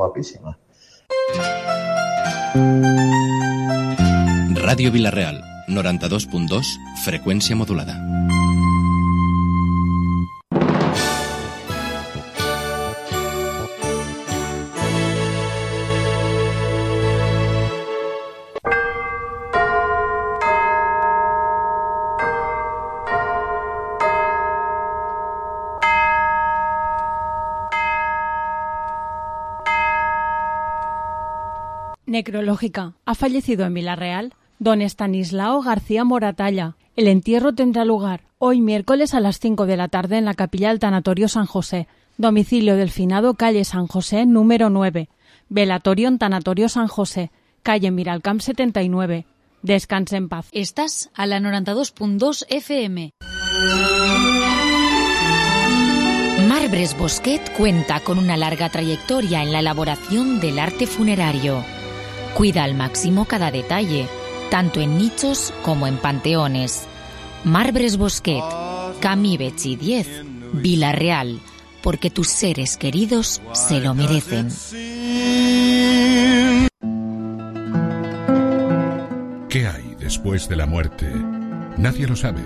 Guapíssima. Ràdio Vila-real, 92.2, freqüència modulada. Necrológica. Ha fallecido en Vila-real don Estanislao García Moratalla. El entierro tendrá lugar hoy miércoles a las 5 de la tarde en la capilla del Tanatorio San José. Domicilio del finado, calle San José, número 9. Velatorio en Tanatorio San José, calle Miralcamp 79. Descanse en paz. Estás a la 92.2 FM. Marbres Bosquet cuenta con una larga trayectoria en la elaboración del arte funerario. Cuida al máximo cada detalle, tanto en nichos como en panteones. Marbres Bosquet, Camí Betxí 10, Vila-real, porque tus seres queridos se lo merecen. ¿Qué hay después de la muerte? Nadie lo sabe,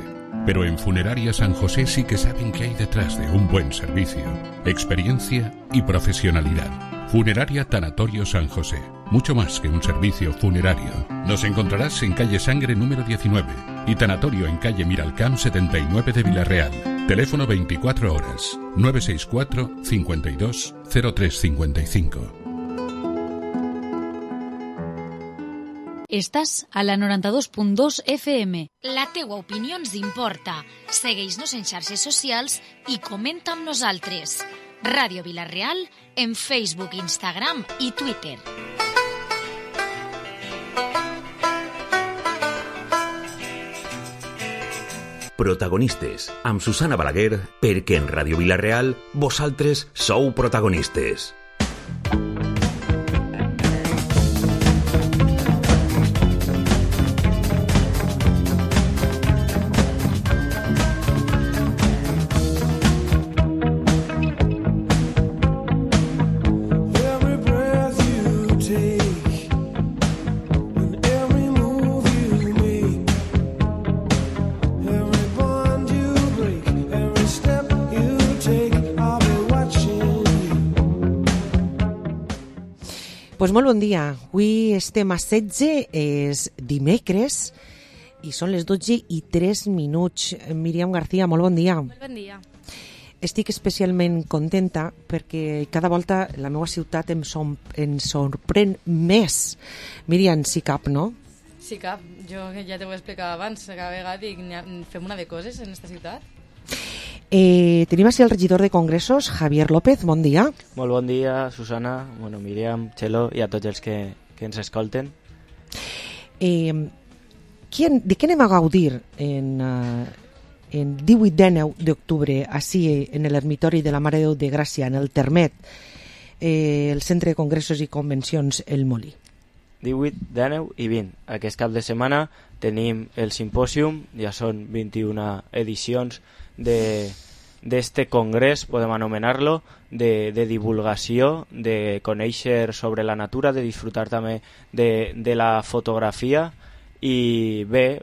pero en Funeraria San José sí que saben qué hay detrás de un buen servicio, experiencia y profesionalidad. Funeraria Tanatorio San José, mucho más que un servicio funerario. Nos encontrarás en calle Sangre número 19 y Tanatorio en calle Miralcamp 79 de Vila-real. Teléfono 24 horas, 964 52 0355. Estàs a la 92.2 FM. La teua opinió ens importa. Segueix-nos en xarxes socials i comenta amb nosaltres. Ràdio Vila-real en Facebook, Instagram i Twitter. Protagonistes, amb Susana Balaguer, perquè en Ràdio Vila-real vosaltres sou protagonistes. Pues molt bon dia. Avui estem a 16, és dimecres i són les 12:03. Míriam García, molt bon dia. Molt bon dia. Estic especialment contenta perquè cada volta la meva ciutat em sorprèn més. Míriam, si cap, no? Sí cap. Jo ja t'ho he explicat abans, cada vegada dic, fem una de coses en esta ciutat. Tenim així el regidor de Congressos, Javier López, bon dia. Molt bon dia, Susana, Míriam, Txelo i a tots els que ens escolten. De què anem a gaudir en 18-19 d'octubre així en l'ermitori de la Mare de Déu de Gràcia, en el Termet, el Centre de Congressos i Convencions El Molí? 18, 19 i 20. Aquest cap de setmana tenim el simpòsium, ja són 21 edicions d'este congrés, podem anomenar-lo, de divulgació, de conèixer sobre la natura, de disfrutar també de la fotografia. I bé,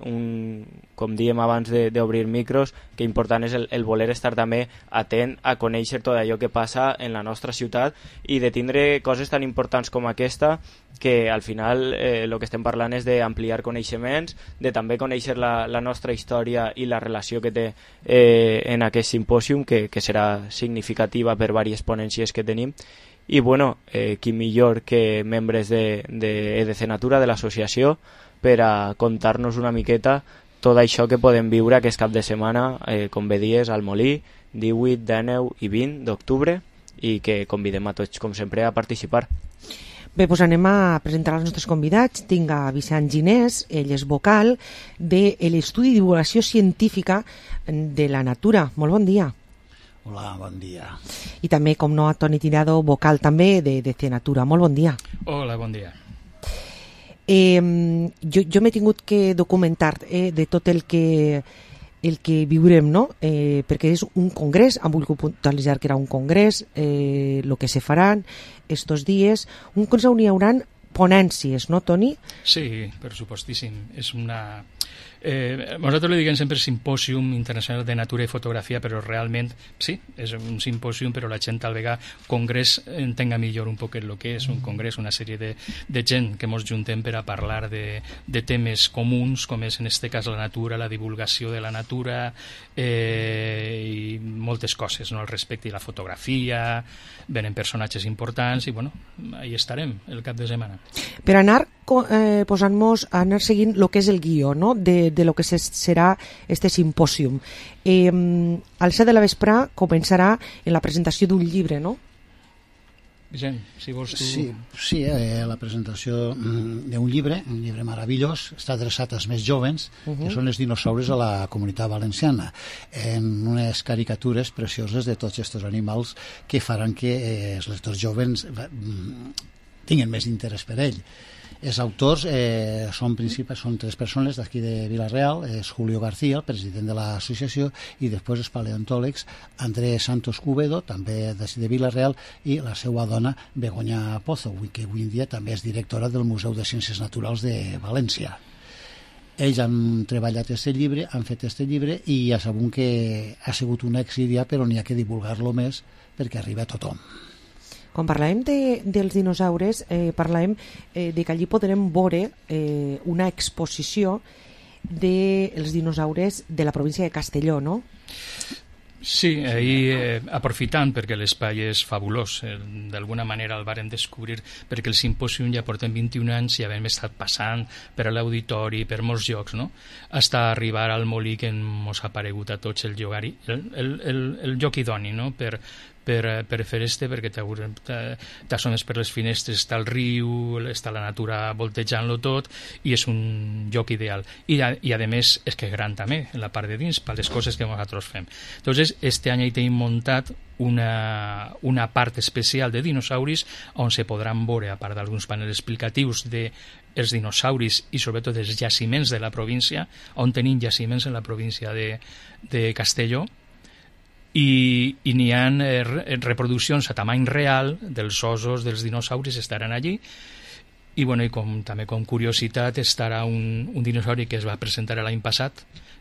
com dèiem abans d'obrir micros, que important és el voler estar també atent a conèixer tot allò que passa en la nostra ciutat i de tindre coses tan importants com aquesta, que al final el que estem parlant és d'ampliar coneixements, de també conèixer la nostra història i la relació que té en aquest simpòsium, que serà significativa per diverses ponències que tenim. I bueno, qui millor que membres d'EDC Natura, de l'associació, per a contar-nos una miqueta tot això que podem viure aquest cap de setmana, com bé dies, al Molí, 18, 19 i 20 d'octubre, i que convidem a tots, com sempre, a participar. Bé, doncs anem a presentar els nostres convidats. Tinc a Vicent Ginés, ell és vocal de l'Estudi de Divulgació Científica de la Natura. Molt bon dia. Hola, bon dia. I també, com no, a Toni Tirado, vocal també de Natura. Molt bon dia. Hola, bon dia. Jo m'he tingut que documentar de tot el que el que viurem, no? Perquè és un congrés, han volgut puntualitzar que era un congrés, el que se faran estos dies, un congrés on hi haurà ponències, no, Toni? Sí, per supostíssim. És una... nosaltres li diguem sempre Simpòsium Internacional de Natura i Fotografia, però realment, sí, és un simpòsium, però la gent al vegà congrés entenga millor un poc el que és un congrés, una sèrie de gent que ens juntem per a parlar de temes comuns, com és en este cas la natura, la divulgació de la natura i moltes coses, no, al respecte, i la fotografia, venen personatges importants i, bueno, ahí estarem el cap de setmana. Per anar posant-nos, anar seguint el que és el guió, no?, de lo que serà este simpòsium. Al 7 de la vesprà començarà en la presentació d'un llibre, no? Vicent, si vols tu... Sí, la presentació d'un llibre, un llibre meravellós, està adreçat als més jovens, que són els dinosaures a la Comunitat Valenciana, en unes caricatures precioses de tots aquests animals que faran que els lectors jovens tinguin més interès per ell. Els autors són 3 persones d'aquí de Vila-real, és Julio García, el president de l'associació, i després els paleontòlegs Andrés Santos Cubedo, també de Vila-real, i la seva dona Begoña Pozo, que avui en dia també és directora del Museu de Ciències Naturals de València. Ells han treballat aquest llibre, han fet aquest llibre, i ja sabem que ha sigut un èxit ja, però n'hi ha que divulgar-lo més perquè arriba a tothom. Quan parlàvem dels dinosaures, parlàvem de que allí podrem veure una exposició dels dinosaures de la província de Castelló, no? Sí, ahir aprofitant perquè l'espai és fabulós, d'alguna manera el vàrem descobrir perquè el simpòsium ja portem 21 anys i havem estat passant per a l'auditori, per molts llocs, no? Hasta arribar al molí que ens ha aparegut a tots el lloc idoni, no? Per fer perquè t'assomes per les finestres, està el riu, està la natura voltejant-lo tot i és un lloc ideal i a més és que és gran també en la part de dins per les coses que nosaltres fem. Entonces este any hi tenim muntat una part especial de dinosauris on se podran veure, a part d'alguns panels explicatius dels dinosauris i sobretot dels jaciments de la província, on tenim jaciments en la província de Castelló, i n'hi ha reproduccions a tamany real dels ossos dels dinosauris, estaran allí i, bueno, també com curiositat estarà un dinosauri que es va presentar l'any passat,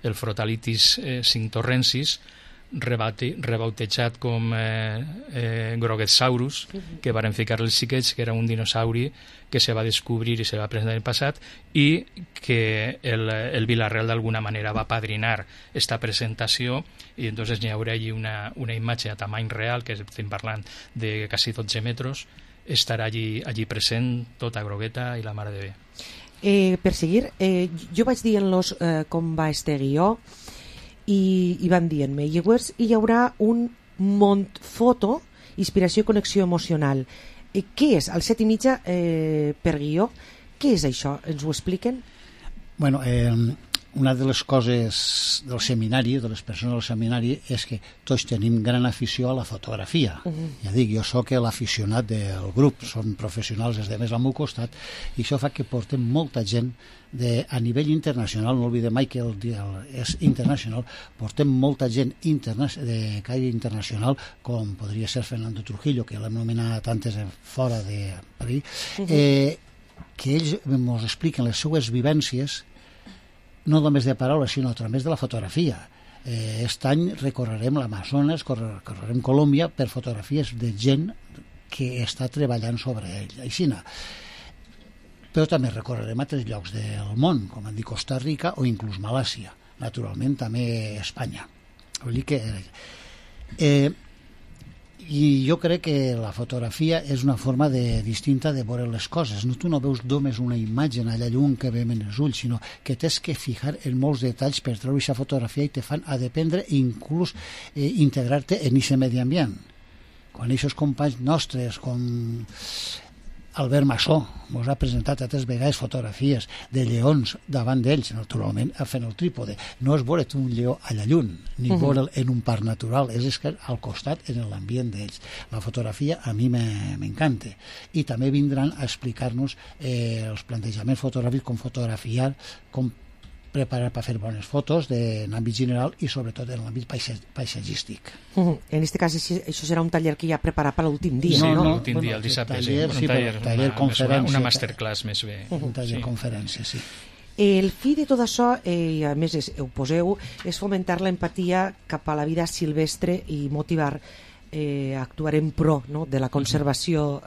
el Frotalitis cinctorrensis, rebautejat com Grogetsaurus, que varen ficar els xiquets, que era un dinosauri que se va descobrir i se va presentar l'any passat i que el Vila-real d'alguna manera va padrinar esta presentació i entonces n'hi haurà allí una imatge a tamany real, que estem parlant de quasi 12 metres, estarà allí present tota grogueta i la mare de bé. Per seguir, jo vaig dient-los com va este guió i van dient-me, llavors hi haurà un Montfoto, inspiració i connexió emocional. Què és? Al 7:30 per guió. Què és això? Ens ho expliquen? Bueno, una de les coses del seminari, de les persones del seminari, és que tots tenim gran afició a la fotografia. Ja dic, jo sóc l'aficionat del grup, són professionals els demés al meu costat, i això fa que portem molta gent a nivell internacional, no oblidem mai que el dia és internacional, portem molta gent de caire internacional, com podria ser Fernando Trujillo, que l'hem nomenat antes fora de París, que ells ens expliquen les seues vivències no només de paraules, sinó a través de la fotografia. Aquest any recorrerem l'Amazones, recorrerem Colòmbia per fotografies de gent que està treballant sobre ell. Aixina. Però també recorrerem altres llocs del món, com han dit Costa Rica o inclús Malàisia. Naturalment també Espanya. Vull dir que... I jo crec que la fotografia és una forma distinta de veure les coses. Tu no veus només una imatge allà lluny que veiem en els ulls, sinó que t'has que fijar en molts detalls per treure aquesta fotografia i te fan a dependre i inclús integrar-te en aquest medi ambient. Quan aquests companys nostres, com Albert Massó, ens ha presentat altres vegades fotografies de lleons davant d'ells, naturalment fent el trípode. No és veure't un lleó allà lluny, ni veure'l en un parc natural, és que al costat, en l'ambient d'ells. La fotografia a mi m'encanta. I també vindran a explicar-nos els plantejaments fotogràfics, com fotografiar, com preparar per fer bones fotos en àmbit general i sobretot en l'àmbit paisatgístic. En aquest cas, això serà un taller que ja preparat per l'últim dia, no? No, l'últim dia, el dissabte, taller conferència. Una masterclass més bé. Un taller conferència, sí. El fi de tot això, i a més ho poseu, és fomentar l'empatia cap a la vida silvestre i motivar a actuar en pro, no?, de la conservació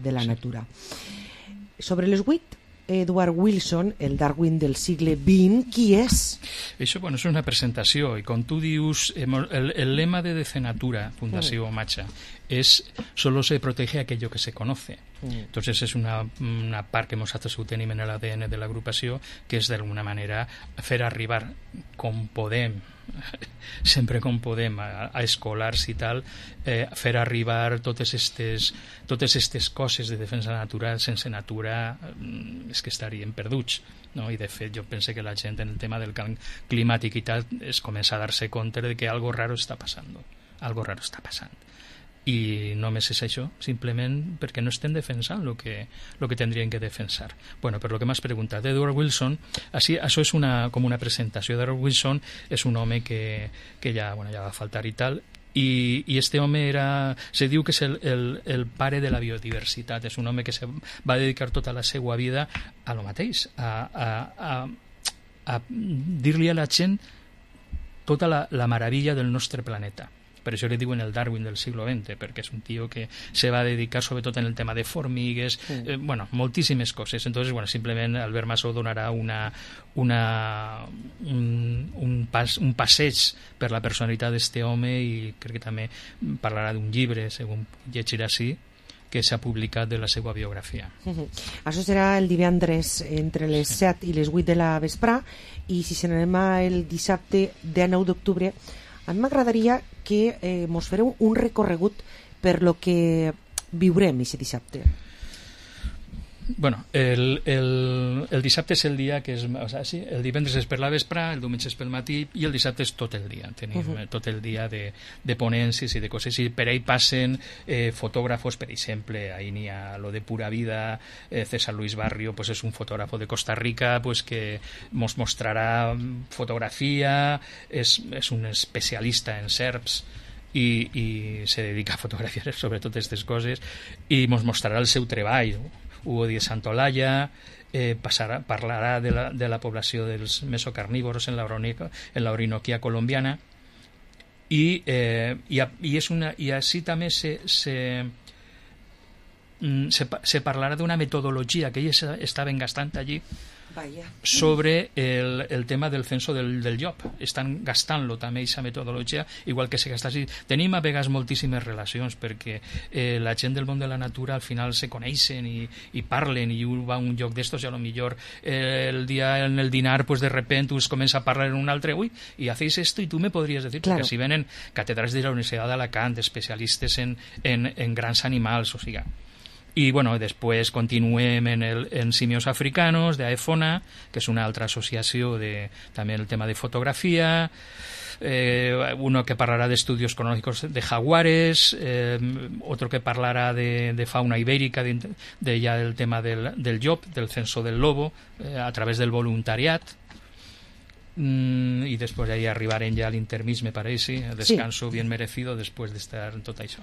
de la natura. Sobre les 8, Edward Wilson, el Darwin del segle XX, qui és? Això, bueno, és una presentació, i com tu dius, el lema de Decenatura, Fundació Macha, es solo se protege aquello que se conoce. Entonces es una part que nosaltres ho tenim en l'ADN de l'agrupació, que és d'alguna manera fer arribar com podem, sempre com podem, a escolars i tal, fer arribar totes estes coses de defensa natural. Sense natura és que estaríem perduts, no? I de fet jo penso que la gent en el tema del canvi climàtic i tal es comença a dar-se compte de que algo raro està passant, i només és això, simplement perquè no estem defensant lo que tendrien que defensar. Bueno, per lo que m'has preguntat, Edward Wilson, això és com una presentació. Edward Wilson és un home que ja va faltar i tal, i este home se diu que és el pare de la biodiversitat. És un home que se va dedicar tota la seva vida a lo mateix, a dir-li a la gent tota la meravella del nostre planeta. Per això li diuen el Darwin del siglo XX, perquè és un tio que se va dedicar sobretot en el tema de formigues, moltíssimes coses. Entonces, simplement Albert Massó donarà un passeig per la personalitat d'este home, i crec que també parlarà d'un llibre, segons llegirà així, que s'ha publicat de la seva biografia. Això serà el divendres entre les 7 i les 8 de la vesprà, i si se n'anem el dissabte 19 d'octubre, a mi m'agradaria que mos fareu un recorregut per lo que viurem aquest dissabte. Bueno, el dissabte és el dia que és, el divendres és per la vespre, el diumenge és pel matí, i el dissabte és tot el dia. Tenim tot el dia de ponències i de coses, i per ahí passen fotògrafos. Per exemple, ahí n'hi ha lo de Pura Vida, César Luis Barrio, pues és un fotògrafo de Costa Rica, pues que mos mostrarà fotografia, és un especialista en serps, i se dedica a fotografiar sobretot aquestes coses, i mos mostrarà el seu treball. Hugo Díez Santolaya parlarà de la població dels mesocarnívoros en la Orinoquia colombiana, i així també se parlarà d'una metodologia que ells estaven gastant allí sobre el tema del censo del llop. Estan gastant-lo també, aquesta metodologia, igual que se gasta així. Tenim a vegades moltíssimes relacions, perquè la gent del món de la natura al final se coneixen i parlen, i un va a un lloc d'estos i a lo millor el dia en el dinar pues de repente us comença a parlar en un altre, i hacéis esto y tú me podrías decir, claro. Perquè si venen catedràtics de la Universitat d'Alacant, especialistes en grans animals, o sigui. I després continuem en simios africanos de AEFONA, que és una altra associació també el tema de fotografia, uno que parlarà d'estudios cronológicos de jaguares, otro que parlarà de fauna ibérica, ya del tema del llop, del censo del lobo, a través del voluntariat. I després ja arribarem ja a l'intermís, me parece, el descanso bien merecido després d'estar en tot això.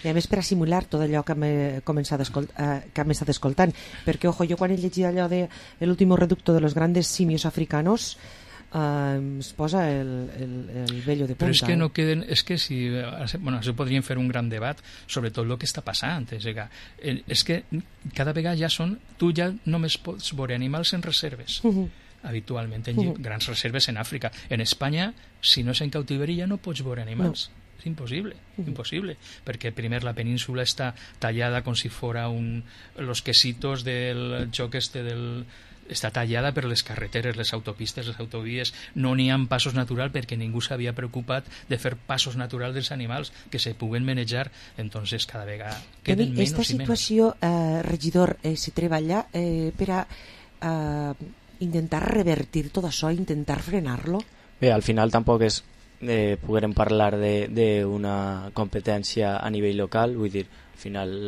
I a més per a simular tot allò que hem estat escoltant, perquè jo quan he llegit allò de l'último reducto de los grandes simios africanos es posa el vello de punta. Però és que no queden, és que si això podríem fer un gran debat sobre tot el que està passant, és que cada vegada tu ja només pots veure animals en reserves, habitualment en grans reserves en Àfrica. En Espanya, si no és en cautiveria, ja no pots veure animals. És impossible, perquè primer la península està tallada com si fora los quesitos del joc està tallada per les carreteres, les autopistes, les autovies. No n'hi ha passos naturals perquè ningú s'havia preocupat de fer passos naturals dels animals que se puguen manejar. Entonces cada vegada queden menys i menys. Esta situació, regidor, se treballa per a intentar revertir tot això, intentar frenar-lo? Bé, al final tampoc poguérem parlar d'una competència a nivell local, vull dir, al final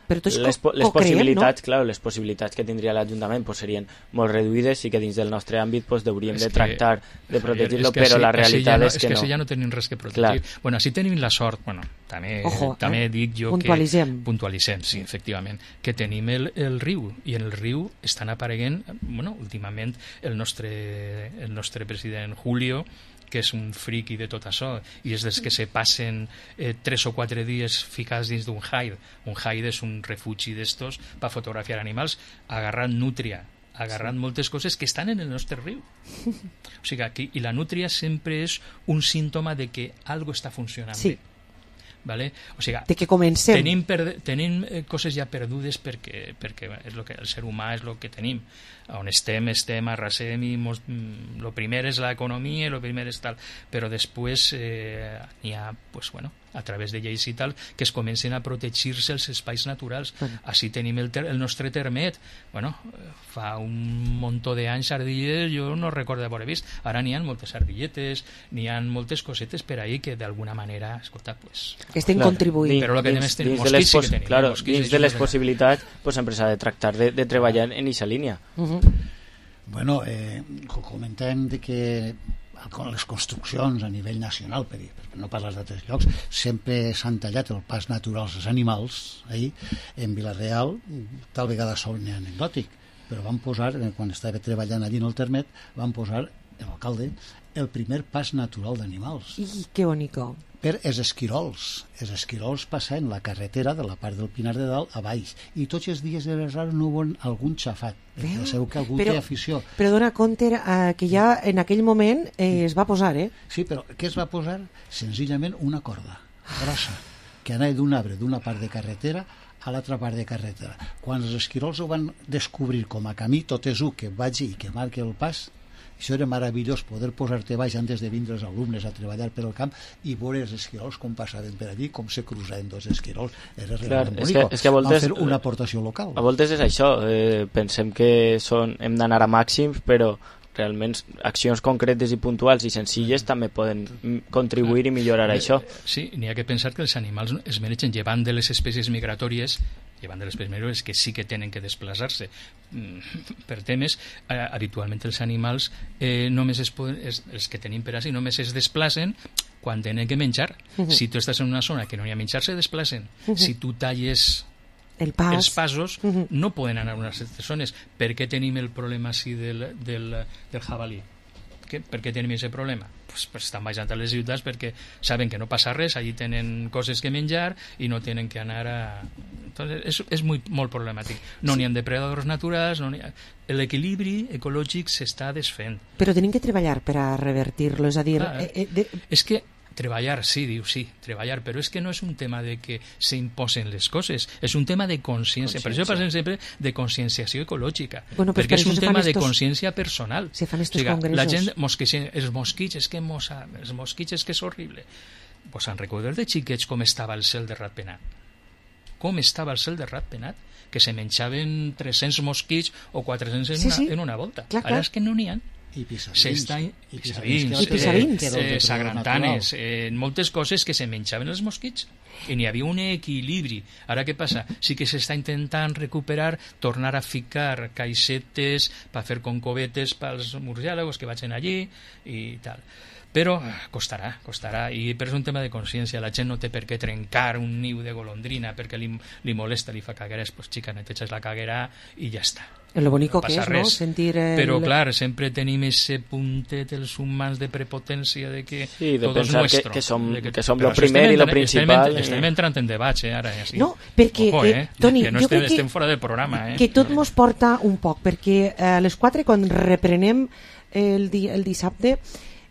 Però tots les co-creem, possibilitats, no? clar, les possibilitats que tindria l'Ajuntament pues, serien molt reduïdes i que dins del nostre àmbit pues, hauríem de tractar de protegir-lo, però la realitat és que no. És que ja no tenim res que protegir. Clar. Bueno, així tenim la sort, bueno, també dic jo puntualitzem, sí, efectivament, que tenim el riu, i en el riu estan apareguent, bueno, últimament el nostre president Julio, que és un friqui de tot això, i és dels que se passen 3 o 4 dies ficats dins d'un hide. Un hide és un refugi d'estos per fotografiar animals, agarrant nútria, agarrant moltes coses que estan en el nostre riu. O sigui, aquí, i la nútria sempre és un símptoma de que algo està funcionant bé. Vale? O sigui, de que comencem. Tenim coses ja perdudes perquè és lo que el ser humà és el que tenim. On estem, arrasem i el primer és l'economia, el primer és tal, però després n'hi ha, pues, bueno, a través de lleis i tal, que es comencen a protegir-se els espais naturals. Així tenim el nostre termet. Bueno, fa un muntó d'anys ardilles jo no recordo haver vist. Ara n'hi ha moltes ardilletes, n'hi ha moltes cosetes per ahí que d'alguna manera, escolta, pues... que estem contribuint. Però el que dins mosquits sí que tenim. Claro, dins de les possibilitats, pues, sempre s'ha de tractar de treballar en aquesta línia. Bueno, comentem de que con les construccions a nivell nacional, per no parlar d'altres llocs, sempre s'han tallat el pas natural als animals. En Vila-real, tal vegada sol anecdòtic, però van posar, quan estava treballant allí en el termet, van posar, l'alcalde, el primer pas natural d'animals. I que bonico. Per els esquirols. Els esquirols passen la carretera de la part del Pinar de Dalt a baix, i tots els dies de les rares no veuen algun xafat. Sabeu que algú té afició. Però dona compte que ja en aquell moment es va posar, Sí, però què es va posar? Senzillament una corda grossa que anava d'un arbre d'una part de carretera a l'altra part de carretera. Quan els esquirols ho van descobrir com a camí, tot és que vagi i que marqui el pas, això era meravellós, poder posar-te baix antes de vindre els alumnes a treballar per al camp i veure els esquirols com passaven per allí, com se cruzaven dos esquirols. Era realment bonic. És que a voltes, van fer una aportació local. A voltes és això, pensem que hem d'anar a màxims, però realment accions concretes i puntuals i senzilles també poden contribuir i millorar això. Sí, n'hi ha que pensar que els animals es mereixen, llevant de les espècies migratòries que sí que tenen que desplaçar-se per temes, habitualment els animals només els que tenim per així només es desplacen quan tenen que menjar. Si tu estàs en una zona que no hi ha menjar, se desplacen. Si tu talles els passos, no poden anar a unes altres zones. Per què tenim el problema així del jabalí? Per què tenim aquest problema? Pues estan baixant a les ciutats perquè saben que no passa res, allí tenen coses que menjar i no tenen que anar a... Entonces, és molt problemàtic. No n'hi ha depredadors naturals, l'equilibri ecològic s'està desfent. Però tenim que treballar per a revertir-lo, és a dir... És que treballar, sí, treballar, però és que no és un tema de que s'imposen les coses, és un tema de consciència. Per això parlem sempre de conscienciació ecològica, perquè és un tema de consciència personal. Se fan estos congressos. La gent, els mosquits és que és horrible. Pues han recordat de xiquets com estava el cel de Ratpenat. Com estava el cel de Ratpenat, que se menjaven 300 mosquits o 400 en una volta. Ara és que no n'hi ha. I pisavins, sagrantanes, moltes coses que se menjaven els mosquits i n'hi havia un equilibri. Ara què passa? Sí que s'està intentant recuperar, tornar a ficar caixetes per fer concovetes pels murciàlagos que vagin allí i tal, però costarà, però és un tema de consciència. La gent no té per què trencar un niu de golondrina perquè li molesta, li fa cagueres. Pues xica, neteges la caguera i ja està. Lo bonico que és, no? Sentir Però clar, sempre tenim ese puntet els humans de prepotència de que tot és nuestro. Que som lo primer i lo principal. Estem entrant en debats, ara. No, perquè, Toni, que no estem fora del programa. Que tot mos porta un poc, perquè a les 4, quan reprenem el dissabte,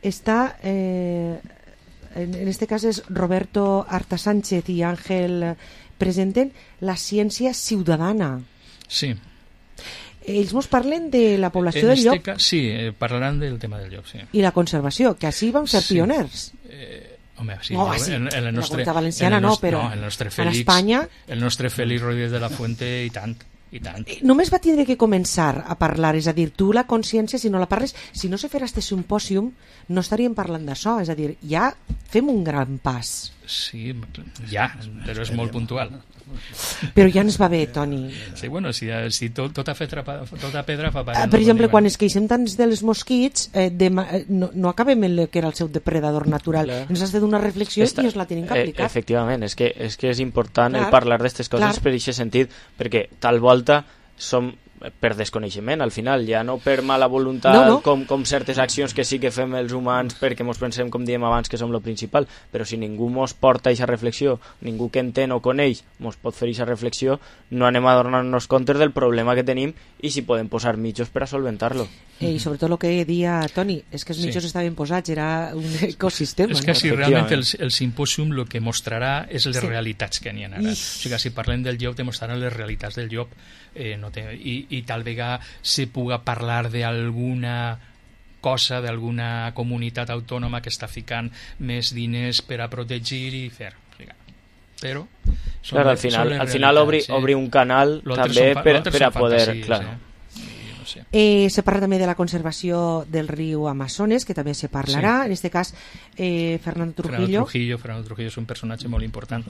està, en este cas és Roberto Arta Sánchez i Àngel presenten la ciència ciutadana. Sí. Ells ens parlen de la població del llop. Sí, parlaran del tema del llop, sí. I la conservació, que així vam ser pioners. Home, sí, en la Comunitat Valenciana no, però en Espanya... El nostre Félix Rodríguez de la Fuente i tant. Només va tindre que començar a parlar, és a dir, tu la consciència, si no la parles, si no se farà este simpòsium, no estaríem parlant d'això, és a dir, ja fem un gran pas. Sí, ja, però és molt puntual. Però ja ens va bé, Toni. Sí, bueno, si tota pedra fa paret. Per exemple, quan es queixem tants dels mosquits, no acabem en el que era el seu depredador natural. Ens has de donar reflexió i ens la tenim que aplicar. Efectivament, és que és important el parlar d'aquestes coses per aquest sentit, perquè tal volta som per desconeixement, al final, ja no per mala voluntat, com certes accions que sí que fem els humans perquè mos pensem, com diem abans, que som lo principal, però si ningú mos porta aquesta reflexió, ningú que entén o coneix mos pot fer aquesta reflexió, no anem a donar-nos compte del problema que tenim i si podem posar mitjos per a solventar-lo. I sobretot el que deia Toni, és que els mitjos estaven posats, era un ecosistema. És que si realment el simpòsium el que mostrarà és les realitats que n'hi ha ara. O sigui, si parlem del llop, demostraran les realitats del llop, i tal vegada se puga parlar d'alguna cosa, d'alguna comunitat autònoma que està ficant més diners per a protegir i fer. Però al final obri un canal també per a poder... Se parla també de la conservació del riu Amazones, que també se parlarà. En aquest cas, Fernando Trujillo. Fernando Trujillo és un personatge molt important.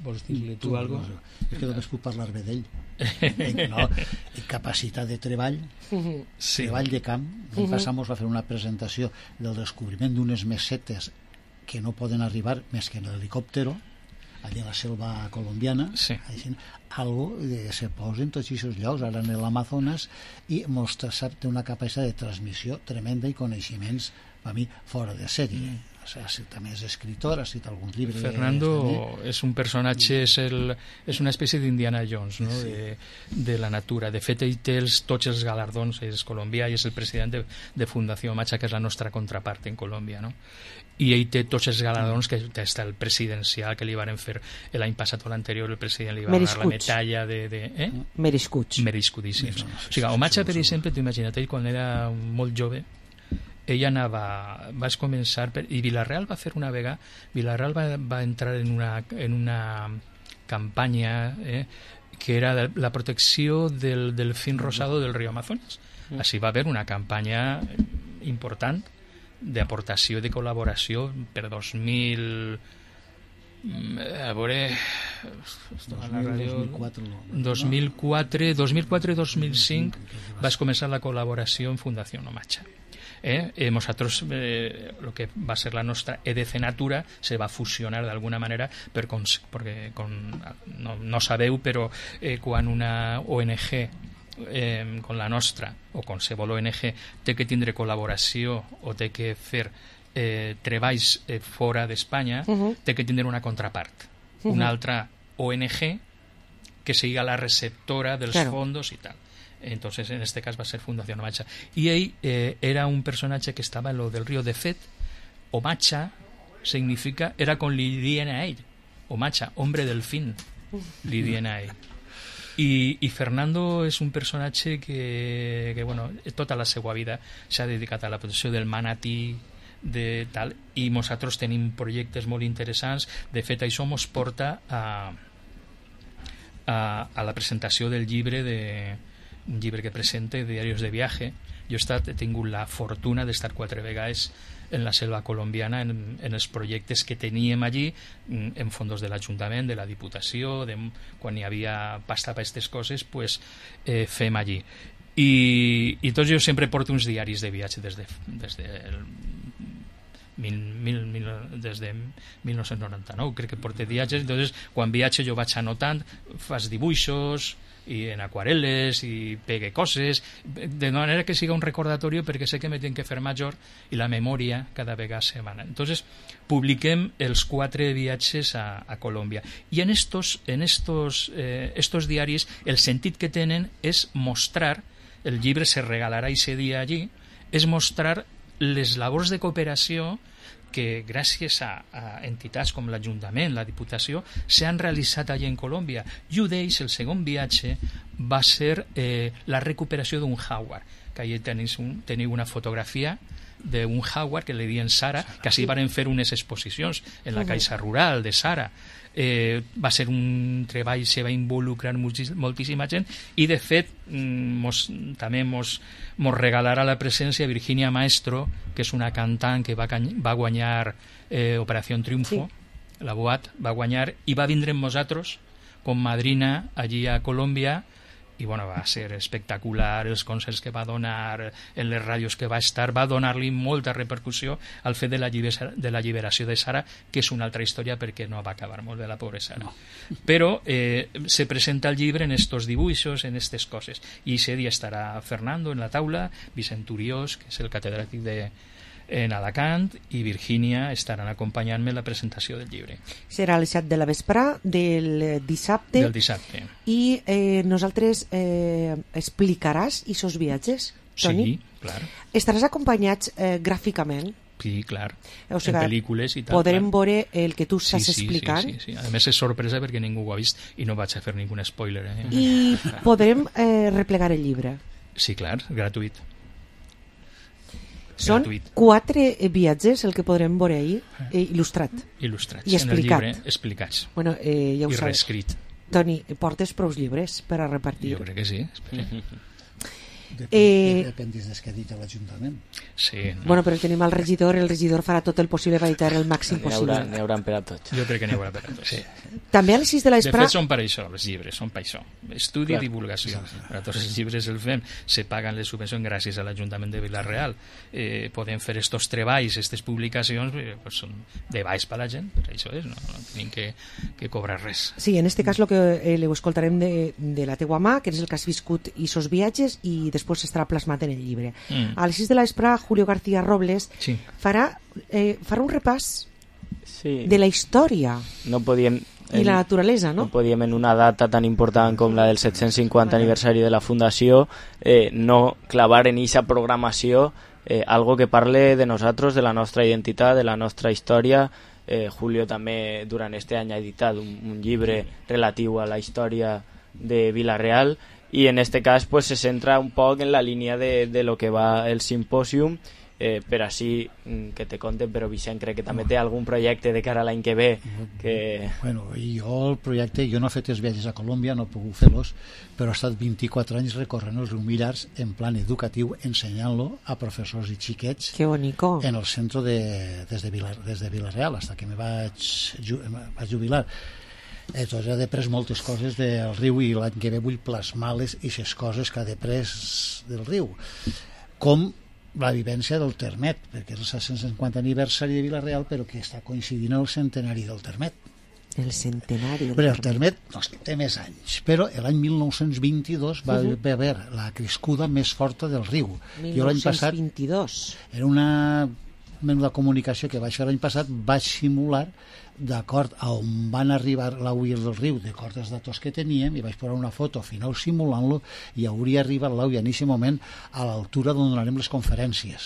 Vols dir-li tu alguna cosa? És que només puc parlar bé d'ell. En capacitat de treball, treball de camp. L'any passat ens va fer una presentació del descobriment d'unes mesetes que no poden arribar més que en l'helicòptero, allà a la selva colombiana, algo se posa en tots aquests llocs, ara en l'Amazones, i mostra una capacitat de transmissió tremenda i coneixements, per mi, fora de sèrie. També és escritor, ha escrit algun llibre. Fernando és un personatge, és una espècie d'Indiana Jones, no? De la natura. De fet, ell té tots els galardons, és colombià i és el president de Fundació Macha, que és la nostra contrapart en Colòmbia, no? I ell té tots els galardons, que està el presidencial que li van fer l'any passat o l'anterior, el president li va donar la medalla de... Merescudíssims. O sigui, Omacha, per exemple, t'ho imagina't, ell quan era molt jove, ella vas començar i Vila-real va fer una vegada, Vila-real va entrar en una campanya que era la protecció del delfín rosado del riu Amazonas. Així va haver una campanya important d'aportació i de col·laboració per 2000 a veure 2004 2005 vas començar la col·laboració en Fundació Omacha. Nosaltres el que va ser la nostra EDC Natura se va fusionar d'alguna manera perquè no sabeu, però quan una ONG com la nostra o qualsevol ONG té que tindre col·laboració o té que fer treballs fora d'Espanya, té que tindre una contrapart, una altra ONG que siga la receptora dels fondos i tal. Entonces en este cas va ser Fundació Omacha i ell era un personatge que estava en lo del río. De fet, Omacha significa, era con li dient a ell Omacha, hombre delfín, li dient a ell. I Fernando és un personatge que bueno, tota la seva vida s'ha dedicat a la protecció del manatí de tal, i nosaltres tenim projectes molt interessants. De fet, això ens porta a la presentació del llibre un llibre que presenta, Diarios de viaje. Jo he tingut la fortuna d'estar 4 vegades en la selva colombiana en els projectes que teníem allí, en fondos de l'Ajuntament, de la Diputació, quan hi havia pasta per aquestes coses, pues, fem allí. I tots jo sempre porto uns diaris de viatge des de 1999, crec que porté viatges. Entonces, quan viatge jo vaig anotant, fas dibuixos i en aquarel·les i pegue coses, de manera que siga un recordatori, perquè sé que me tinc que fer major i la memòria cada vegada se va. Entonces publiquem els 4 viatges a Colòmbia, i en estos diaris el sentit que tenen és mostrar, el llibre se regalarà ese dia allí, és mostrar les labors de cooperació que gràcies a entitats com l'Ajuntament, la Diputació, s'han realitzat allà en Colòmbia. I un d'ells, el segon viatge, va ser la recuperació d'un jaguar, que allà teniu una fotografia d'un Howard que li diuen Sara, que així van fer unes exposicions en la Caixa Rural de Sara. Va ser un treball, se va involucrar moltíssima gent, i de fet també mos regalarà la presència Virginia Maestro, que és una cantant que va guanyar Operación Triunfo, la Boat va guanyar, i va vindre amb nosaltres com madrina allí a Colòmbia, i bueno, va ser espectacular els concerts que va donar, en les ràdios que va estar, va donar-li molta repercussió al fet de la lliberació de Sara, que és una altra història perquè no va acabar molt bé la pobra Sara. Però se presenta el llibre en estos dibuixos, en aquestes coses, i ese dia estarà Fernando en la taula, Vicent Uriós, que és el catedràtic en Alacant, i Virgínia estaran acompanyant-me en la presentació del llibre. Serà a les 7 de la vesprà del dissabte. I nosaltres explicaràs aquests viatges, Toni? Sí, clar. Estaràs acompanyats gràficament? Sí, clar, o sigui, en pel·lícules i tal. Podrem veure el que tu estàs explicant? Sí. A més és sorpresa perquè ningú ho ha vist i no vaig a fer ningun spoiler. I podrem replegar el llibre? Sí, clar, gratuït. Són 4 viatges el que podrem veure ahir, il·lustrat. Il·lustrats, i explicat. En el llibre explicats. Bueno, ja ho i reescrit. Toni, portes prou llibres per a repartir? Jo crec que sí. Depèn des que ha dit l'Ajuntament. Sí. No. Bueno, però tenim el regidor farà tot el possible per editar el màxim possible. N'hi haurà per a tots. Jo crec que n'hi haurà per a tots. Sí. També a les 6 de la vesprà... De fet són per això, els llibres, són per això. Estudi i divulgació. Per a tots els llibres el fem. Se paguen les subvencions gràcies a l'Ajuntament de Vila-real. Podem fer estos treballs, aquestes publicacions, pues són de baix per a la gent, per això és, no tenim que cobrar res. Sí, en este cas el que ho escoltarem de la teua mà, que és el que has viscut i sos viatges, i després estarà plasmat en el llibre. A les 6 de la vesprà, Julio García Robles farà un repàs de la història i la naturalesa, no? No podíem en una data tan important com la del 750 aniversari de la Fundació no clavar en eixa programació algo que parle de nosaltres, de la nostra identitat, de la nostra història. Julio també durant este any ha editat un llibre relatiu a la història de Vila-real, i en este cas pues, se centra un poc en la línia de lo que va el simpòsium, per així que te conten, però Vicent crec que també té algun projecte de cara a l'any que ve que... Bueno, jo el projecte, jo no he fet els viatges a Colòmbia, no he pogut fer-los, però he estat 24 anys recorrent el riu Millars en plan educatiu, ensenyant-lo a professors i xiquets en el centre des de Vila-real, fins que me vaig jubilar. Entonces he après moltes coses del riu, i l'any que ve vull plasmar-les aquestes coses que he après del riu, com la vivència del Termet, perquè és el 150 aniversari de Vila-real, però que està coincidint el centenari del Termet. El centenari del Termet. El Termet no, té més anys, però l'any 1922 va haver la crescuda més forta del riu. 1922? Era una menuda comunicació que vaig fer l'any passat, vaig simular d'acord a on van arribar l'Auia del riu, d'acord als datos que teníem, i vaig posar una foto final simulant-lo, i hauria arribat l'Auia en aquest moment a l'altura d'on donarem les conferències.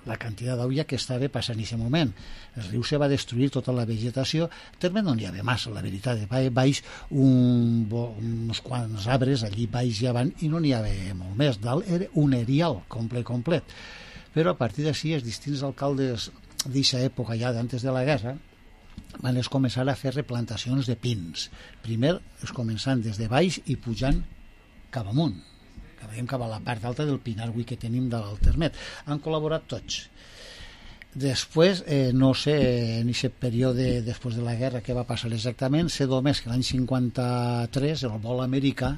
La quantitat d'Auia que estava passant en aquest moment. El riu se va destruir tota la vegetació, també no n'hi havia massa, la veritat, baix uns quants arbres, allí baix i avant, i no n'hi havia molt més. Dalt era un erial complet. Però a partir d'ací els distints alcaldes d'aquesta època, ja d'antes de la guerra, van començar a fer replantacions de pins. Primer es començant des de baix i pujant cap amunt, cap a la part alta del pinar que tenim de l'Altermet. Han col·laborat tots. Després, no sé en aquest període després de la guerra què va passar exactament, sé només que l'any 53 el vol americà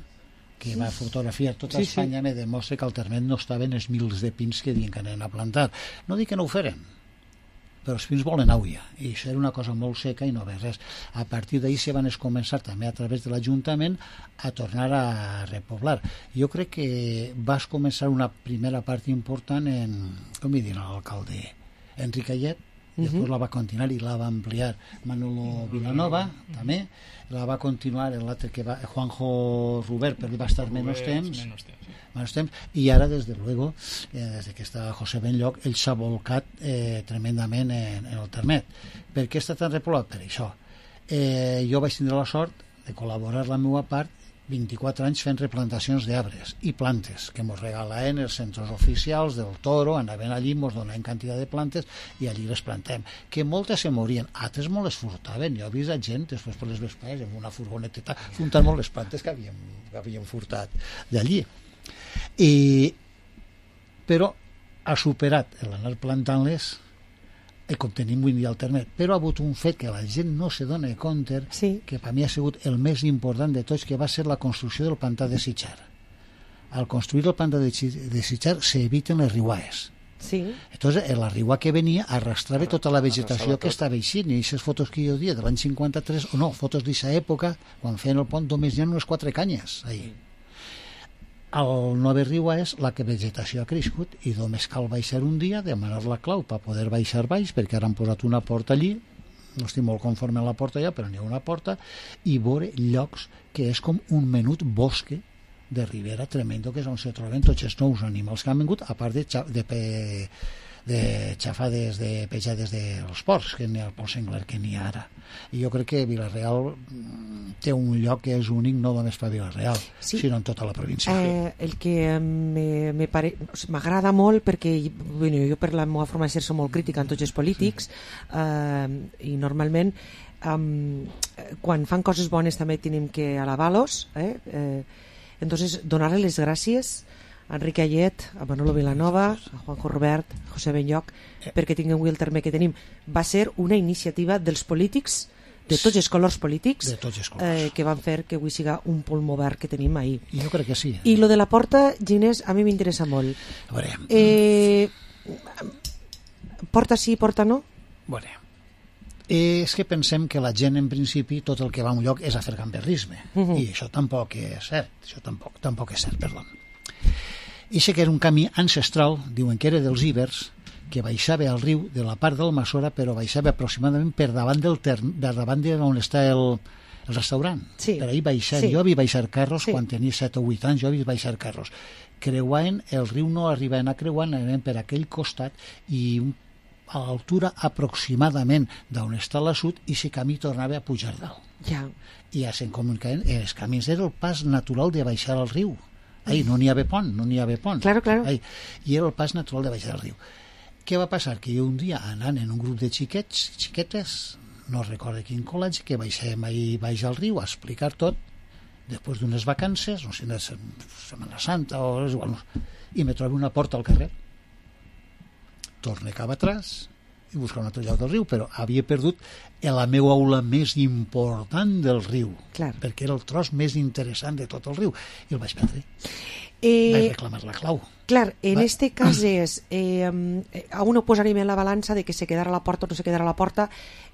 que va fotografiar tota Espanya me demostra que al Termet no estaven els mils de pins que diuen que anen a plantar. No dic que no ho feren, però els pins volen Auia, i això era una cosa molt seca i no ve res. A partir d'ahir se van començar també a través de l'Ajuntament a tornar a repoblar. Jo crec que vas començar una primera part important en, com hi diuen l'alcalde, Enric Ayet, després la va continuar i la va ampliar Manolo Vilanova, també, la va continuar l'altre que va, Juanjo Rubert, però va estar menys temps, i ara des de luego, des que està José Benlloc, ell s'ha volcat tremendament en el Termet. Per què està tan repoblat? Per això. Jo vaig tindre la sort de col·laborar la meva part 24 anys fent replantacions d'arbres i plantes que ens regalaven els centres oficials del Toro, anaven allí, ens donaven quantitat de plantes i allí les plantem, que moltes se morien, altres molt les furtaven. Jo he vist a gent després per les vespres amb una furgoneteta furtant molt les plantes que havien furtat d'allí. Però ha superat l'anar plantant-les com tenim avui dia al Termet, però ha hagut un fet que la gent no se dona compte, que per mi ha sigut el més important de tots, que va ser la construcció del pantà de Sitjar. Al construir el pantà de Sitjar s'eviten les riuades. Entonces la riua que venia arrastrava tota la vegetació que estava eixint, i aquestes fotos que jo dia de l'any 53, o no, fotos d'aquesta època, quan feien el pont només hi ha unes 4 canyes ahí. Al no haver riuades, la vegetació ha crescut i només cal baixar un dia, demanar la clau per poder baixar baix, perquè ara han posat una porta allí, no estic molt conforme amb la porta ja, però n'hi ha una porta, i veure llocs que és com un menut bosque de ribera tremendo, que és on se troben tots els nous animals que han vingut, a part de xafades, de pejades dels porcs, que n'hi ha el port senglar que n'hi ha ara. I jo crec que Vila-real té un lloc que és únic no només per Vila-real, sinó en tota la província. El que m'agrada molt, perquè jo per la meva forma de ser soc molt crítica en tots els polítics, i normalment quan fan coses bones també tenim que alabar-los, entonces donar-les les gràcies a Enric Ayet, a Manolo Vilanova, a Juanjo Robert, a José Benlloc, perquè tinguem avui el terme que tenim. Va ser una iniciativa dels polítics, de tots els colors polítics, que van fer que avui siga un pulmó verd que tenim ahir. Jo crec que sí. I lo de la porta, Ginés, a mi m'interessa molt. A veure... Porta sí, porta no? Bueno, és que pensem que la gent en principi tot el que va a un lloc és a fer gamberrisme, i això tampoc és cert, perdó. I sé que era un camí ancestral, diuen que era dels íbers, que baixava al riu de la part d'Almassora, però baixava aproximadament per davant d'on està el restaurant. Per ahir baixar, jo havia baixar carros quan tenia 7 o 8 anys, jo havia baixar carros. Creuaven, el riu no arribaven a creuar, anaven per aquell costat i a l'altura aproximadament d'on està l'assut, i aquest camí tornava a pujar dalt. I ja se'n comunicaven, els camins era el pas natural de baixar al riu. No n'hi havia pont, Claro. I era el pas natural de baixar al riu. Què va passar? Que jo un dia, anant en un grup de xiquetes, no recordo quin col·legi, que baixem ahir baix al riu a explicar tot, després d'unes vacances, no sé, de Setmana Santa o és igual, i me trobo una porta al carrer. Torne cap atrás i buscar un altre lloc del riu, però havia perdut la meva aula més important del riu, perquè era el tros més interessant de tot el riu, i el vaig perdre. Vaig reclamar la clau. Clar, en este cas és a uno posaríem en la balança de que se quedara a la porta o no se quedara a la porta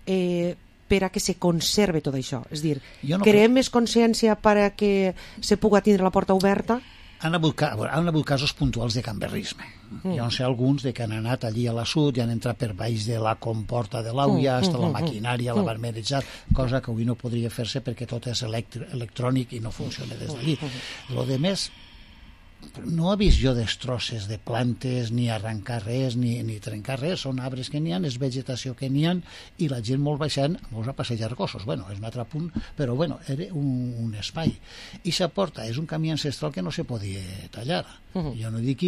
per a que se conserve tot això, és dir, creem més consciència per a que se puga tindre la porta oberta? Han hagut casos puntuals de gamberrisme. Jo sé alguns que han anat allí a la sud i han entrat per baix de la comporta de l'Auia, hasta la maquinària, la barmerejat, cosa que avui no podria fer-se perquè tot és electrònic i no funciona des d'allí. Lo de més, no he vist jo destrosses de plantes, ni arrencar res, ni trencar res, són arbres que n'hi ha, és vegetació que n'hi ha, i la gent molt baixant, molts a passejar gossos, és un altre punt, però era un espai. I sa porta és un camí ancestral que no se podia tallar. Jo no dic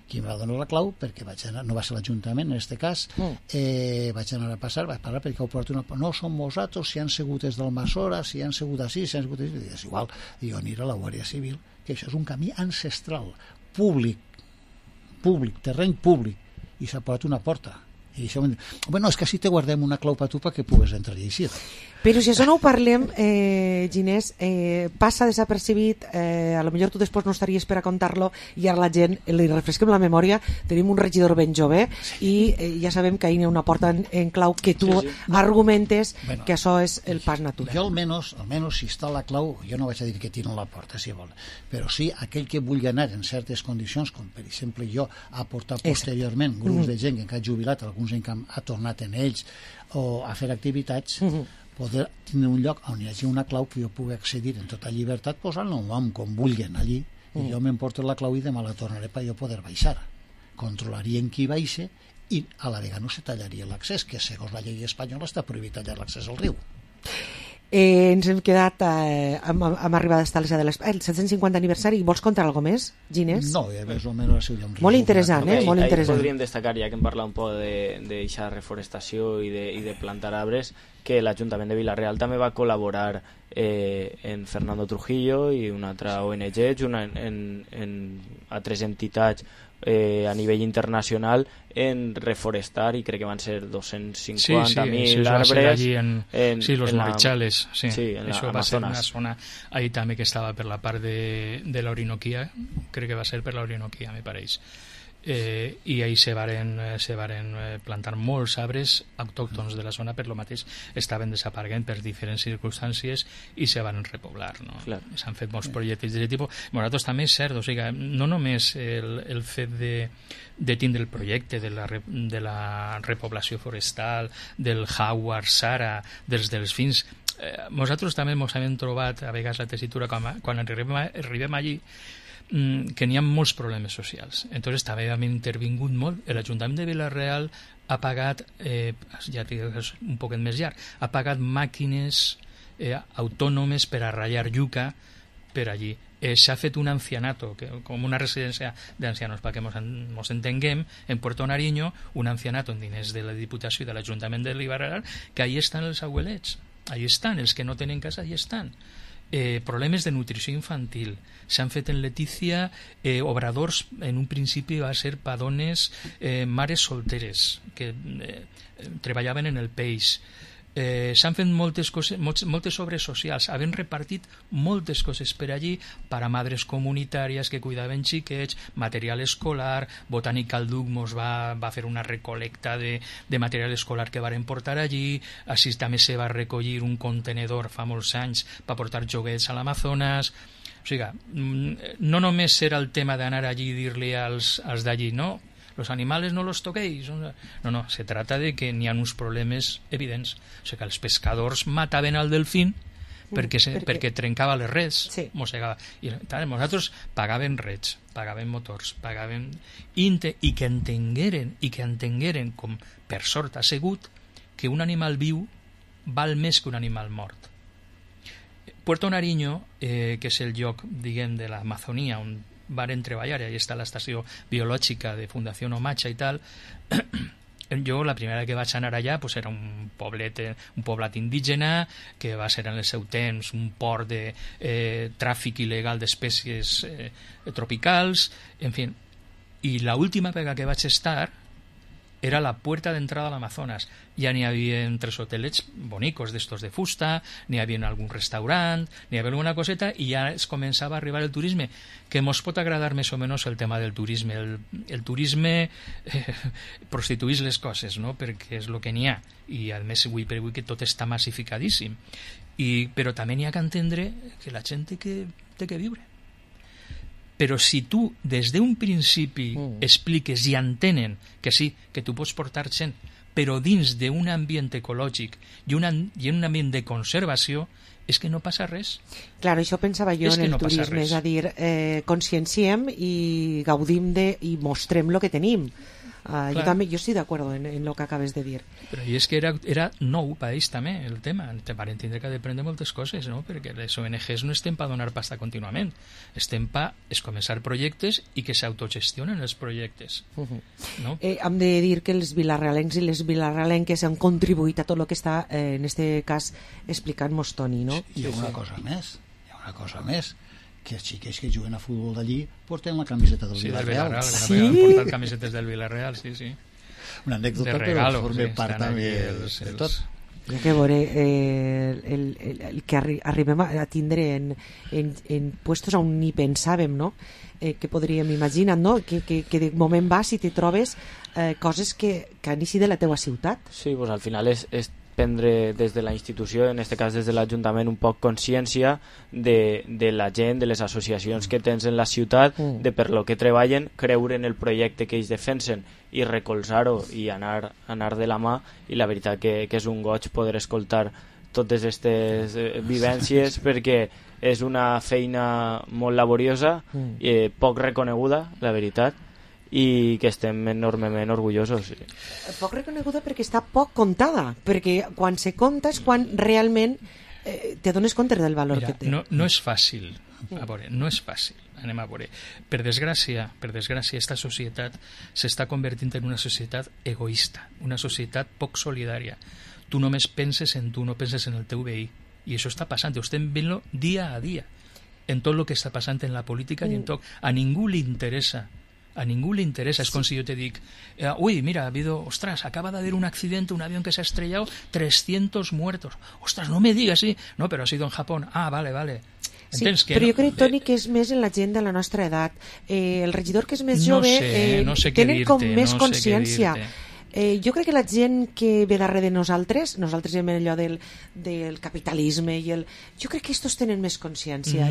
qui em va donar la clau, perquè vaig anar, no va ser l'Ajuntament en aquest cas, vaig anar a passar, vaig parlar perquè ho porto no som vosaltres, si han sigut des d'Almassora, si han sigut així, si han sigut així, és igual, i jo aniré a la Guàrdia Civil, que això és un camí ancestral, públic, terreny públic, i s'ha posat una porta. I això, és que així te guardem una clau per tu perquè pugues entrar i eixir. Però si això no ho parlem, Ginés, passa desapercibit, a lo millor tu després no estaries per a contar-lo, i ara la gent li refresquem la memòria, tenim un regidor ben jove i ja sabem que ahir hi ha una porta en clau que tu argumentes que això és el pas natural. Jo almenys si està la clau, jo no vaig a dir que tiren la porta, si vol, però sí aquell que vulgui anar en certes condicions, com per exemple jo a portar posteriorment grups de gent que han jubilat, alguns ha tornat en ells, o a fer activitats, poder tenir un lloc on hi hagi una clau que jo pugui accedir en tota llibertat, posant el nom com vulguin allí, i jo m'emporto la clau i demà la tornaré per jo poder baixar. Controlarien qui baixa i a la vegada no se tallaria l'accés, que segons la llei espanyola està prohibit tallar l'accés al riu. Ens hem quedat amb arribades tals de el 750 aniversari. Vols contar alguna més, Ginés? No, més o menys molt interessant, molt interessant. Podríem destacar, ja que hem parlat un poc d'aquesta reforestació i de plantar arbres, que l'Ajuntament de Vila-real també va col·laborar en Fernando Trujillo i una altra ONG, en altres entitats a nivell internacional, en reforestar, i crec que van ser 250.000 arbres los Marichales, en això va ser una zona ahí també que estava per la part de la Orinoquia, crec que va ser per la Orinoquia, me pareix. I ahí se varen plantar molts arbres autòctons de la zona, per lo mateix estaven desapareguent per diferents circumstàncies i se van repoblar, no? S'han fet molts projectes d'aquest tipus. Nosaltres també és cert, o sigui, no només el fet de tindre el projecte de la repoblació forestal, del Howard Sara, dels delfins, nosaltres també ens hem trobat a vegades la tessitura quan arribem allí, que n'hi ha molts problemes socials. Entonces també hem intervingut molt. L'Ajuntament de Vila-real ha pagat, ja és un poquet més llarg, ha pagat màquines autònomes per a ratllar yuca per allí. S'ha fet un ancianato, com una residència d'ancianos, perquè ens entenguem, en Puerto Nariño, un ancianato en diners de la Diputació i de l'Ajuntament de Vila-real, que allí estan els abuelets, allí estan, els que no tenen casa, allí estan. Problemes de nutrició infantil. S'han fet en Letícia obradors, en un principi va ser per dones mares solteres que treballaven en el peix. S'han fet moltes coses, moltes obres socials, havent repartit moltes coses per allí per a madres comunitàries que cuidaven xiquets, material escolar. Botànica Duc mos va fer una recolecta de material escolar que varen portar allí. Així també se va recollir un contenedor fa molts anys per portar joguets a l'Amazones. O sigui, no només era el tema d'anar allí i dir-li als d'allí, no, los animales no los toquéis. No, se trata de que n'hi ha uns problemes evidents. O sigui que els pescadors mataven al delfín perquè trencava les reds, mossegava. I nosaltres pagàvem reds, pagàvem motors, pagàvem... I que entengueren, com per sort ha sigut, que un animal viu val més que un animal mort. Puerto Nariño, que és el lloc, diguem, de l'Amazonia on varen treballar, i allà està l'estació biològica de Fundació Omacha i tal. Jo la primera que vaig anar allà pues era un poblat indígena que va ser en el seu temps un port de tràfic il·legal d'espècies tropicals, en fi. I l'última vegada que vaig estar era la puerta d'entrada a l'Amazonas. Ja n'hi havia 3 hotelets bonicos d'estos de fusta, n'hi havia algun restaurant, n'hi havia alguna coseta, i ja es començava a arribar el turisme, que mos pot agradar més o menys el tema del turisme. El turisme prostituís les coses, no? Perquè és el que n'hi ha, i a més avui per avui que tot està massificadíssim. Però també n'hi ha que entendre que la gent té que viure. Però si tu des d'un principi expliques i entenen que sí, que tu pots portar gent, però dins d'un ambient ecològic i un ambient de conservació, és que no passa res. Clar, això pensava jo en el turisme, és a dir, conscienciem i gaudim i mostrem el que tenim. Jo estic d'acord en el que acabes de dir. Però és que era nou per ells també el tema. Van entendre que ha d'aprendre moltes coses, no? Perquè les ONGs no estem per donar pasta contínuament, estem per començar projectes i que s'autogestionen els projectes. No? Hem de dir que els vilarrealencs i les vilarrealenques han contribuït a tot el que està, en aquest cas, explicant-nos Toni, no? Hi ha una cosa més, que els xiquets que juguen a futbol d'allí porten la camiseta del Vila-real. Sí, han portat camisetes del Vila-real, sí. Una anècdota, però forma part també de tot. Hi ha que veure el que arribem a tindre en puestos on ni pensàvem, no? Que podríem imaginar, no? Que de moment vas i te trobes coses que han eixit de la teua ciutat. Sí, pues al final és prendre des de la institució, en aquest cas des de l'Ajuntament, un poc consciència de la gent, de les associacions que tens en la ciutat, de per lo que treballen, creure en el projecte que ells defensen i recolzar-ho i anar de la mà. I la veritat que és un goig poder escoltar totes aquestes vivències, perquè és una feina molt laboriosa, poc reconeguda, la veritat, i que estem enormement orgullosos. Poc reconeguda perquè està poc contada, perquè quan se conta és quan realment dones compte del valor Mira, que té. no és fàcil, a veure, no és fàcil. Anem a veure. Per desgràcia, esta societat s'està convertint en una societat egoista, una societat poc solidària. Tu només penses en tu, no penses en el teu veí. I això està passant, ho estem veient dia a dia, en tot el que està passant en la política i en tot. A ningú li interessa. Es com si yo te dic, uy, mira, ha habido, ostras, acaba de haber un accidente, un avión que se ha estrellado, 300 muertos. Ostras, no me digas, sí. No, pero ha sido en Japón. Ah, vale. Sí, però jo crec, Toni, que és més en la gent de la nostra edat. El regidor que és més jove tenen com més consciència. Jo crec que la gent que ve darrere de nosaltres hem allò del capitalisme i jo crec que estos tenen més consciència.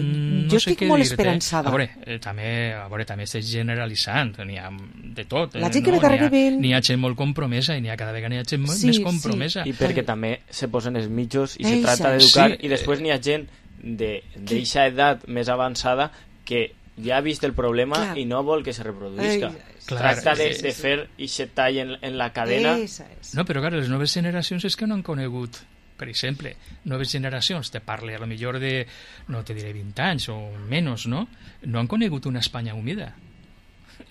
Jo estic molt esperançada. A veure, també estic generalitzant, n'hi ha de tot. La gent que ve darrere ven... N'hi ha gent molt compromesa i cada vegada n'hi ha gent més compromesa. I perquè també se posen els mitjos i se tracta d'educar i després n'hi ha gent d'eixa edat més avançada que ja ha vist el problema i no vol que se reproduïsca. Tracta de fer aquest tall en la cadena. No, però clar, les noves generacions és que no han conegut, per exemple, noves generacions, te parle a lo millor de, no te diré 20 anys o menys, no? No han conegut una Espanya humida.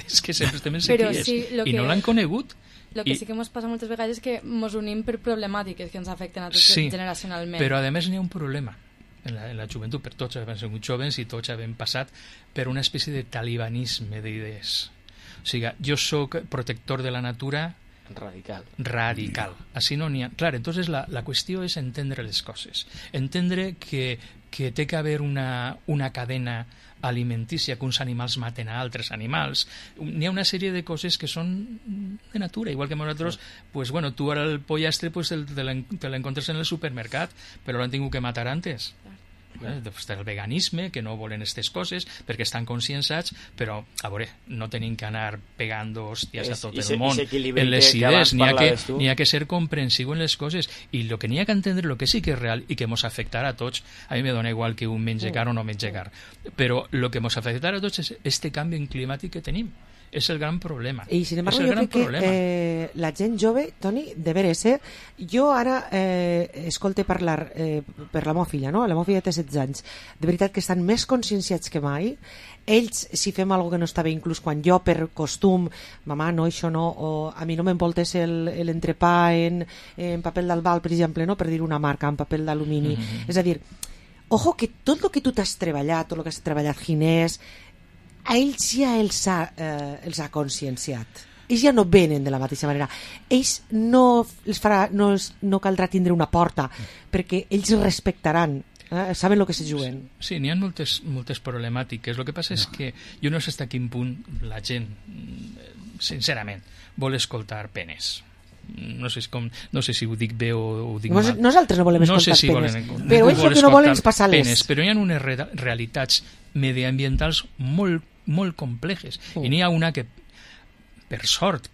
És que sempre estem en sequies i no l'han conegut. El que sí que ens passa moltes vegades és que ens unim per problemàtiques que ens afecten a tots generacionalment. Però a més n'hi ha un problema en la joventut, per tots hem sigut jovens i tots hem passat per una espècie de talibanisme d'idees. O sigui, jo sóc protector de la natura radical. Així no n'hi ha... Clar, entonces la qüestió és entendre les coses. Entendre que té que haver una cadena alimentícia, que uns animals maten a altres animals. N'hi ha una sèrie de coses que són de natura, igual que nosaltres, pues bueno, tu ara el pollastre pues, te l'encontres en el supermercat, però l'han tingut que matar antes. El veganisme, que no volen aquestes coses perquè estan conscienciats, però a veure, no tenim que anar pegant hòsties a tot el món en les idees, n'hi ha que ser comprensiu en les coses, i el que n'hi ha que entendre, el que sí que és real i que ens afectarà a tots, a mi me dona igual que un mengi car o no mengi car, però el que ens afectarà a tots és este canvi climàtic que tenim. És el gran problema. I sin embargo, jo crec que la gent jove, Toni, de veres, jo ara escolte parlar per la meva filla, no? La meva filla té 16 anys. De veritat que estan més conscienciats que mai. Ells, si fem alguna que no està bé, inclús quan jo per costum, mamà, no, això no, o a mi no m'envoltes l'entrepà en paper d'albal, per exemple, no? Per dir una marca, en paper d'alumini. És a dir, ojo, que tot el que tu t'has treballat, tot el que has treballat Ginés, a ells ja els ha conscienciat. Ells ja no venen de la mateixa manera. Ells no caldrà tindre una porta, perquè ells respectaran, saben el que se juguen. Sí, n'hi ha moltes problemàtiques. El que passa és que jo no sé fins a quin punt la gent, sincerament, vol escoltar penes. No sé si ho dic bé o ho dic mal. Nosaltres no volem escoltar penes, però ells el que no volen és passar les però hi ha unes realitats mediambientals molt complexes, i n'hi ha una que per sort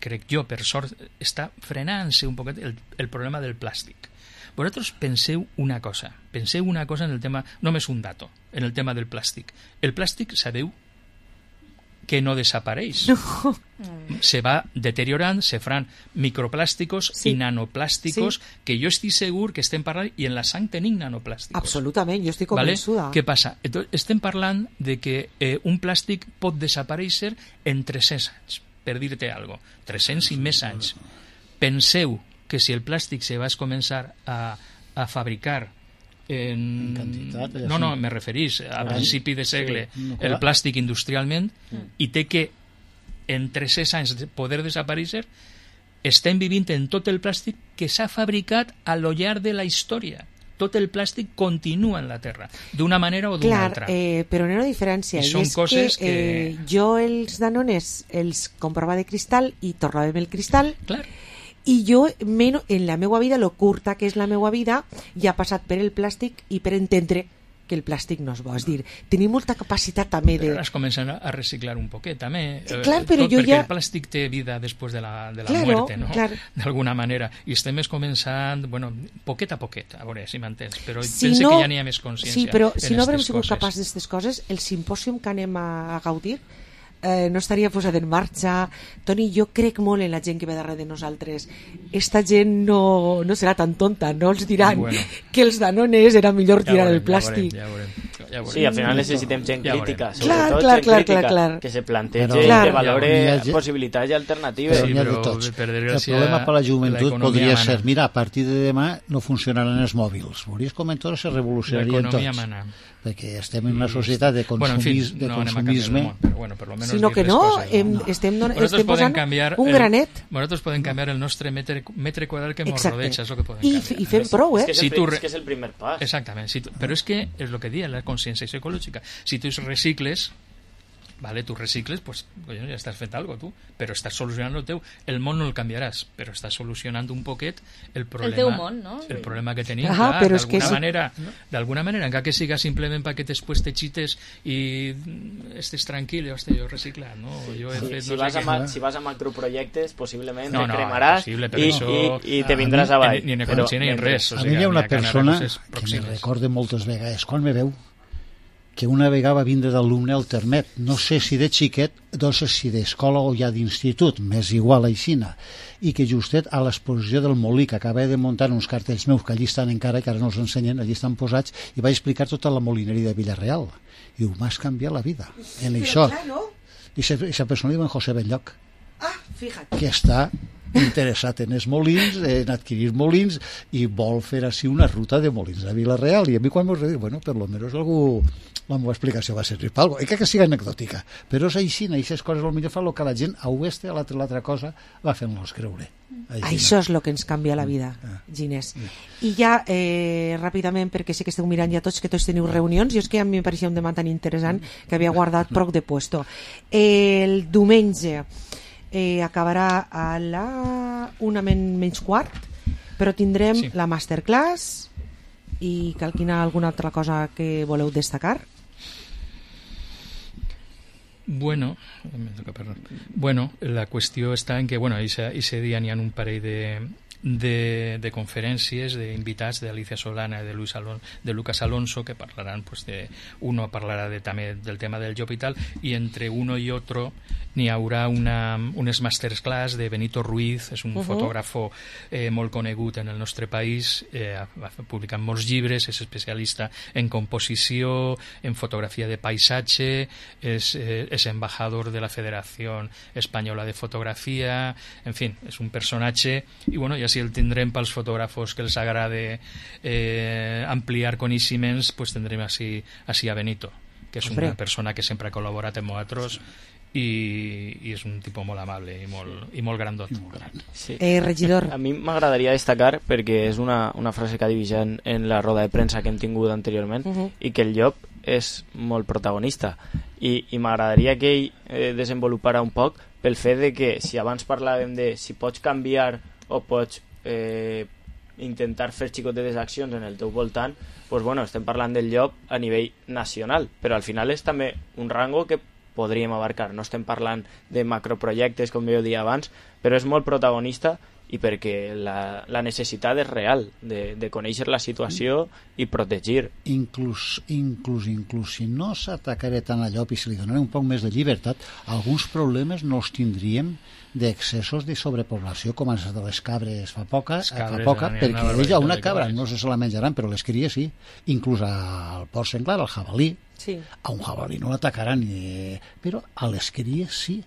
està frenant-se un poquet el problema del plàstic. Vosaltres penseu una cosa en el tema, només un dato, en el tema del plàstic. El plàstic, sabeu que no desapareix. No. Se va deteriorant, se faran microplàsticos i nanoplàsticos, que jo estic segur que estem parlant, i en la sang tenim nanoplàsticos. Absolutament, jo estic convençuda. Què passa? Estem parlant de que un plàstic pot desaparèixer en 300 anys, per dir-te alguna cosa. 300 i més anys. Penseu que si el plàstic se va començar a fabricar en quantitat, no, me referís a principi de segle, el plàstic industrialment, i té que en 300 anys poder desaparèixer, estem vivint en tot el plàstic que s'ha fabricat a lo llarg de la història. Tot el plàstic continua en la Terra, d'una manera o d'una altra. Però n'hi ha una diferència, i és que jo els Danones els comprava de cristal i tornàvem el cristal. Clar. I jo, en la meva vida, lo curta que és la meva vida, ja ha passat per el plàstic i per entendre que el plàstic no és bo. És dir, tenim molta capacitat també de... Però ara es comencen a reciclar un poquet, també. Clar, però jo perquè el plàstic té vida després de la muerte, no? D'alguna manera. I estem començant, bueno, poquet a poquet, a veure si m'entens, però pense que ja n'hi ha més consciència. Sí, però si no haurem sigut capaços d'aquestes coses, el simpòsium que anem a gaudir no estaria posat en marxa. Toni, jo crec molt en la gent que ve darrere de nosaltres. Esta gent no serà tan tonta, no els diran que els Danones era millor tirar el plàstic. Ja veurem. Sí, al final necessitem gent crítica, sobretot clar, gent crítica, que se plantegi, que valore possibilitats i alternatives. Per desgràcia, el problema per la joventut podria ser, mira, a partir de demà no funcionaran els mòbils. Veuries com en tot se revolucionarien tots. Perquè estem en una societat de consumisme, sinó que no, estem posant un granet. Nosaltres podem canviar el nostre metre quadrat que ens rodeja, és el que podem canviar. I fem prou, És que és el primer pas. Exactament, però és que és el que diu la conscienciació ecològica. Si tu recicles, vale, tu recicles, pues ja estàs fent algo tu, però estàs solucionant el teu. El món no el canviaràs, però estàs solucionant un poquet el problema, el teu món, no? El problema que tenim, d'alguna manera, encara que siga simplement perquè després te xites i estés tranquil, jo reciclat, no? Si vas a macroprojectes, possiblement te cremaràs i te vindràs avall. Ni en ecologia ni en res. A mi hi ha una persona que me recorda moltes vegades, quan me veu, que una vegada va vindre d'alumne al Termet, no sé si de xiquet, no sé si d'escola o ja d'institut, m'és igual aixina, i que justet a l'exposició del Molí, que acaba de muntar uns cartells meus que allí estan encara, que ara no els ensenyen, allí estan posats, i vaig explicar tota la molineria de Villarreal. I m'has canviat la vida en això. I aquesta persona diu en José Belloc, que està interessat en els molins, en adquirir molins, i vol fer així una ruta de molins a Villarreal. I a mi quan m'ho dic, bueno, per lo menos algú... La meva explicació va servir per alguna cosa. I que sigui anecdòtica, però és així, aquestes coses potser fa el que la gent a oest a l'altra cosa va fent-nos creure. Això és el que ens canvia la vida, Ginés. I ja, ràpidament, perquè sé que esteu mirant ja tots, que tots teniu reunions, i és que a mi em pareixia un tema tan interessant que havia guardat prou de puesto. El diumenge acabarà a la 1:15, però tindrem la masterclass i quina alguna altra cosa que voleu destacar? Bueno, la qüestió està en que, ese dia n'hi ha un parell de conferències d'invitats d'Alicia Solana i de Lucas Alonso que parlaran, uno parlarà també del tema del job i tal, i entre uno i otro n'hi haurà unes masterclass de Benito Ruiz, és un fotògrafo molt conegut en el nostre país, ha publicat molts llibres, és especialista en composició, en fotografia de paisatge, és embajador de la Federació Espanyola de Fotografia, en fi, és un personatge, i ja si el tindrem pels fotògrafos que els agrada ampliar coneixements, pues tindrem així a Benito, que és una persona que sempre ha col·laborat amb nosaltres i és un tipus molt amable i molt grandot. Sí. Regidor. A mi m'agradaria destacar, perquè és una frase que ha divisat en la roda de premsa que hem tingut anteriorment, i que el llop és molt protagonista, i m'agradaria que ell desenvolupara un poc pel fet de que si abans parlàvem de si pots canviar o pots intentar fer xicotetes accions en el teu voltant, estem parlant del llop a nivell nacional, però al final és també un rango que podríem abarcar. No estem parlant de macroprojectes, com jo deia abans, però és molt protagonista i perquè la necessitat és real de conèixer la situació i protegir. Inclús si no s'atacaré tant a llop i si li donaré un poc més de llibertat, alguns problemes no els tindríem d'excessos de sobrepoblació com els de les cabres fa poca, perquè ella una cabra no se la menjaran, però les cries sí, inclús al porc senglar, al jabalí. A un jabalí no l'atacaran, però a les cries sí,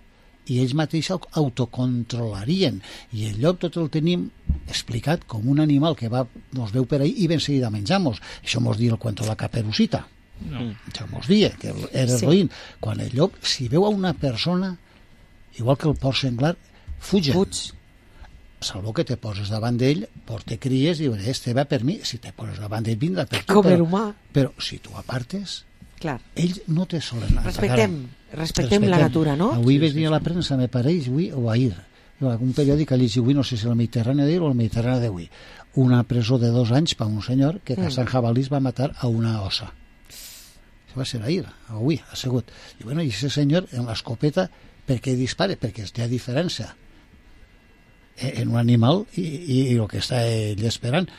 i ells mateixos autocontrolarien, i el llop tot el tenim explicat com un animal que nos veu per ahí i ben seguida menjamos. Això mos diu el cuento de la Caperucita, això mos diu que era roïn. Quan el llop, si veu a una persona, igual que el porc senglar, fuig. Salvo que te poses davant d'ell, porte cries i este va per mi. Si te poses davant d'ell, vindrà per tu. Però si tu apartes, ells no te solen atacar. Respectem la natura, no? Avui vaig dir a la premsa, me pareix, o ahir, un periòdic ha llegit avui, no sé si el Mediterrani d'ahir o el Mediterrani d'avui, una presó de 2 anys per un senyor que caçant jabalís va matar a una ossa. Això va ser ahir, avui, ha sigut. I aquest senyor, amb l'escopeta, per què dispara? Perquè té diferència en un animal i el que està ell esperant.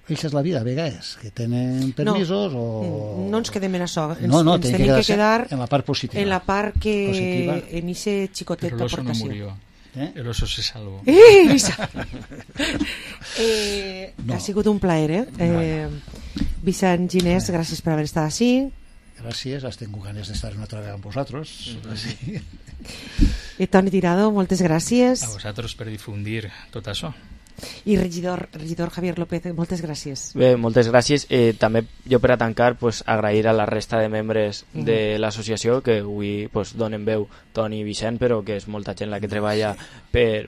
Això és la vida, a vegades, que tenen permisos no ens quedem en això. No, ens tenim que quedar en la part positiva. En la part que en ese xicotet Pero el oso no d'aportació. murió. El oso se salvó. Ha sigut un plaer, Vicent Ginés, gràcies per haver estat així. Gràcies, has tingut ganes d'estar una altra vegada amb vosaltres. Sí. I Toni Tirado, moltes gràcies. A vosaltres per difundir tot això. I regidor Javier López, moltes gràcies. Bé, moltes gràcies. També jo per a tancar agrair a la resta de membres de l'associació que avui donen veu, Toni i Vicent, però que és molta gent la que treballa per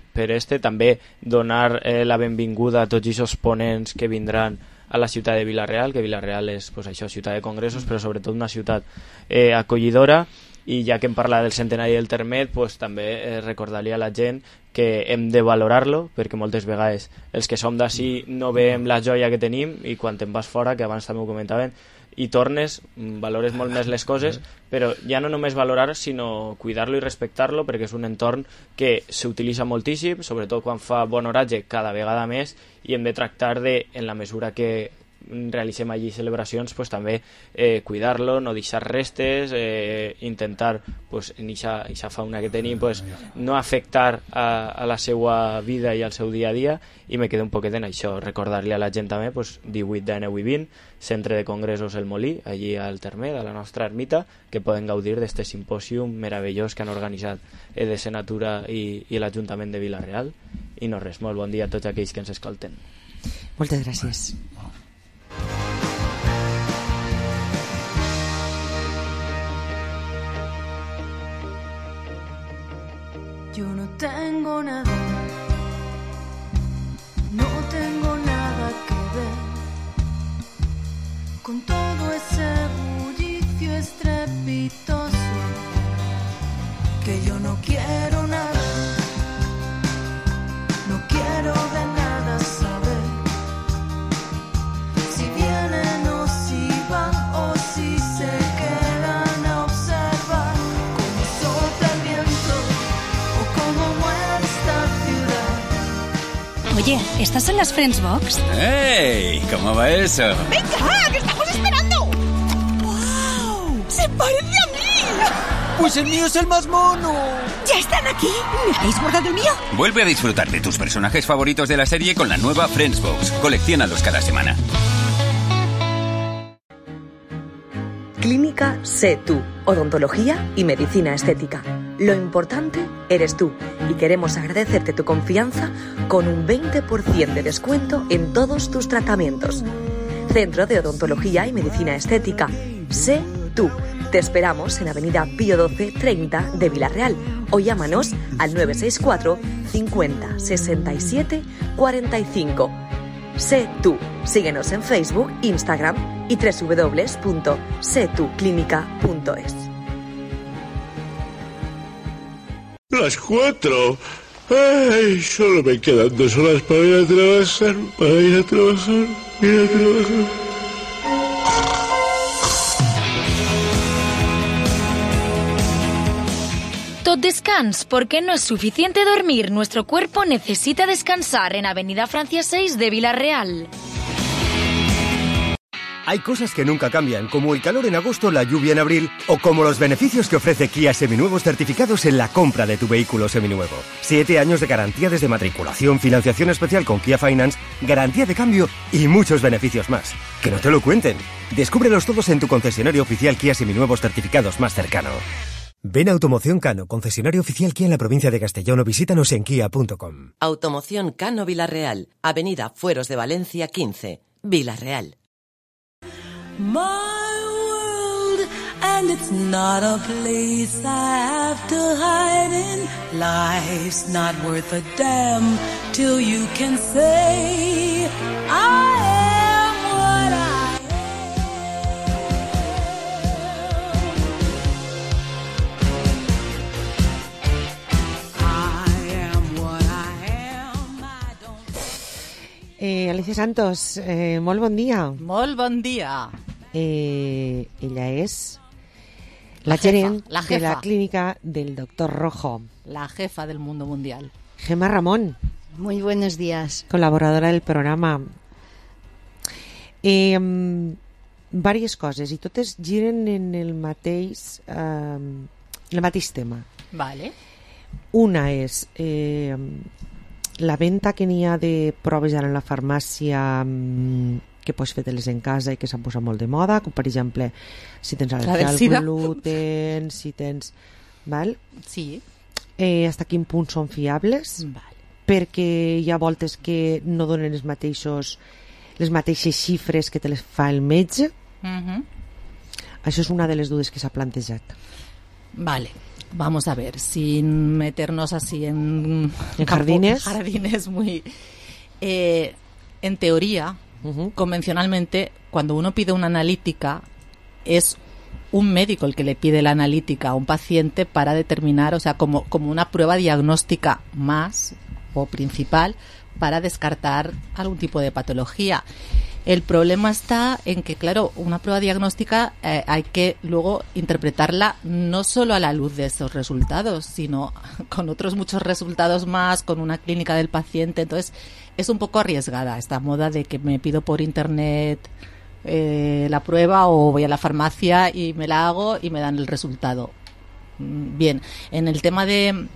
també donar la benvinguda a tots aquests ponents que vindran a la ciutat de Vila-real, que Vila-real és això, ciutat de congressos, però sobretot una ciutat acollidora. I ja que em parla del centenari del Termet, també recordar-li a la gent que hem de valorar-lo, perquè moltes vegades els que som d'ací no veiem la joia que tenim, i quan te'n vas fora, que abans també ho comentaven, i tornes, valores molt més les coses, però ja no només valorar, sinó cuidar-lo i respectar-lo, perquè és un entorn que s'utilitza moltíssim, sobretot quan fa bon oratge, cada vegada més, i hem de tractar de, en la mesura que realitzem allí celebracions, també cuidar-lo, no deixar restes, intentar en aquesta fauna que tenim no afectar a la seva vida i al seu dia a dia, i me quedo un poquet en això, recordar-li a la gent també 18 de 9 i 20, Centre de Congressos El Molí, allí al Termet, a la nostra ermita, que poden gaudir d'este simpòsium meravellós que han organitzat EDC Natura i l'Ajuntament de Vila-real. I no res, molt bon dia a tots aquells que ens escolten. Moltes gràcies. Yo no tengo nada, no tengo nada que ver con todo ese bullicio estrepitoso, que yo no quiero nada, no quiero de nada saber si vienen o si van o si se quedan a observar cómo sopla el viento o cómo muere esta ciudad. Oye, ¿estas son las Friends Box? ¡Ey! ¿Cómo va eso? ¡Venga, que estamos esperando! ¡Wow! ¡Se parece a mí! ¡Pues el mío es el más mono! ¿Ya están aquí? ¿Me habéis guardado el mío? Vuelve a disfrutar de tus personajes favoritos de la serie con la nueva Friends Box. Colecciónalos cada semana. Clínica Sé Tú, odontología y medicina estética. Lo importante eres tú y queremos agradecerte tu confianza con un 20% de descuento en todos tus tratamientos. Centro de Odontología y Medicina Estética. Sé Tú. Te esperamos en Avenida Pío 12 30 de Vila-real o llámanos al 964 50 67 45. Sé Tú. Síguenos en Facebook, Instagram y www.setuclinica.es. Las 4. Ay, solo me quedan 2 horas para ir a trabajar. Tot descans, porque no es suficiente dormir. Nuestro cuerpo necesita descansar en Avenida Francia 6 de Vila-real. Hay cosas que nunca cambian, como el calor en agosto, la lluvia en abril, o como los beneficios que ofrece Kia Seminuevos certificados en la compra de tu vehículo seminuevo. 7 años de garantía desde matriculación, financiación especial con Kia Finance, garantía de cambio y muchos beneficios más. Que no te lo cuenten. Descúbrelos todos en tu concesionario oficial Kia Seminuevos certificados más cercano. Ven a Automoción Cano, concesionario oficial Kia en la provincia de Castellón, o visítanos en kia.com. Automoción Cano Vila-real, Avenida Fueros de Valencia 15, Vila-real. My world, and it's not a place I have to hide in. Life's not worth a damn till you can say I am what I am. I am what I am. Alicia Santos, molt bon dia. Molt bon dia. Ella és la gerent de la clínica del Doctor Rojo. La jefa del mundo mundial. Gemma Ramón. Muy buenos días. Colaboradora del programa. Vàries coses, i totes giren en el mateix tema. Vale. Una és la venda que n'hi ha de proves ara en la farmàcia que pots fer-te-les en casa i que s'han posat molt de moda, com per exemple si tens al·lèrgia al gluten, si tens... Val? Sí. Hasta quin punt són fiables? Vale. Perquè hi ha voltes que no donen les mateixes xifres que te les fa el metge. Això és una de les dudes que s'ha plantejat. Vale. Vamos a ver, sin meternos así en jardines muy... en teoría, convencionalmente, cuando uno pide una analítica, es un médico el que le pide la analítica a un paciente para determinar, o sea, como una prueba diagnóstica más o principal para descartar algún tipo de patología. El problema está en que, claro, una prueba diagnóstica hay que luego interpretarla no solo a la luz de esos resultados, sino con otros muchos resultados más, con una clínica del paciente. Entonces, es un poco arriesgada esta moda de que me pido por internet la prueba o voy a la farmacia y me la hago y me dan el resultado. Bien, en el tema de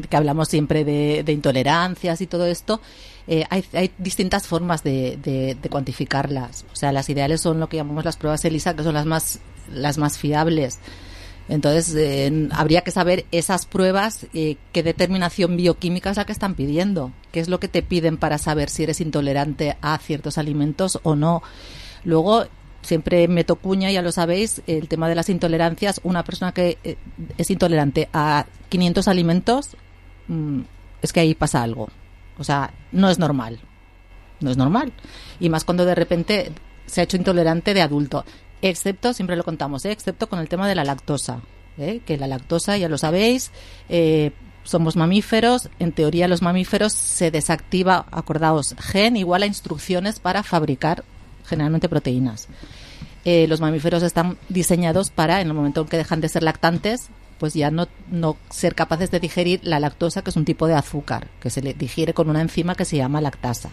que hablamos siempre de intolerancias y todo esto, hay distintas formas de cuantificarlas. O sea, las ideales son lo que llamamos las pruebas ELISA, que son las más fiables. Entonces, habría que saber esas pruebas, qué determinación bioquímica es la que están pidiendo, qué es lo que te piden para saber si eres intolerante a ciertos alimentos o no. Luego, siempre meto cuña, ya lo sabéis, el tema de las intolerancias. Una persona que es intolerante a 500 alimentos, es que ahí pasa algo. O sea, no es normal. No es normal. Y más cuando de repente se ha hecho intolerante de adulto. Excepto, siempre lo contamos, excepto con el tema de la lactosa. Que la lactosa, ya lo sabéis, somos mamíferos. En teoría, los mamíferos se desactiva, acordaos, gen igual a instrucciones para fabricar generalmente proteínas. Los mamíferos están diseñados para, en el momento en que dejan de ser lactantes, pues ya no ser capaces de digerir la lactosa, que es un tipo de azúcar que se le digiere con una enzima que se llama lactasa.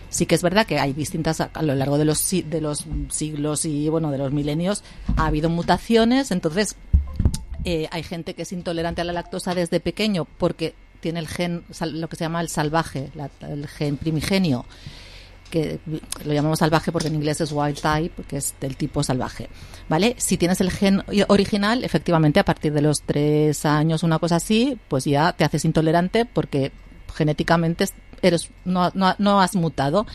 Sí que es verdad que hay distintas, a lo largo de los siglos y bueno, de los milenios, ha habido mutaciones. Entonces hay gente que es intolerante a la lactosa desde pequeño porque tiene el gen, lo que se llama el salvaje, el gen primigenio, que lo llamamos salvaje porque en inglés es wild type, que es del tipo salvaje, ¿vale? Si tienes el gen original, efectivamente, a partir de los 3 años, una cosa así, pues ya te haces intolerante porque genéticamente no has mutado.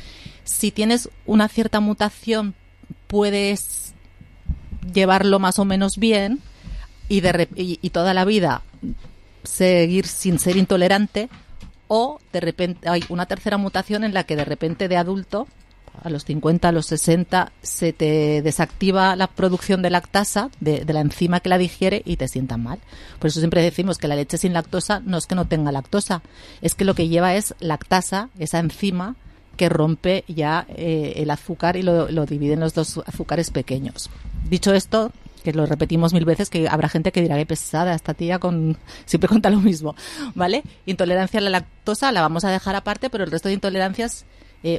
Si tienes una cierta mutación, puedes llevarlo más o menos bien y toda la vida seguir sin ser intolerante. O de repente hay una tercera mutación en la que de repente de adulto, a los 50, a los 60, se te desactiva la producción de lactasa, de la enzima que la digiere, y te sientan mal. Por eso siempre decimos que la leche sin lactosa no es que no tenga lactosa, es que lo que lleva es lactasa, esa enzima que rompe ya el azúcar y lo divide en los dos azúcares pequeños. Dicho esto, que lo repetimos 1000 veces, que habrá gente que dirá que pesada esta tía, siempre cuenta lo mismo, ¿vale? Intolerancia a la lactosa la vamos a dejar aparte, pero el resto de intolerancias,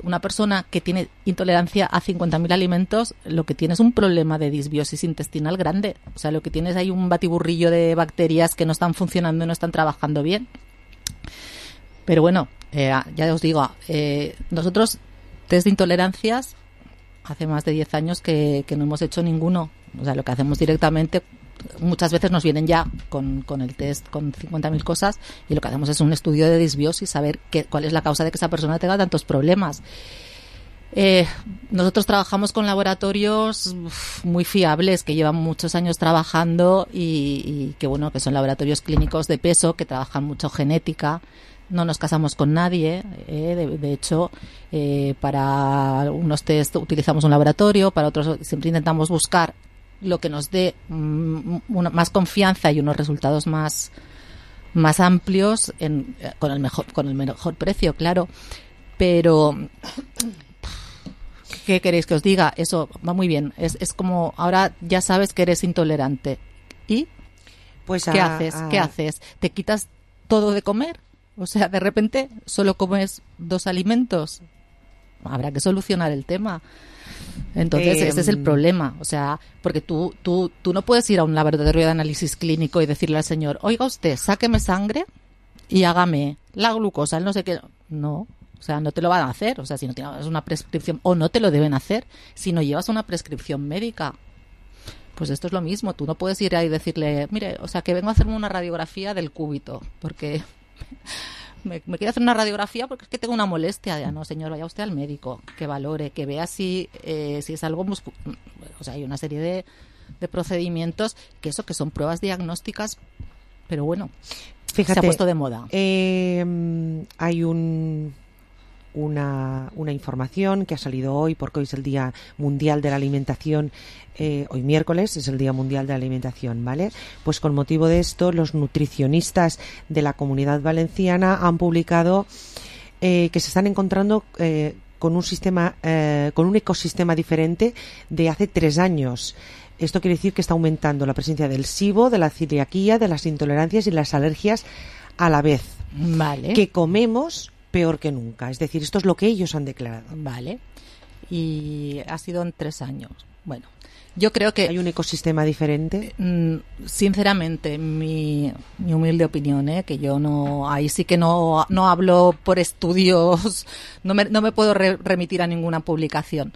una persona que tiene intolerancia a 50.000 alimentos, lo que tiene es un problema de disbiosis intestinal grande. O sea, lo que tienes hay un batiburrillo de bacterias que no están funcionando y no están trabajando bien. Pero bueno, ya os digo, nosotros test de intolerancias hace más de 10 años que no hemos hecho ninguno. O sea, lo que hacemos directamente, muchas veces nos vienen ya con el test con 50.000 cosas, y lo que hacemos es un estudio de disbiosis, saber cuál es la causa de que esa persona tenga tantos problemas. Nosotros trabajamos con laboratorios muy fiables, que llevan muchos años trabajando y que bueno, que son laboratorios clínicos de peso, que trabajan mucho genética. No nos casamos con nadie, de hecho, para unos test utilizamos un laboratorio, para otros siempre intentamos buscar lo que nos dé más confianza y unos resultados más amplios con el mejor precio, claro. Pero ¿qué queréis que os diga? Eso va muy bien. Es como ahora ya sabes que eres intolerante. ¿Y pues qué haces? ¿Qué haces? ¿Te quitas todo de comer? O sea, de repente solo comes 2 alimentos. habrá que solucionar el tema. Entonces ese es el problema, o sea, porque tú no puedes ir a un laboratorio de análisis clínico y decirle al señor, oiga usted, sáqueme sangre y hágame la glucosa, el no sé qué. No, o sea, no te lo van a hacer, o sea, si no tienes una prescripción, o no te lo deben hacer si no llevas una prescripción médica. Pues esto es lo mismo, tú no puedes ir ahí y decirle, mire, o sea, que vengo a hacerme una radiografía del cúbito, porque me quiero hacer una radiografía porque es que tengo una molestia. Ya no, señor, vaya usted al médico, que valore, que vea si es algo o sea, hay una serie de procedimientos que son pruebas diagnósticas, pero bueno, fíjate, se ha puesto de moda. Hay una información que ha salido hoy, porque hoy es el Día Mundial de la Alimentación, hoy miércoles es el Día Mundial de la Alimentación, ¿vale? Pues con motivo de esto, los nutricionistas de la Comunidad Valenciana han publicado que se están encontrando con un ecosistema diferente de hace 3 años. Esto quiere decir que está aumentando la presencia del SIBO, de la celiaquía, de las intolerancias y las alergias a la vez. Vale. Que comemos peor que nunca. Es decir, esto es lo que ellos han declarado. Vale. Y ha sido en 3 años. Bueno, yo creo que... ¿Hay un ecosistema diferente? Sinceramente, mi humilde opinión, que yo no... Ahí sí que no hablo por estudios, no me puedo remitir a ninguna publicación.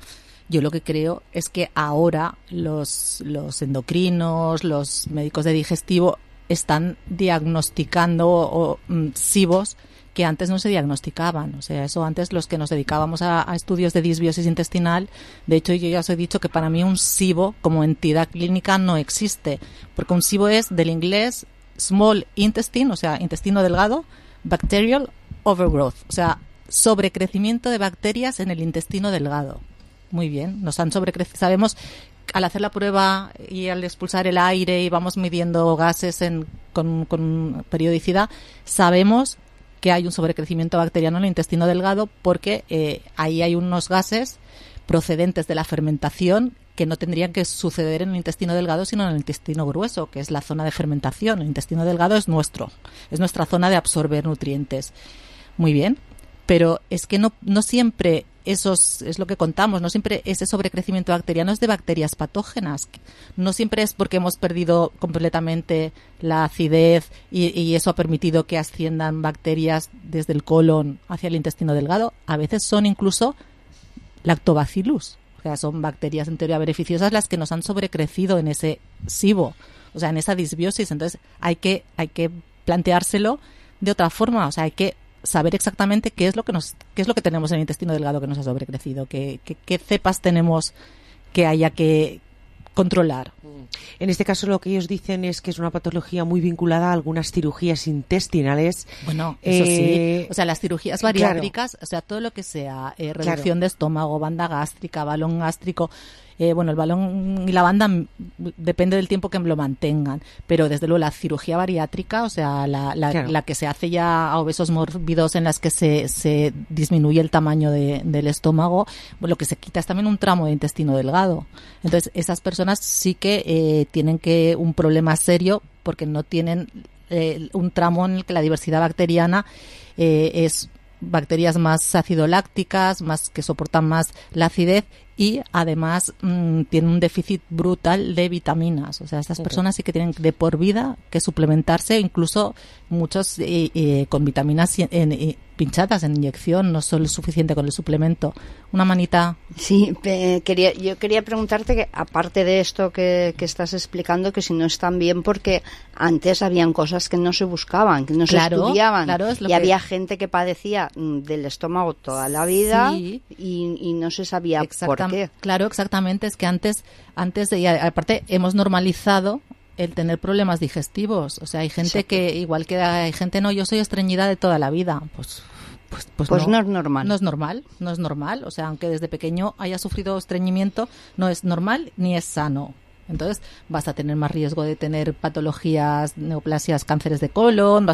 Yo lo que creo es que ahora los endocrinos, los médicos de digestivo están diagnosticando SIBOs que antes no se diagnosticaban. O sea, eso antes los que nos dedicábamos a estudios de disbiosis intestinal, de hecho yo ya os he dicho que para mí un SIBO como entidad clínica no existe, porque un SIBO es del inglés small intestine, o sea, intestino delgado, bacterial overgrowth, o sea, sobrecrecimiento de bacterias en el intestino delgado. Muy bien, nos han sobrecrecido. Sabemos, al hacer la prueba y al expulsar el aire y vamos midiendo gases con periodicidad, sabemos que hay un sobrecrecimiento bacteriano en el intestino delgado porque ahí hay unos gases procedentes de la fermentación que no tendrían que suceder en el intestino delgado sino en el intestino grueso, que es la zona de fermentación. El intestino delgado es nuestra zona de absorber nutrientes. Muy bien, pero es que no siempre es lo que contamos, no siempre ese sobrecrecimiento bacteriano es de bacterias patógenas, no siempre es porque hemos perdido completamente la acidez y eso ha permitido que asciendan bacterias desde el colon hacia el intestino delgado. A veces son incluso lactobacillus, o sea, son bacterias en teoría beneficiosas las que nos han sobrecrecido en ese SIBO, o sea, en esa disbiosis. Entonces hay que planteárselo de otra forma, o sea, hay que saber exactamente qué es lo que tenemos en el intestino delgado que nos ha sobrecrecido, qué cepas tenemos que haya que controlar. En este caso lo que ellos dicen es que es una patología muy vinculada a algunas cirugías intestinales. Bueno, eso sí. O sea, las cirugías bariátricas, claro. O sea, todo lo que sea reducción de estómago, banda gástrica, balón gástrico, bueno, el balón y la banda depende del tiempo que lo mantengan, pero desde luego la cirugía bariátrica, o sea, la que se hace ya a obesos mórbidos en las que se disminuye el tamaño del estómago, lo que se quita es también un tramo de intestino delgado. Entonces, esas personas sí que tienen un problema serio porque no tienen un tramo en el que la diversidad bacteriana es bacterias más acidolácticas, más que soportan más la acidez y además tienen un déficit brutal de vitaminas. O sea, estas personas sí que tienen de por vida que suplementarse, incluso muchos con vitaminas pinchadas en inyección, no solo es suficiente con el suplemento. Una manita. Sí, yo quería preguntarte que aparte de esto que estás explicando, que si no están bien, porque antes habían cosas que no se buscaban, que no se estudiaban, y había gente que padecía del estómago toda la vida y no se sabía por qué. Claro, exactamente, es que antes aparte hemos normalizado el tener problemas digestivos. O sea, hay gente que, igual que hay gente, no, yo soy estreñida de toda la vida. Pues no es normal. No es normal. O sea, aunque desde pequeño haya sufrido estreñimiento, no es normal ni es sano. Entonces vas a tener más riesgo de tener patologías, neoplasias, cánceres de colon,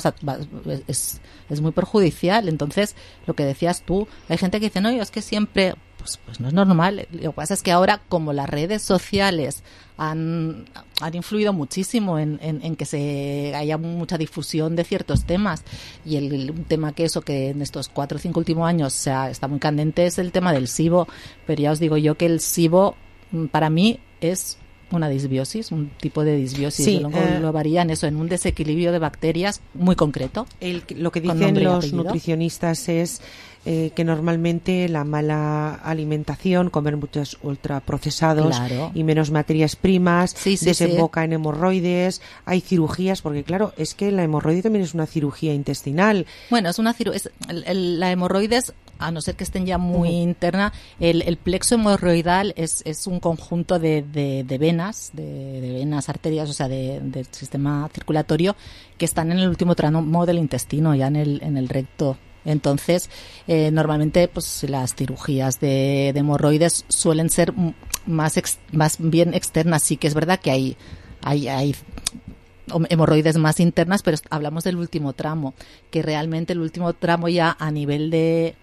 es muy perjudicial. Entonces, lo que decías tú, hay gente que dice, no, yo es que siempre pues no es normal. Lo que pasa es que ahora, como las redes sociales han influido muchísimo en que haya mucha difusión de ciertos temas, y un tema que en estos 4 o 5 últimos años está muy candente es el tema del SIBO, pero ya os digo yo que el SIBO para mí es una disbiosis, un tipo de disbiosis. Sí, lo varían en un desequilibrio de bacterias muy concreto. Lo que dicen los nutricionistas es que normalmente la mala alimentación, comer muchos ultraprocesados y menos materias primas, desemboca en hemorroides, hay cirugías, porque claro, es que la hemorroide también es una cirugía intestinal. Bueno, la hemorroides, a no ser que estén ya muy interna, el plexo hemorroidal es un conjunto de venas, de venas, arterias, o sea, del sistema circulatorio, que están en el último tramo del intestino, ya en el recto. Entonces, normalmente pues las cirugías de hemorroides suelen ser más bien externas. Sí que es verdad que hay hemorroides más internas, pero hablamos del último tramo, que realmente el último tramo ya a nivel de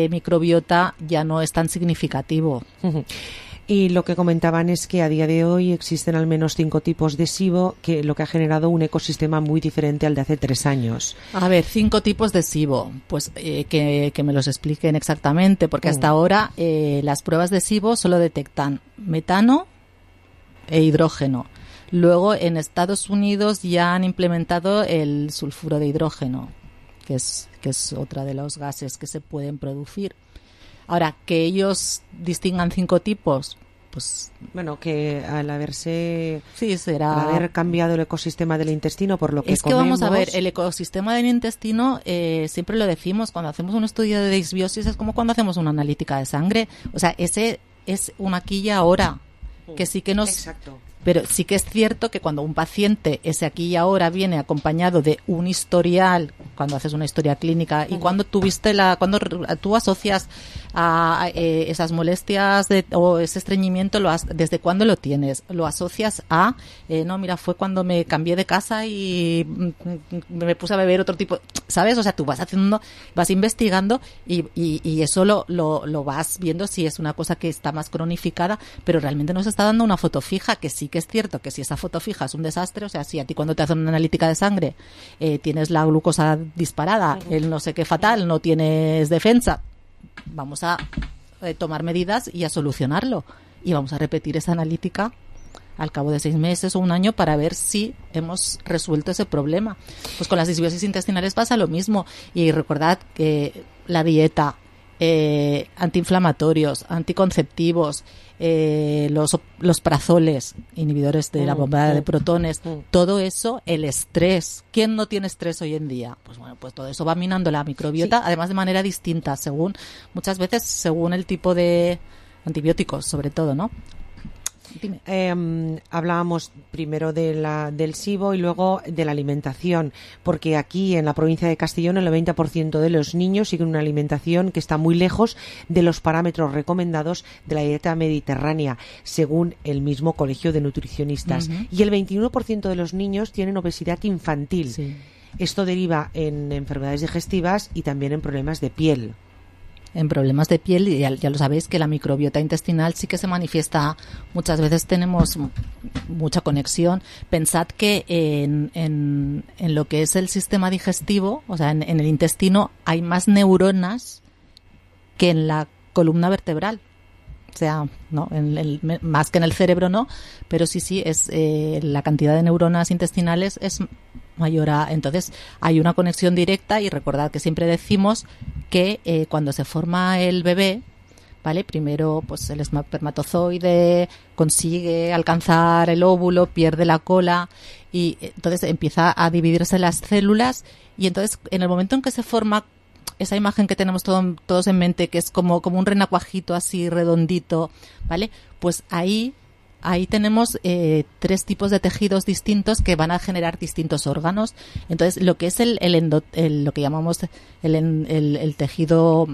microbiota ya no es tan significativo. Y lo que comentaban es que a día de hoy existen al menos 5 tipos de SIBO, que lo que ha generado un ecosistema muy diferente al de hace 3 años. A ver, 5 tipos de SIBO, pues que me los expliquen exactamente, porque hasta ahora las pruebas de SIBO solo detectan metano e hidrógeno. Luego en Estados Unidos ya han implementado el sulfuro de hidrógeno, que es otra de los gases que se pueden producir. Ahora, que ellos distingan 5 tipos, pues... Bueno, que al haber cambiado el ecosistema del intestino por lo que es que comemos... Vamos a ver, el ecosistema del intestino, siempre lo decimos, cuando hacemos un estudio de disbiosis es como cuando hacemos una analítica de sangre. O sea, ese es un aquí y ahora, que sí que nos... Exacto. Pero sí que es cierto que cuando un paciente, ese aquí y ahora, viene acompañado de un historial, cuando haces una historia clínica y cuando cuando tú asocias a esas molestias o ese estreñimiento, ¿desde cuándo lo tienes? Lo asocias a, no, mira, fue cuando me cambié de casa y me puse a beber otro tipo, ¿sabes? O sea, tú vas investigando y eso lo vas viendo si es una cosa que está más cronificada, pero realmente no se está dando una foto fija, que sí que es cierto que si esa foto fija es un desastre, o sea, si a ti cuando te hacen una analítica de sangre tienes la glucosa disparada, el no sé qué fatal, no tienes defensa, vamos a tomar medidas y a solucionarlo. Y vamos a repetir esa analítica al cabo de 6 meses o un año para ver si hemos resuelto ese problema. Pues con las disbiosis intestinales pasa lo mismo. Y recordad que la dieta, antiinflamatorios, anticonceptivos, los prazoles, inhibidores de la bombada de protones, todo eso, el estrés. ¿Quién no tiene estrés hoy en día? Pues bueno, pues todo eso va minando la microbiota, además de manera distinta, muchas veces según el tipo de antibióticos, sobre todo, ¿no? Hablábamos primero del SIBO y luego de la alimentación, porque aquí en la provincia de Castellón el 90% de los niños siguen una alimentación que está muy lejos de los parámetros recomendados de la dieta mediterránea, según el mismo Colegio de Nutricionistas. Y el 21% de los niños tienen obesidad infantil. Sí. Esto deriva en enfermedades digestivas y también en problemas de piel. En problemas de piel, y ya lo sabéis que la microbiota intestinal sí que se manifiesta, muchas veces tenemos mucha conexión. Pensad que en lo que es el sistema digestivo, o sea, en el intestino hay más neuronas que en la columna vertebral. O sea, no, más que en el cerebro no, pero sí es la cantidad de neuronas intestinales es mayor entonces hay una conexión directa. Y recordad que siempre decimos que cuando se forma el bebé, ¿vale? Primero pues el espermatozoide consigue alcanzar el óvulo, pierde la cola y entonces empieza a dividirse las células, y entonces en el momento en que se forma esa imagen que tenemos todos en mente, que es como un renacuajito así redondito, ¿vale? Pues ahí tenemos 3 tipos de tejidos distintos que van a generar distintos órganos. Entonces, lo que es lo que llamamos el tejido,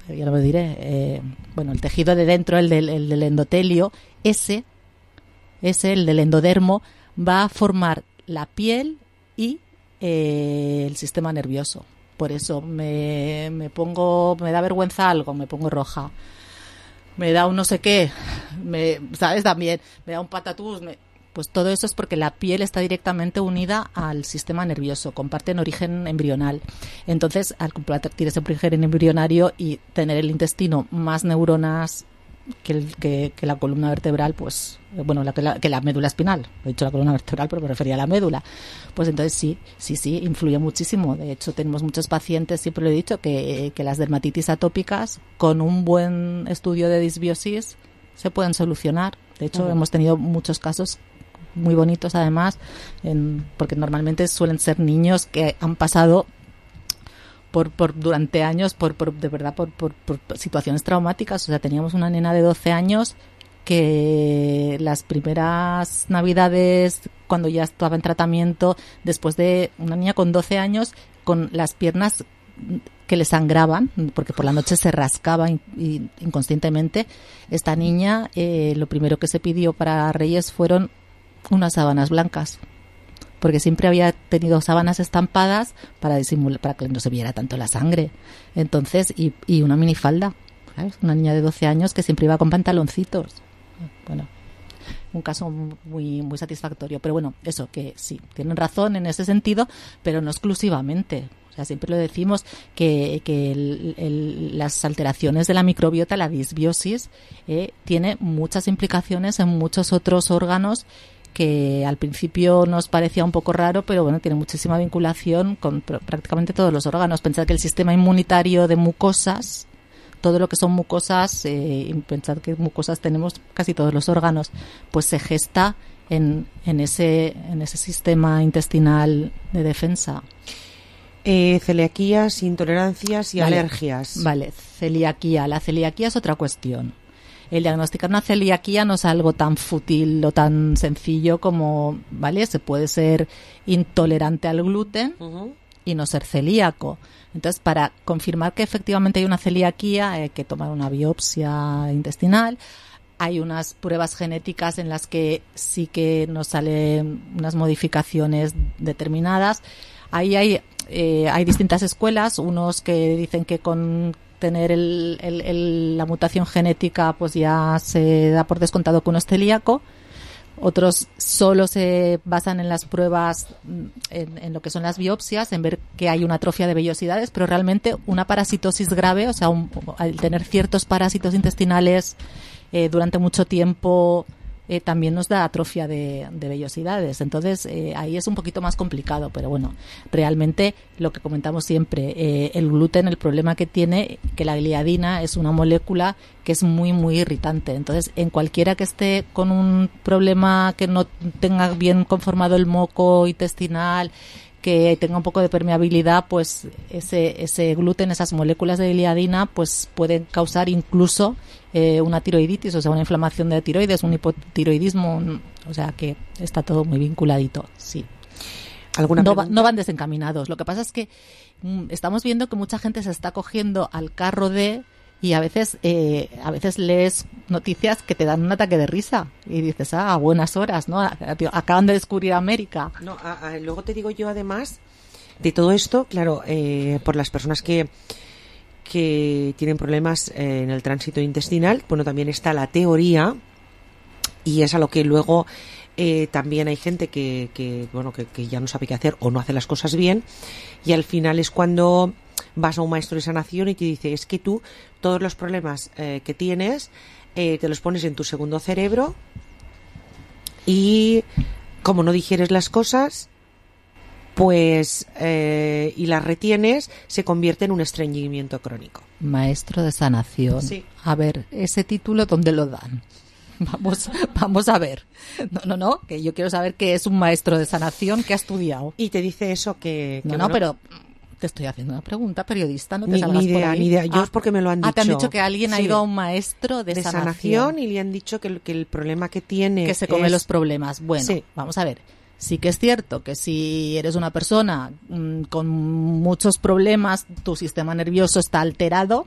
ya lo diré, el tejido de dentro, el del endotelio, el del endodermo, va a formar la piel y el sistema nervioso. por eso me da vergüenza algo, me pongo roja, me da un no sé qué, ¿sabes? También me da un patatús, pues todo eso es porque la piel está directamente unida al sistema nervioso, comparten origen embrional. Entonces, al compartir ese origen embrionario y tener el intestino más neuronas que la columna vertebral, pues, bueno, que la médula espinal. He dicho la columna vertebral, pero me refería a la médula. Pues entonces sí, influye muchísimo. De hecho, tenemos muchos pacientes, siempre lo he dicho, que las dermatitis atópicas, con un buen estudio de disbiosis, se pueden solucionar. De hecho, hemos tenido muchos casos muy bonitos, además, porque normalmente suelen ser niños que han pasado durante años por situaciones traumáticas. O sea, teníamos una nena de 12 años que las primeras navidades, cuando ya estaba en tratamiento, después de una niña con 12 años con las piernas que le sangraban, porque por la noche se rascaba inconscientemente, esta niña, lo primero que se pidió para Reyes fueron unas sábanas blancas, porque siempre había tenido sábanas estampadas para disimular, para que no se viera tanto la sangre. Entonces, y una minifalda, ¿sabes? Una niña de 12 años que siempre iba con pantaloncitos. Bueno, un caso muy, muy satisfactorio. Pero bueno, eso, que sí, tienen razón en ese sentido, pero no exclusivamente. O sea, siempre lo decimos que las alteraciones de la microbiota, la disbiosis, tiene muchas implicaciones en muchos otros órganos que al principio nos parecía un poco raro, pero bueno, tiene muchísima vinculación con prácticamente todos los órganos. Pensad que el sistema inmunitario de mucosas, todo lo que son mucosas, pensad que mucosas tenemos casi todos los órganos, pues se gesta en ese sistema intestinal de defensa. Celiaquías, intolerancias y alergias. Vale, celiaquía. La celiaquía es otra cuestión. El diagnosticar una celiaquía no es algo tan fútil o tan sencillo como, ¿vale? Se puede ser intolerante al gluten y no ser celíaco. Entonces, para confirmar que efectivamente hay una celiaquía, hay que tomar una biopsia intestinal. Hay unas pruebas genéticas en las que sí que nos salen unas modificaciones determinadas. Ahí hay distintas escuelas, unos que dicen que con tener la mutación genética pues ya se da por descontado que uno es celíaco. Otros solo se basan en las pruebas, en lo que son las biopsias, en ver que hay una atrofia de vellosidades, pero realmente una parasitosis grave, o sea, al tener ciertos parásitos intestinales durante mucho tiempo, también nos da atrofia de vellosidades. Entonces, ahí es un poquito más complicado, pero bueno, realmente lo que comentamos siempre, el gluten, el problema que tiene, que la gliadina es una molécula que es muy, muy irritante. Entonces, en cualquiera que esté con un problema que no tenga bien conformado el moco intestinal, que tenga un poco de permeabilidad, pues ese gluten, esas moléculas de gliadina, pues pueden causar incluso una tiroiditis, o sea, una inflamación de tiroides, un hipotiroidismo, o sea que está todo muy vinculadito, sí. No van desencaminados. Lo que pasa es que estamos viendo que mucha gente se está cogiendo al carro y a veces lees noticias que te dan un ataque de risa y dices, a buenas horas, ¿no? Acaban de descubrir América. No, luego te digo yo, además de todo esto, claro, por las personas que tienen problemas en el tránsito intestinal, bueno, también está la teoría, y es a lo que luego también hay gente que ya no sabe qué hacer o no hace las cosas bien, y al final es cuando vas a un maestro de sanación y te dice, es que tú todos los problemas que tienes te los pones en tu segundo cerebro, y como no digieres las cosas, pues y las retienes, se convierte en un estreñimiento crónico. Maestro de sanación. Sí. A ver, ese título, ¿dónde lo dan? Vamos a ver. No, que yo quiero saber qué es un maestro de sanación que ha estudiado. Y te dice eso que No, pero te estoy haciendo una pregunta, periodista, no te salgas ni idea, por ahí. Ni idea, yo es porque me lo han dicho. Te han dicho que alguien ha ido a un maestro de sanación y le han dicho que el problema que tiene que se come los problemas. Bueno, sí. Vamos a ver. Sí que es cierto que si eres una persona con muchos problemas, tu sistema nervioso está alterado,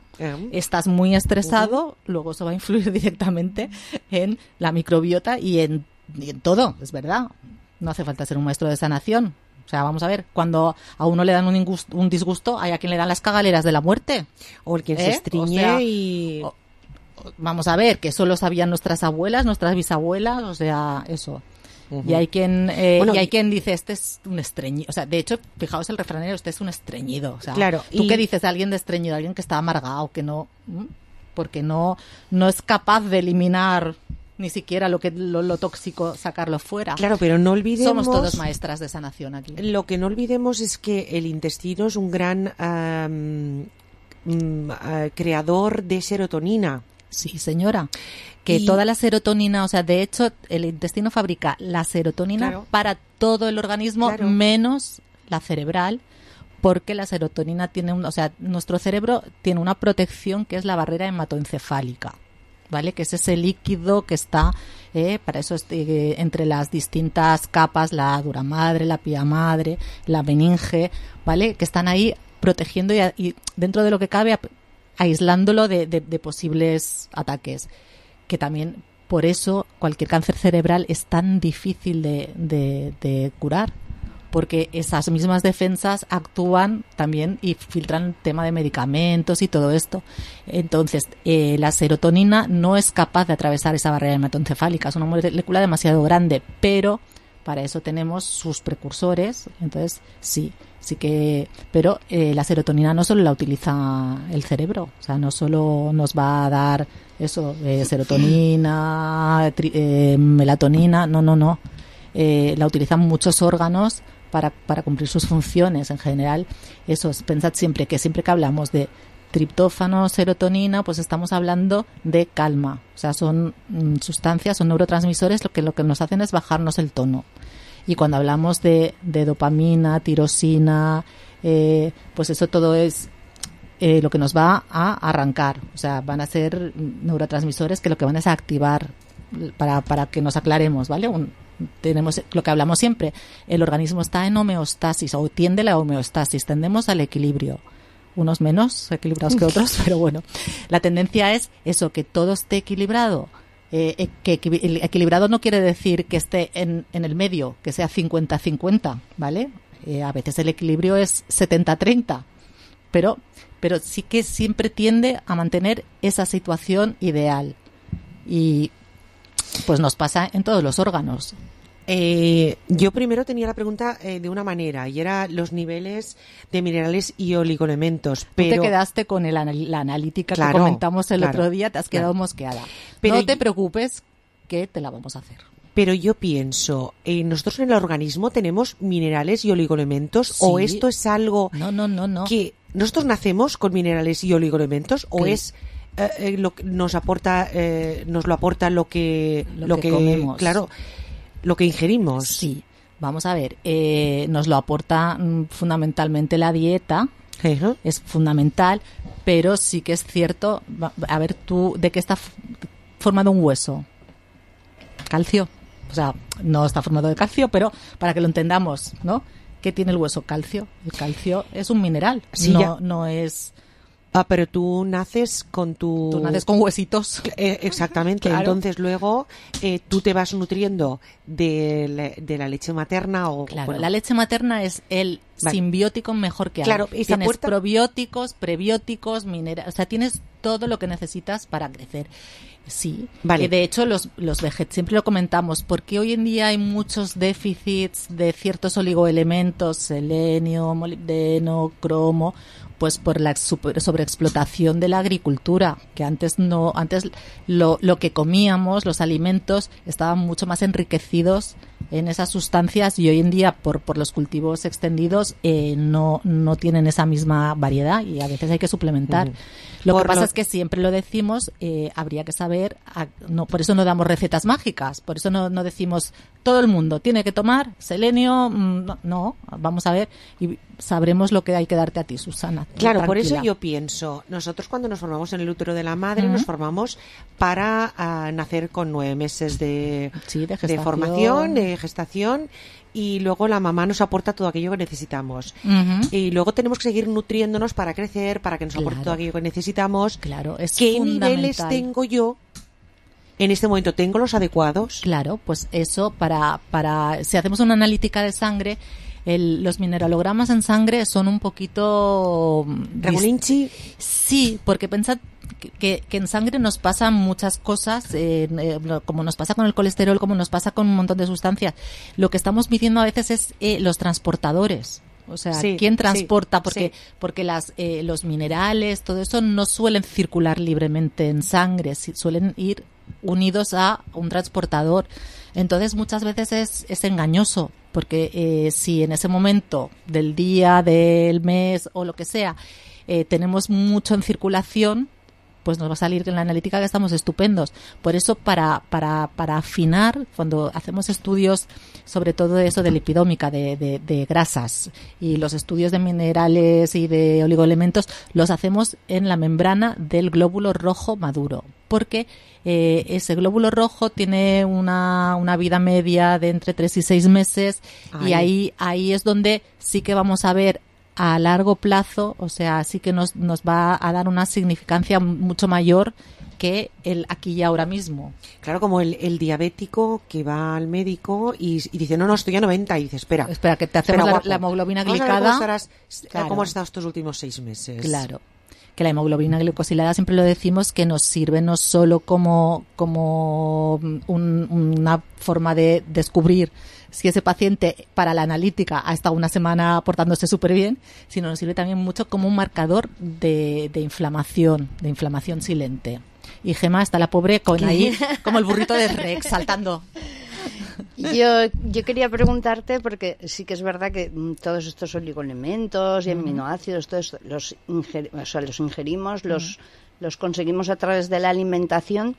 estás muy estresado, luego eso va a influir directamente en la microbiota y en todo, es verdad. No hace falta ser un maestro de sanación. O sea, vamos a ver, cuando a uno le dan un disgusto, hay a quien le dan las cagaleras de la muerte. O el que se estriñe vamos a ver, que eso lo sabían nuestras abuelas, nuestras bisabuelas, o sea, eso. Uh-huh. Y hay quien dice, este es un estreñido. O sea, de hecho, fijaos el refranero, este es un estreñido. O sea, claro, ¿tú qué dices de alguien de estreñido? Alguien que está amargado, que no... Porque no es capaz de eliminar... ni siquiera lo tóxico, sacarlo fuera. Claro, pero no olvidemos... Somos todos maestras de sanación aquí. Lo que no olvidemos es que el intestino es un gran creador de serotonina. Sí, señora. Que toda la serotonina, o sea, de hecho, el intestino fabrica la serotonina para todo el organismo, menos la cerebral, porque la serotonina tiene nuestro cerebro tiene una protección que es la barrera hematoencefálica. ¿Vale? Que es ese líquido que está, para eso entre las distintas capas, la dura madre, la pía madre, la meninge, ¿vale? Que están ahí protegiendo y dentro de lo que cabe aislándolo de posibles ataques. Que también por eso cualquier cáncer cerebral es tan difícil de curar. Porque esas mismas defensas actúan también y filtran tema de medicamentos y todo esto. Entonces, la serotonina no es capaz de atravesar esa barrera hematoencefálica. Es una molécula demasiado grande, pero para eso tenemos sus precursores. Entonces, sí que... Pero la serotonina no solo la utiliza el cerebro. O sea, no solo nos va a dar eso, serotonina, melatonina. No. La utilizan muchos órganos para cumplir sus funciones en general. Pensad siempre que hablamos de triptófano, serotonina, pues estamos hablando de calma. O sea, son sustancias, son neurotransmisores lo que nos hacen es bajarnos el tono. Y cuando hablamos de dopamina, tirosina, pues eso todo es lo que nos va a arrancar. O sea, van a ser neurotransmisores que lo que van es a activar para que nos aclaremos, ¿vale? Tenemos lo que hablamos siempre, el organismo está en homeostasis o tiende a la homeostasis, tendemos al equilibrio, unos menos equilibrados que otros, pero bueno, la tendencia es eso, que todo esté equilibrado. Que equilibrado no quiere decir que esté en el medio, que sea 50-50, ¿vale? A veces el equilibrio es 70-30, pero sí que siempre tiende a mantener esa situación ideal. Y pues nos pasa en todos los órganos. Yo primero tenía la pregunta de una manera, y era los niveles de minerales y oligoelementos. Pero tú te quedaste con la analítica que comentamos el otro día, te has quedado mosqueada. Pero no te preocupes, que te la vamos a hacer. Pero yo pienso, nosotros en el organismo tenemos minerales y oligoelementos, sí. ¿O esto es algo no. que nosotros nacemos con minerales y oligoelementos, o es lo que nos lo aporta lo que comemos? Claro, lo que ingerimos. Sí, vamos a ver, nos lo aporta fundamentalmente la dieta. Uh-huh. Es fundamental, pero sí que es cierto. A ver, tú, ¿de qué está formado un hueso? Calcio. O sea, no está formado de calcio, pero para que lo entendamos, ¿no? ¿Qué tiene el hueso? Calcio. El calcio es un mineral, sí, no es... pero tú naces con tu... Tú naces con huesitos. Exactamente. Claro. Entonces luego tú te vas nutriendo de la leche materna o... Claro, la leche materna es el simbiótico mejor que hay. Claro, tienes probióticos, prebióticos, minerales... O sea, tienes todo lo que necesitas para crecer. Sí. Vale. De hecho, los vegetales, siempre lo comentamos, porque hoy en día hay muchos déficits de ciertos oligoelementos, selenio, molibdeno, cromo... Pues por la sobreexplotación de la agricultura, que antes lo que comíamos, los alimentos, estaban mucho más enriquecidos en esas sustancias, y hoy en día por los cultivos extendidos no tienen esa misma variedad, y a veces hay que suplementar. Uh-huh. Lo que pasa es que siempre lo decimos, habría que saber, por eso no damos recetas mágicas, por eso no decimos todo el mundo tiene que tomar selenio, no, vamos a ver y sabremos lo que hay que darte a ti, Susana. Claro, tranquila. por eso yo pienso, nosotros cuando nos formamos en el útero de la madre, nos formamos para nacer con 9 meses de formación, de gestación, y luego la mamá nos aporta todo aquello que necesitamos. Uh-huh. Y luego tenemos que seguir nutriéndonos para crecer, para que nos aporte todo aquello que necesitamos. Claro, es ¿Qué fundamental. niveles tengo yo? En este momento, ¿tengo los adecuados? Claro, pues eso, para si hacemos una analítica de sangre, los mineralogramas en sangre son un poquito... ¿Regulinchi? Sí, porque pensad que en sangre nos pasan muchas cosas, como nos pasa con el colesterol, como nos pasa con un montón de sustancias. Lo que estamos midiendo a veces es los transportadores. O sea, sí, ¿quién transporta? Sí, porque los minerales, todo eso no suelen circular libremente en sangre, suelen ir unidos a un transportador. Entonces muchas veces es engañoso, porque si en ese momento del día, del mes o lo que sea, tenemos mucho en circulación, pues nos va a salir en la analítica que estamos estupendos. Por eso, para afinar, cuando hacemos estudios, sobre todo de eso de lipidómica, de grasas, y los estudios de minerales y de oligoelementos, los hacemos en la membrana del glóbulo rojo maduro, porque ese glóbulo rojo tiene una vida media de entre 3 y 6 meses. Ay. Y ahí es donde sí que vamos a ver a largo plazo, o sea, sí que nos va a dar una significancia mucho mayor que el aquí y ahora mismo. Claro, como el diabético que va al médico y dice, no, estoy a 90, y dice, espera, que te hacemos la hemoglobina glicada. ¿Cómo has estado estos últimos 6 meses? Claro. Que la hemoglobina glicosilada, siempre lo decimos, que nos sirve no solo como una forma de descubrir si ese paciente para la analítica ha estado una semana portándose súper bien, sino nos sirve también mucho como un marcador de inflamación silente. Y Gemma está la pobre con ahí como el burrito de Rex saltando. Yo quería preguntarte, porque sí que es verdad que todos estos oligoelementos y aminoácidos, todos los ingerimos, los conseguimos a través de la alimentación,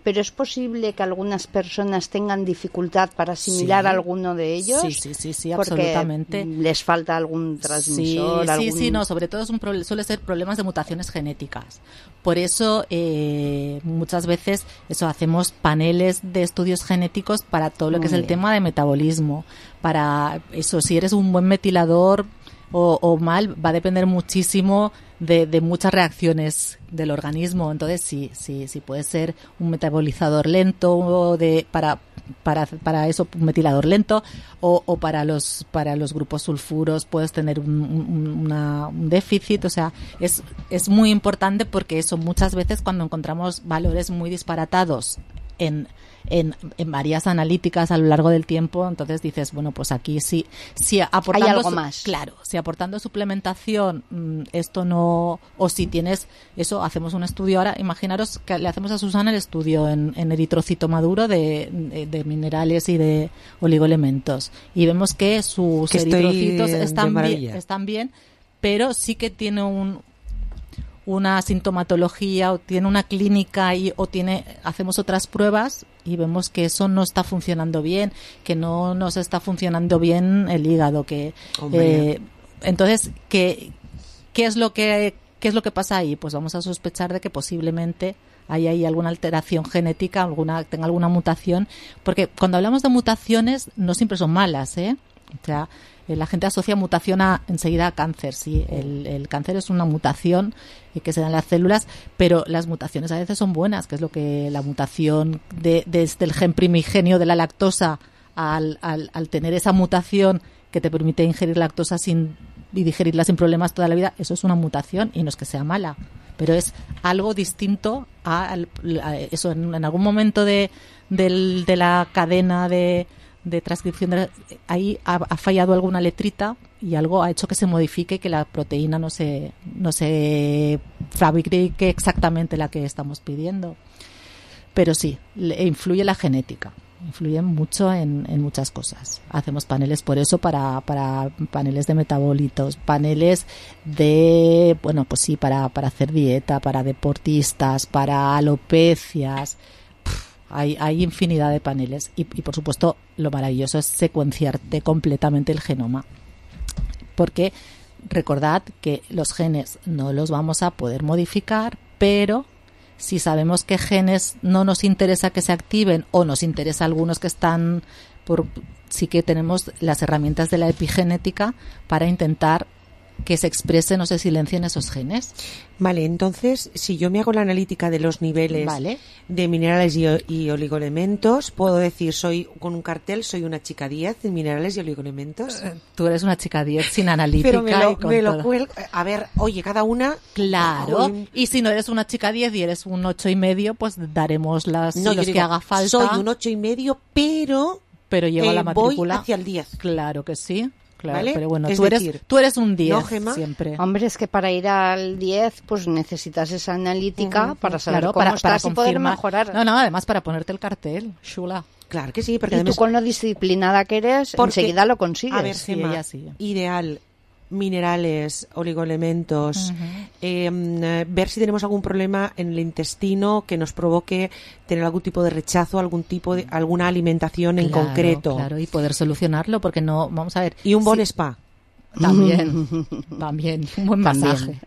pero ¿es posible que algunas personas tengan dificultad para asimilar alguno de ellos? Sí, absolutamente. Porque les falta algún transmisor. Sí, no, sobre todo suele ser problemas de mutaciones genéticas. Por eso, muchas veces hacemos paneles de estudios genéticos para todo lo que es el tema de metabolismo. Para eso, si eres un buen metilador o mal, va a depender muchísimo de muchas reacciones del organismo. Entonces sí puede ser un metabolizador lento para eso, un metilador lento, o para los grupos sulfuros puedes tener un déficit. O sea, es muy importante, porque eso muchas veces cuando encontramos valores muy disparatados en varias analíticas a lo largo del tiempo, entonces dices, bueno, pues aquí sí aportando hay algo más. Claro, si aportando suplementación esto no, o si tienes eso, hacemos un estudio ahora, imaginaros que le hacemos a Susana el estudio en eritrocito maduro de minerales y de oligoelementos, y vemos que sus eritrocitos están bien, pero sí que tiene una sintomatología, o tiene una clínica, hacemos otras pruebas y vemos que eso no está funcionando bien, que no nos está funcionando bien el hígado, que entonces ¿qué es lo que pasa ahí? Pues vamos a sospechar de que posiblemente hay ahí alguna alteración genética, tenga alguna mutación, porque cuando hablamos de mutaciones no siempre son malas, O sea, la gente asocia mutación enseguida a cáncer. Sí, el cáncer es una mutación que se da en las células, pero las mutaciones a veces son buenas, que es lo que la mutación desde el gen primigenio de la lactosa al tener esa mutación que te permite ingerir lactosa y digerirla sin problemas toda la vida, eso es una mutación, y no es que sea mala, pero es algo distinto a eso. En algún momento de la cadena de transcripción ahí ha fallado alguna letrita y algo ha hecho que se modifique, que la proteína no se fabrique exactamente la que estamos pidiendo. Pero sí, influye la genética, influye mucho en muchas cosas. Hacemos paneles por eso, para paneles de metabolitos, paneles de, bueno, pues sí, para hacer dieta, para deportistas, para alopecias. Hay infinidad de paneles y por supuesto lo maravilloso es secuenciarte completamente el genoma, porque recordad que los genes no los vamos a poder modificar, pero si sabemos qué genes no nos interesa que se activen, o nos interesa algunos que están sí que tenemos las herramientas de la epigenética para intentar que se expresen o se silencien esos genes. Vale, entonces, si yo me hago la analítica de los niveles de minerales y oligoelementos, puedo decir, con un cartel, soy una chica 10 en minerales y oligoelementos. Tú eres una chica 10 sin analítica. Pero me lo cuelgo. A ver, oye, cada una... Claro, y si no eres una chica 10 y eres un 8,5, pues daremos los que haga falta. Soy un 8,5, pero llevo la matrícula. Voy hacia el 10. Claro que sí. Claro, ¿vale? Pero bueno, tú eres un 10 siempre. Hombre, es que para ir al 10 pues necesitas esa analítica para saber cómo estás y poder mejorar. No, además para ponerte el cartel, chula. Claro que sí, porque y tú con lo disciplinada que eres, enseguida lo consigues. A ver, Gemma, ideal, minerales, oligoelementos, ver si tenemos algún problema en el intestino que nos provoque tener algún tipo de rechazo, alguna alimentación en concreto. Claro, y poder solucionarlo, porque no, vamos a ver. Y un buen spa. También, un buen masaje.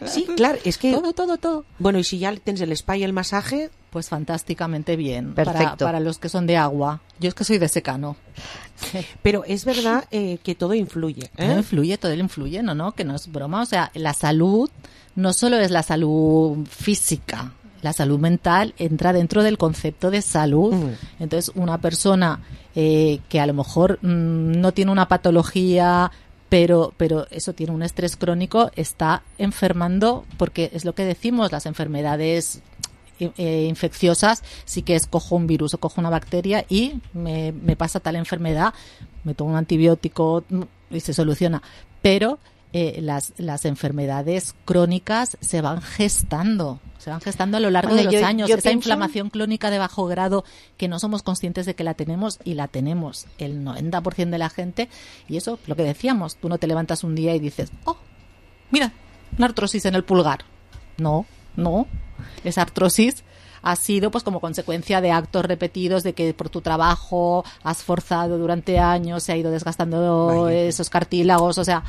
Sí, claro, es que... Todo. Bueno, y si ya tienes el spa y el masaje... Pues fantásticamente bien. Perfecto. Para los que son de agua. Yo es que soy de secano. Pero es verdad que todo influye. Todo influye, no, que no es broma. O sea, la salud no solo es la salud física. La salud mental entra dentro del concepto de salud. Entonces, una persona que a lo mejor no tiene una patología, pero eso tiene un estrés crónico, está enfermando, porque es lo que decimos, las enfermedades infecciosas, sí que es cojo un virus o cojo una bacteria y me pasa tal enfermedad, me tomo un antibiótico y se soluciona. Pero las enfermedades crónicas se van gestando a lo largo de los años. Esa inflamación crónica de bajo grado que no somos conscientes de que la tenemos, y la tenemos el 90% de la gente. Y eso, lo que decíamos, tú no te levantas un día y dices, oh, mira, una artrosis en el pulgar. No. Esa artrosis ha sido pues como consecuencia de actos repetidos, de que por tu trabajo has forzado durante años, se ha ido desgastando esos cartílagos, o sea,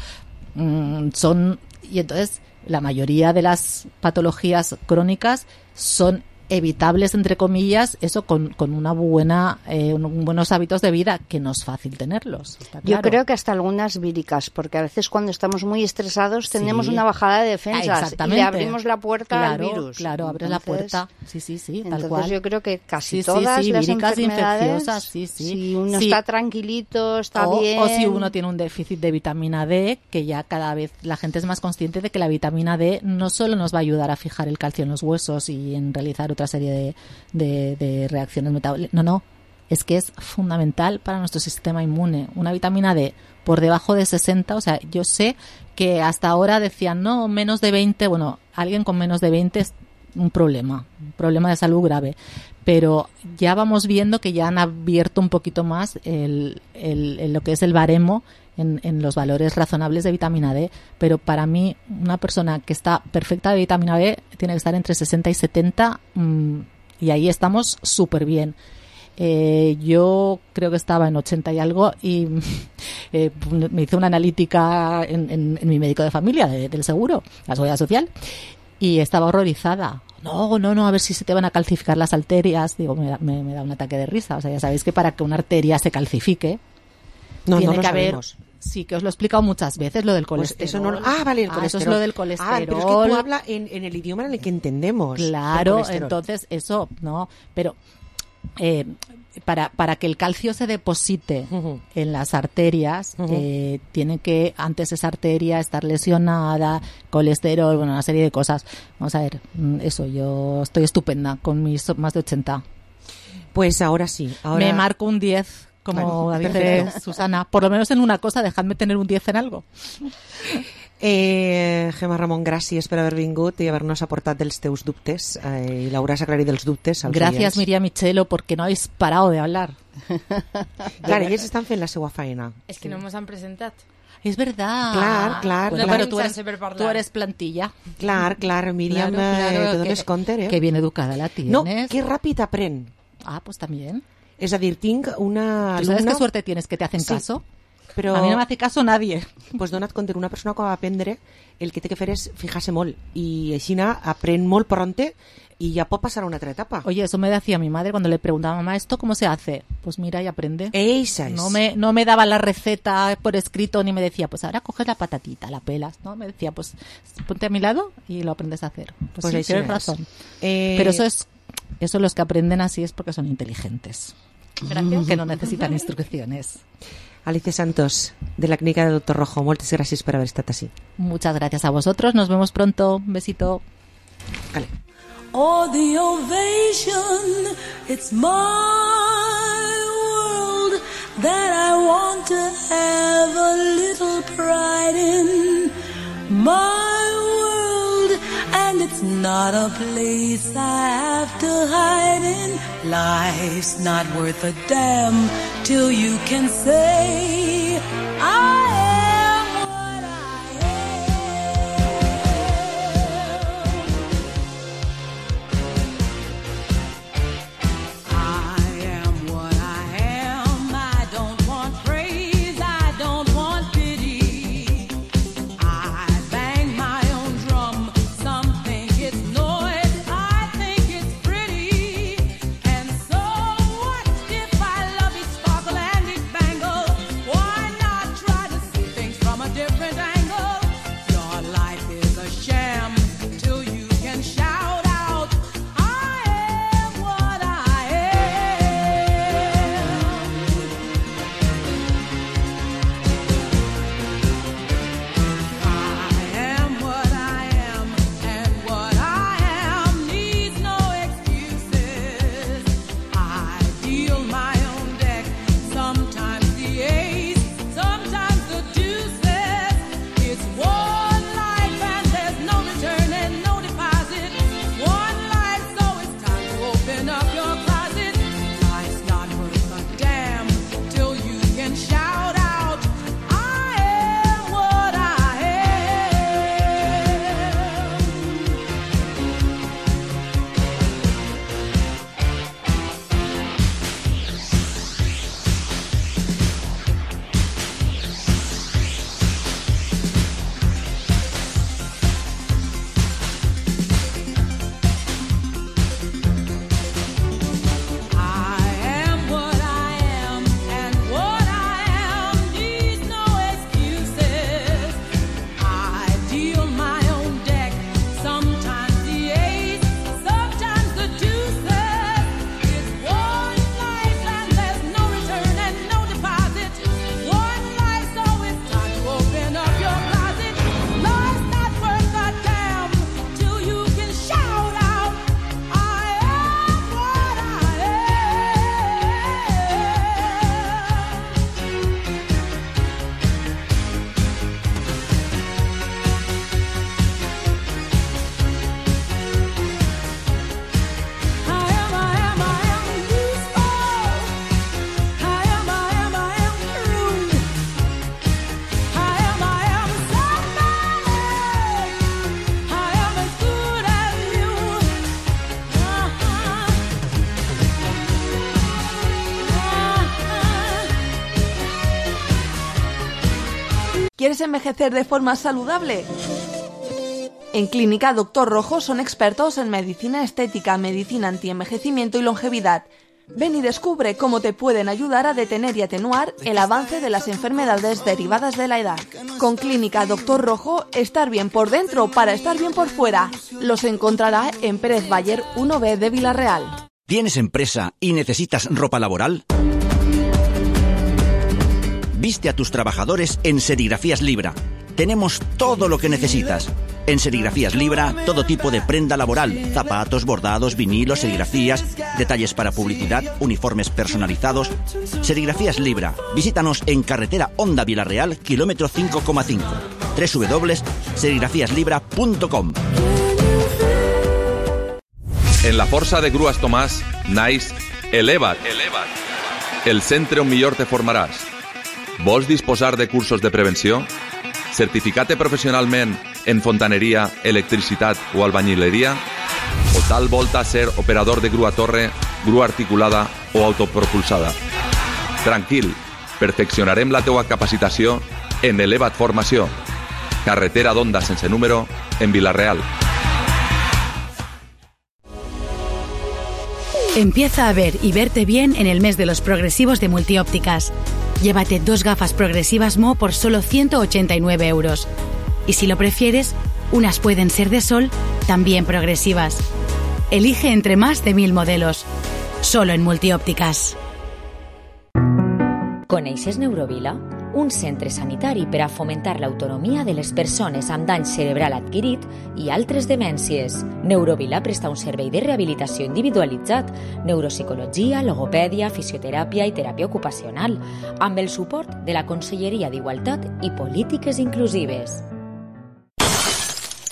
y entonces la mayoría de las patologías crónicas son evitables, entre comillas, eso con una buenos hábitos de vida, que no es fácil tenerlos. Yo creo que hasta algunas víricas, porque a veces cuando estamos muy estresados tenemos una bajada de defensas y le abrimos la puerta al virus. Claro, abres la puerta. Sí, tal cual. Entonces yo creo que casi todas las víricas enfermedades, infecciosas, si uno está tranquilito, está bien. O si uno tiene un déficit de vitamina D, que ya cada vez la gente es más consciente de que la vitamina D no solo nos va a ayudar a fijar el calcio en los huesos y en realizar otra serie de reacciones metabólicas. No, es que es fundamental para nuestro sistema inmune. Una vitamina D por debajo de 60, o sea, yo sé que hasta ahora decían, no, menos de 20, bueno, alguien con menos de 20 es un problema de salud grave, pero ya vamos viendo que ya han abierto un poquito más lo que es el baremo en los valores razonables de vitamina D, pero para mí una persona que está perfecta de vitamina D tiene que estar entre 60 y 70, y ahí estamos súper bien. Yo creo que estaba en 80 y algo, y me hice una analítica en mi médico de familia del seguro, la Seguridad Social, y estaba horrorizada. No, a ver si se te van a calcificar las arterias. Digo, me da un ataque de risa. O sea, ya sabéis que para que una arteria se calcifique tiene que haber... Sí, que os lo he explicado muchas veces, lo del colesterol. Pues eso no, vale, el colesterol. Eso es lo del colesterol. Pero es que tú hablas en el idioma en el que entendemos. Claro, entonces eso, no, pero para que el calcio se deposite en las arterias, tiene que antes esa arteria estar lesionada, colesterol, bueno, una serie de cosas. Vamos a ver, eso, yo estoy estupenda con mis más de 80. Pues ahora sí. Me marco un 10. Como dice Susana, por lo menos en una cosa, dejadme tener un 10 en algo. Gemma Ramon, gràcies per haver vingut i haver-nos aportat dels teus dubtes i l'hauràs aclarit dels dubtes als Gracias, Miriam Michelo, porque no habéis parado de hablar. Claro, ells estan fent la seva feina. És que no ens han presentat. Es verdad. Clar. Bueno, pero tú eres plantilla. Clar, Miriam, de d'on es compte, Que bien educada la tienes. No, que ràpid aprèn. Ah, pues también. És a dir, tinc una alumna... ¿Tú sabes qué suerte tienes que te hacen caso? Però... A mi no m'hace caso nadie. Pues dona't compte, una persona que va aprendre, el que té que fer és fijar-se molt, i així aprèn molt pronte y ya puede pasar a una otra etapa. Oye, eso me decía mi madre cuando le preguntaba, mamá, ¿esto cómo se hace? Pues mira y aprende. Esa es. No me daba la receta por escrito ni me decía, pues ahora coges la patatita, la pelas, ¿no? Me decía, pues ponte a mi lado y lo aprendes a hacer. Pues sí, tienes razón. Pero eso los que aprenden así es porque son inteligentes. Gracias. Que no necesitan instrucciones. Alicia Santos, de la Clínica del Doctor Rojo, moltes gràcies per haver estat així. Muchas gracias a vosotros, nos vemos pronto. Un besito. Vale. Oh, the ovation, it's my world that I want to have a little pride in. My world, and it's not a place I have to hide in. Life's not worth a damn till you can say I am what I am. I am what I am. I don't want praise, I don't want pity. I bang my own drum, some think it's noise, I think it's pretty. And so what if I love each sparkle and each bangle? Why not try to see things from a different angle? Your life is a sham till you can shout out, I am what I am. I am what I am, and what I am needs no excuses. I deal my own deck, sometimes the ace, sometimes the deuces. It's one life and there's no return and no deposit. One life, so it's time to open up your closet. Life's not worth a damn till you can shout out, I am what I I am what I am, and what I am needs no excuses. I deal my own deck, sometimes the ace, sometimes the deuces. It's one life and there's no return and no deposit. One life, so it's time to open up your closet. Life's not worth a damn till you can shout out, I am what I am. ¿Quieres envejecer de forma saludable? En Clínica Doctor Rojo son expertos en medicina estética, medicina antienvejecimiento y longevidad. Ven y descubre cómo te pueden ayudar a detener y atenuar el avance de las enfermedades derivadas de la edad. Con Clínica Doctor Rojo, estar bien por dentro para estar bien por fuera. Los encontrará en Pérez Bayer 1B de Villarreal. ¿Tienes empresa y necesitas ropa laboral? Viste a tus trabajadores en Serigrafías Libra. Tenemos todo lo que necesitas. En Serigrafías Libra, todo tipo de prenda laboral, zapatos, bordados, vinilos, serigrafías, detalles para publicidad, uniformes personalizados. Serigrafías Libra. Visítanos en carretera Honda Villarreal, kilómetro 5,5. www.serigrafíaslibra.com. En la força de Grues Tomàs naix Eleva't. El centre on millor te formaràs. Vols disposar de cursos de prevenció? Certificar-te professionalment en fontaneria, electricitat o albañileria? O tal volta ser operador de grua torre, grua articulada o autopropulsada? Tranquil, Perfeccionarem la teua capacitació en Elevat Formació. Carretera d'Onda sense número en Vila-real. Empieza a ver y verte bien en el mes de los progresivos de Multiópticas. Llévate 2 gafas progresivas Mo por solo 189 euros. Y si lo prefieres, unas pueden ser de sol, también progresivas. Elige entre más de 1000 modelos. Solo en Multiópticas. Coneixes Neurovila? Un centre sanitari per a fomentar l'autonomia de les persones amb dany cerebral adquirit i altres demències. Neurovila presta un servei de rehabilitació individualitzat, neuropsicologia, logopèdia, fisioteràpia i teràpia ocupacional, amb el suport de la Conselleria d'Igualtat i Polítiques Inclusives.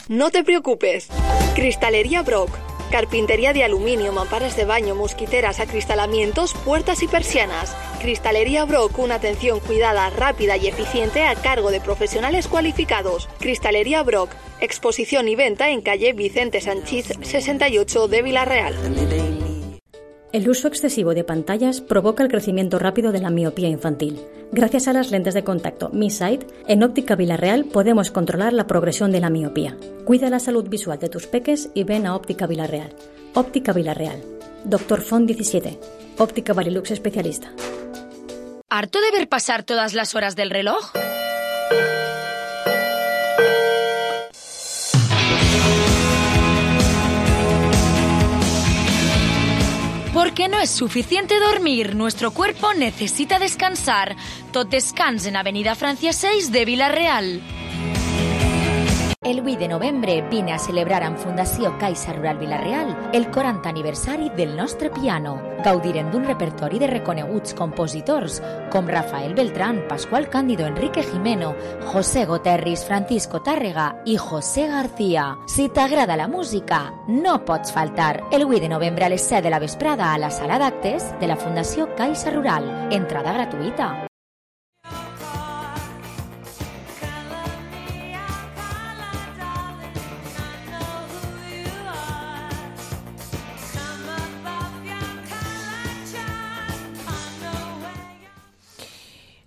No te preocupes. Cristalería Brock. Carpintería de aluminio, mamparas de baño, mosquiteras, acristalamientos, puertas y persianas. Cristalería Brock, una atención cuidada, rápida y eficiente a cargo de profesionales cualificados. Cristalería Brock, exposición y venta en calle Vicente Sanchís 68 de Vila-real. El uso excesivo de pantallas provoca el crecimiento rápido de la miopía infantil. Gracias a las lentes de contacto Mi Sight, en Óptica Vila-real podemos controlar la progresión de la miopía. Cuida la salud visual de tus peques y ven a Óptica Vila-real. Óptica Vila-real. Dr. Font 17. Óptica Varilux especialista. ¿Harto de ver pasar todas las horas del reloj? Porque no es suficiente dormir, nuestro cuerpo necesita descansar. Tot descans en Avenida Francia 6 de Vila-real. El 8 de novembre vine a celebrar amb Fundació Caixa Rural Vila-real el 40 aniversari del nostre piano. Gaudirem d'un repertori de reconeguts compositors com Rafael Beltrán, Pascual Cándido, Enrique Jimeno, José Goterris, Francisco Tàrrega i José García. Si t'agrada la música, no pots faltar. El 8 de novembre a les 7 de la vesprada a la sala d'actes de la Fundació Caixa Rural. Entrada gratuïta.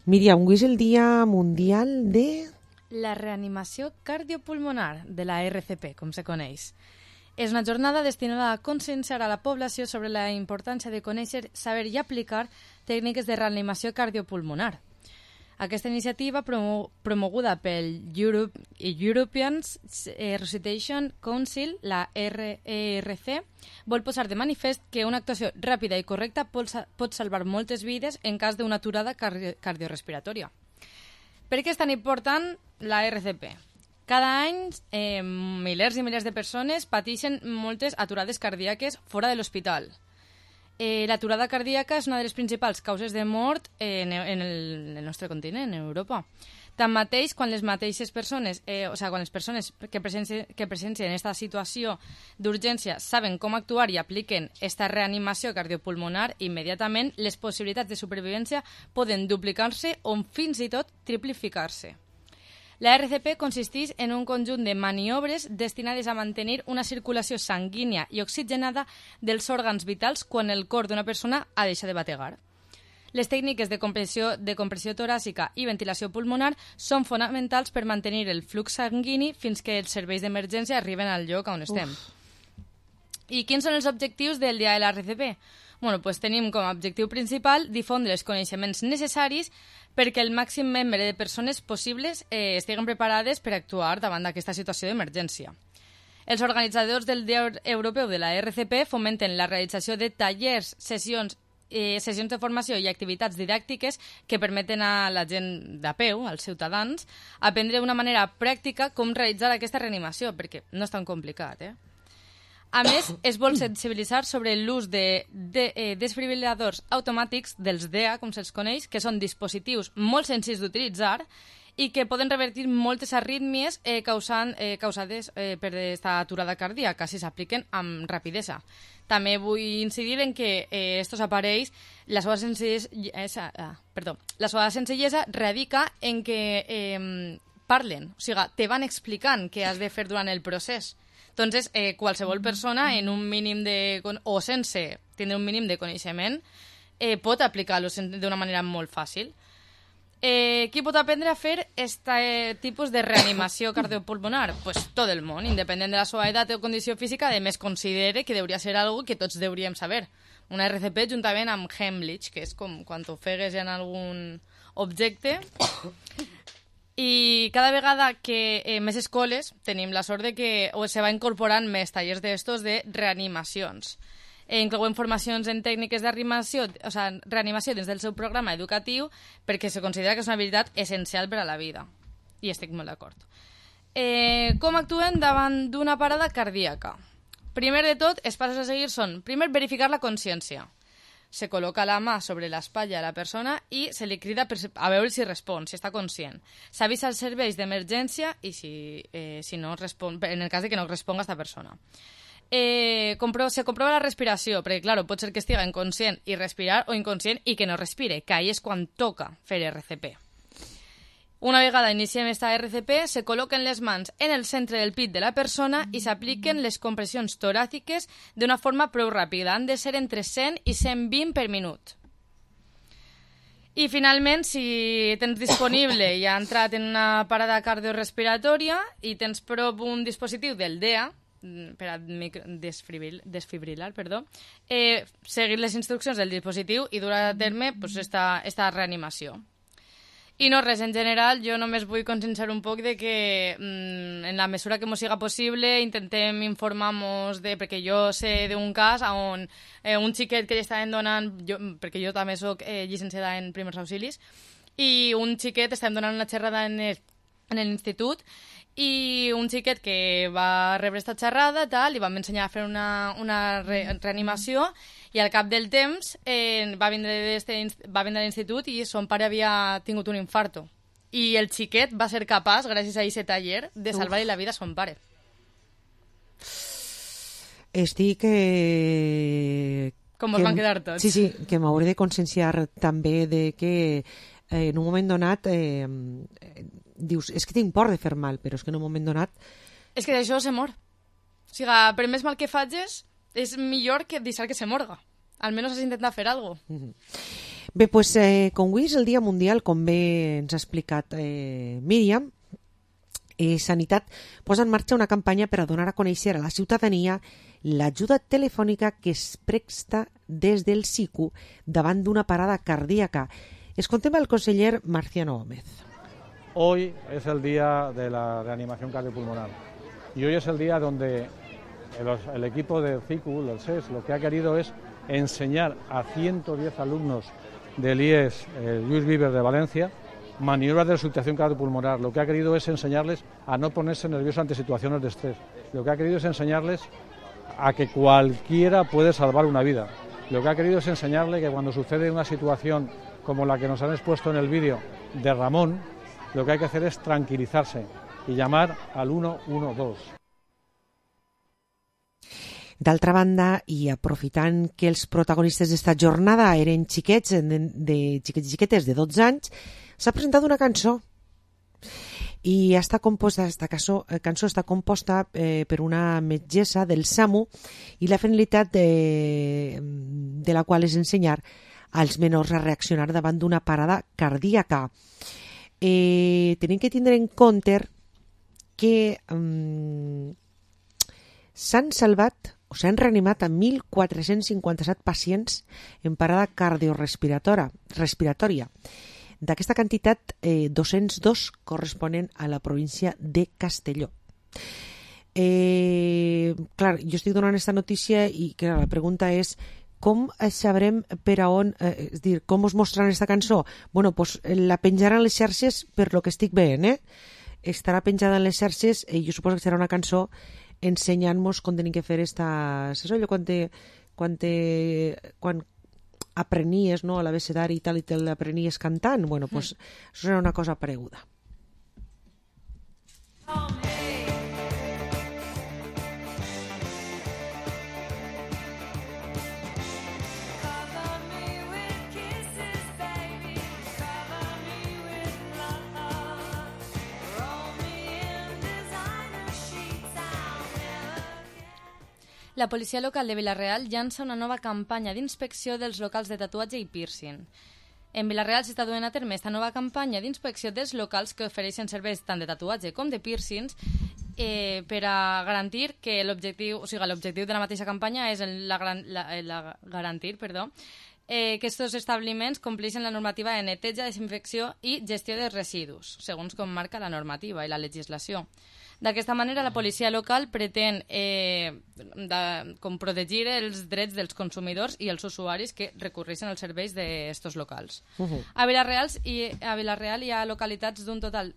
Míriam, avui és el Dia Mundial de... La reanimació cardiopulmonar, de la RCP, com se coneix. És una jornada destinada a conscienciar a la població sobre la importància de conèixer, saber i aplicar tècniques de reanimació cardiopulmonar. Aquesta iniciativa, promoguda pel European Resuscitation Council, la RERC, vol posar de manifest que una actuació ràpida i correcta pot salvar moltes vides en cas d'una aturada cardiorespiratòria. Per què és tan important la RCP? Cada any, milers i milers de persones pateixen moltes aturades cardíaques fora de l'hospital. L'aturada cardíaca és una de les principals causes de mort en el nostre continent, en Europa. Tanmateix, quan les mateixes persones, quan les persones que presencien aquesta situació d'urgència saben com actuar i apliquen aquesta reanimació cardiopulmonar, immediatament les possibilitats de supervivència poden duplicar-se o fins i tot triplificar-se. La RCP consisteix en un conjunt de maniobres destinades a mantenir una circulació sanguínia i oxigenada dels òrgans vitals quan el cor d'una persona ha deixat de bategar. Les tècniques de compressió toràcica i ventilació pulmonar són fonamentals per mantenir el flux sanguini fins que els serveis d'emergència arriben al lloc on estem. I quins són els objectius del Dia de la RCP? Tenim com a objectiu principal difondre els coneixements necessaris perquè el màxim nombre de persones possibles estiguen preparades per actuar davant d'aquesta situació d'emergència. Els organitzadors del Dia Europeu de la RCP fomenten la realització de tallers, sessions de formació i activitats didàctiques que permeten a la gent de peu, als ciutadans, aprendre d'una manera pràctica com realitzar aquesta reanimació, perquè no és tan complicat, A més, es vol sensibilitzar sobre l'ús de desfibril·ladors automàtics dels DEA, com se'ls coneix, que són dispositius molt senzills d'utilitzar i que poden revertir moltes arrítmies causades per aquesta aturada cardíaca si s'apliquen amb rapidesa. També vull incidir en que estos aparells, la seva senzillesa radica en que parlen, o sigui, te van explicant què has de fer durant el procés. Entonces, qualsevol persona en un mínim o sense tindre un mínim de coneixement pot aplicar-lo d'una manera molt fàcil. Qui pot aprendre a fer aquest tipus de reanimació cardiopulmonar? Pues tot el món, independent de la seva edat o condició física, a més considere que hauria ser algo que tots hauríem saber. Una RCP juntament amb Heimlich, que és com quan t'ofegues en algun objecte. I cada vegada que més escoles tenim la sort de que se va incorporant més tallers d'estos de reanimacions. Inclouen formacions en tècniques de reanimació dins del seu programa educatiu perquè se considera que és una habilitat essencial per a la vida. I estic molt d'acord. Com actuen davant d'una parada cardíaca? Primer de tot, els passos a seguir són, primer, verificar la consciència. Se col·loca la mà sobre l'espatlla de la persona i se li crida a veure si respon, si està conscient. S'avisa als serveis d'emergència i si no respon, en el cas de que no responga aquesta persona. Se comprova la respiració, perquè, clar, pot ser que estigui inconscient i respirar o inconscient i que no respire, que ahí és quan toca fer RCP. Una vegada iniciem esta RCP, se col·loquen les mans en el centre del pit de la persona i s'apliquen les compressions toràciques d'una forma prou ràpida. Han de ser entre 100 i 120 per minut. I finalment, si tens disponible i ha entrat en una parada cardiorrespiratòria i tens prop un dispositiu del DEA, per a desfibrilar, seguir les instruccions del dispositiu i dur a terme esta reanimació. I no res, en general, jo només vull conscienciar un poc de que en la mesura que ens siga possible intentem informar-nos perquè jo sé d'un cas on un xiquet que li estaven donant, perquè jo també soc llicenciada en primers auxilis, i un xiquet estaven donant una xerrada en l'institut i un xiquet que va rebre esta xerrada li vam ensenyar a fer una reanimació i al cap del temps va vindre a l'institut i son pare havia tingut un infarto i el xiquet va ser capaç, gràcies a aquest taller, de salvar-li la vida a son pare. Estic... Com us van quedar tots. Sí, que m'hauré de conscienciar també de que en un moment donat dius, és que tinc por de fer mal, però és que en un moment donat... És que d'això se mor. O sigui, per més mal que facis, és millor que deixar que se morga. Almenys has intentat fer alguna cosa. Bé, doncs, com avui és el Dia Mundial, com bé ens ha explicat Míriam, Sanitat posa en marxa una campanya per a donar a conèixer a la ciutadania l'ajuda telefònica que es presta des del SICU davant d'una parada cardíaca. Escoltem al conseller Marciano Gómez. Hoy es el día de la reanimación cardiopulmonar y hoy es el día donde el equipo del CICU, del SES, lo que ha querido es enseñar a 110 alumnos del IES Lluís Vives de Valencia maniobras de resucitación cardiopulmonar. Lo que ha querido es enseñarles a no ponerse nerviosos ante situaciones de estrés. Lo que ha querido es enseñarles a que cualquiera puede salvar una vida. Lo que ha querido es enseñarle que cuando sucede una situación como la que nos han expuesto en el vídeo de Ramón, lo que hay que hacer es tranquilizarse y llamar al 112. D'altra banda, i aprofitant que els protagonistes d'esta jornada eren xiquets i xiquetes de 12 anys, s'ha presentat una cançó. I esta cançó està composta per una metgessa del SAMU i la finalitat de la qual és ensenyar als menors a reaccionar davant d'una parada cardíaca. Tenim que tindre en compte que s'han salvat o s'han reanimat a 1.457 pacients en parada cardiorrespiratòria. D'aquesta quantitat, 202 corresponen a la província de Castelló. Clar, jo estic donant aquesta notícia i clar, la pregunta és com sabrem per a on, és dir, com us mostraran aquesta cançó? Bueno, doncs la penjaran a les xarxes per lo que estic veient, estarà penjada en les xarxes i jo suposo que serà una cançó ensenyant-nos com tenim que fer esta... Saps allò quan aprenies, no, a l'abecedari i tal, i te l'aprenies cantant? Bueno, doncs això serà una cosa pareguda. La policia local de Vila-real llança una nova campanya d'inspecció dels locals de tatuatge i piercing. En Vila-real s'està duent a terme esta nova campanya d'inspecció dels locals que ofereixen serveis tant de tatuatge com de piercings per a garantir que l'objectiu de la mateixa campanya és garantir que aquests establiments compleixen la normativa de neteja, desinfecció i gestió de residus, segons com marca la normativa i la legislació. D'aquesta manera, la policia local pretén com protegir els drets dels consumidors i els usuaris que recurreixen als serveis d'estos locals. A Vila-real hi ha localitzats un total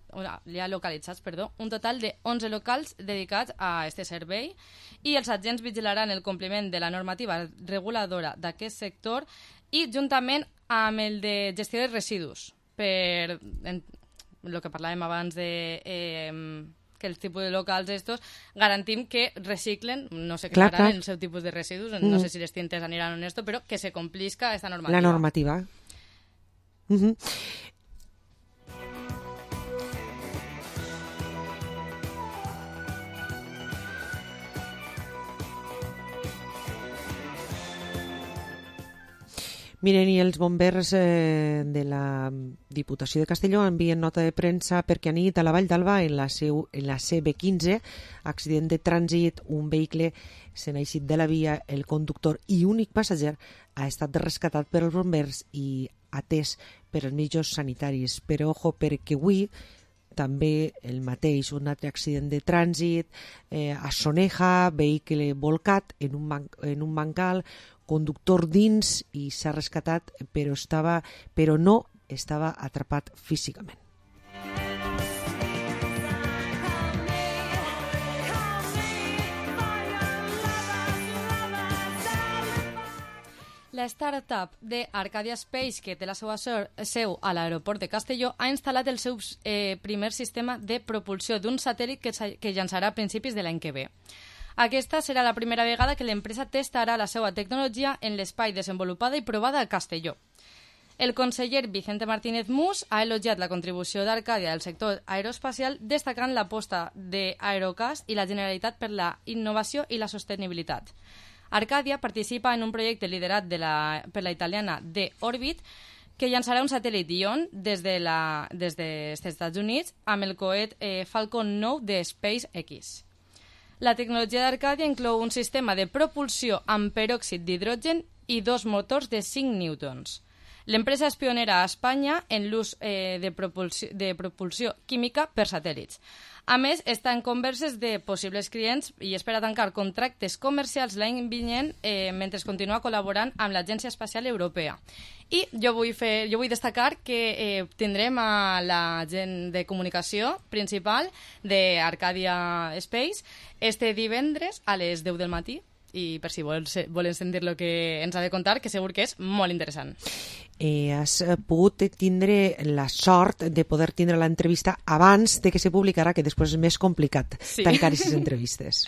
de 11 locals dedicats a aquest servei i els agents vigilaran el compliment de la normativa reguladora d'aquest sector i juntament amb el de gestió de residus, per el que parlàvem abans de que els tipus de locals estos garantim que reciclen, no sé què faran el seu tipus de residus, no sé si les tintes aniran en esto, però que se complisca esta normativa. La normativa. Miren, i els bombers de la Diputació de Castelló envien nota de premsa perquè anit a la Vall d'Alba en la CB15, accident de trànsit, un vehicle se n'ha eixit de la via, el conductor i únic passager ha estat rescatat per els bombers i atès per els mitjans sanitaris. Però ojo, perquè avui també el mateix, un altre accident de trànsit a Soneja, vehicle volcat en un bancal, conductor dins i s'ha rescatat, però no estava atrapat físicament. La startup d'Arcadia Space, que té la seva seu a l'aeroport de Castelló, ha instal·lat el seu primer sistema de propulsió d'un satèl·lit que llançarà a principis de l'any que ve. Aquesta serà la primera vegada que l'empresa testarà la seva tecnologia en l'espai desenvolupada i provada a Castelló. El conseller Vicente Martínez Mus ha elogiat la contribució d'Arcadia al sector aeroespacial, destacant l'aposta d'Aerocast i la Generalitat per la innovació i la sostenibilitat. Arcadia participa en un projecte liderat per la italiana D-Orbit, que llançarà un satèl·lit Ion des dels Estats Units amb el coet Falcon 9 de SpaceX. La tecnologia d'Arcadia inclou un sistema de propulsió amb peròxid d'hidrogen i 2 motors de 5 newtons. L'empresa és pionera a Espanya en l'ús de propulsió química per satèl·lits. A més, està en converses de possibles clients i espera tancar contractes comercials l'any vinent mentre continua col·laborant amb l'Agència Espacial Europea. I jo vull destacar que tindrem a la gent de comunicació principal d'Arcadia Space este divendres a les 10 del matí, i per si volen sentir el que ens ha de contar, que segur que és molt interessant. Has pogut tindre la sort de poder tindre l'entrevista abans de que se publicarà, que després és més complicat tancar aquestes entrevistes.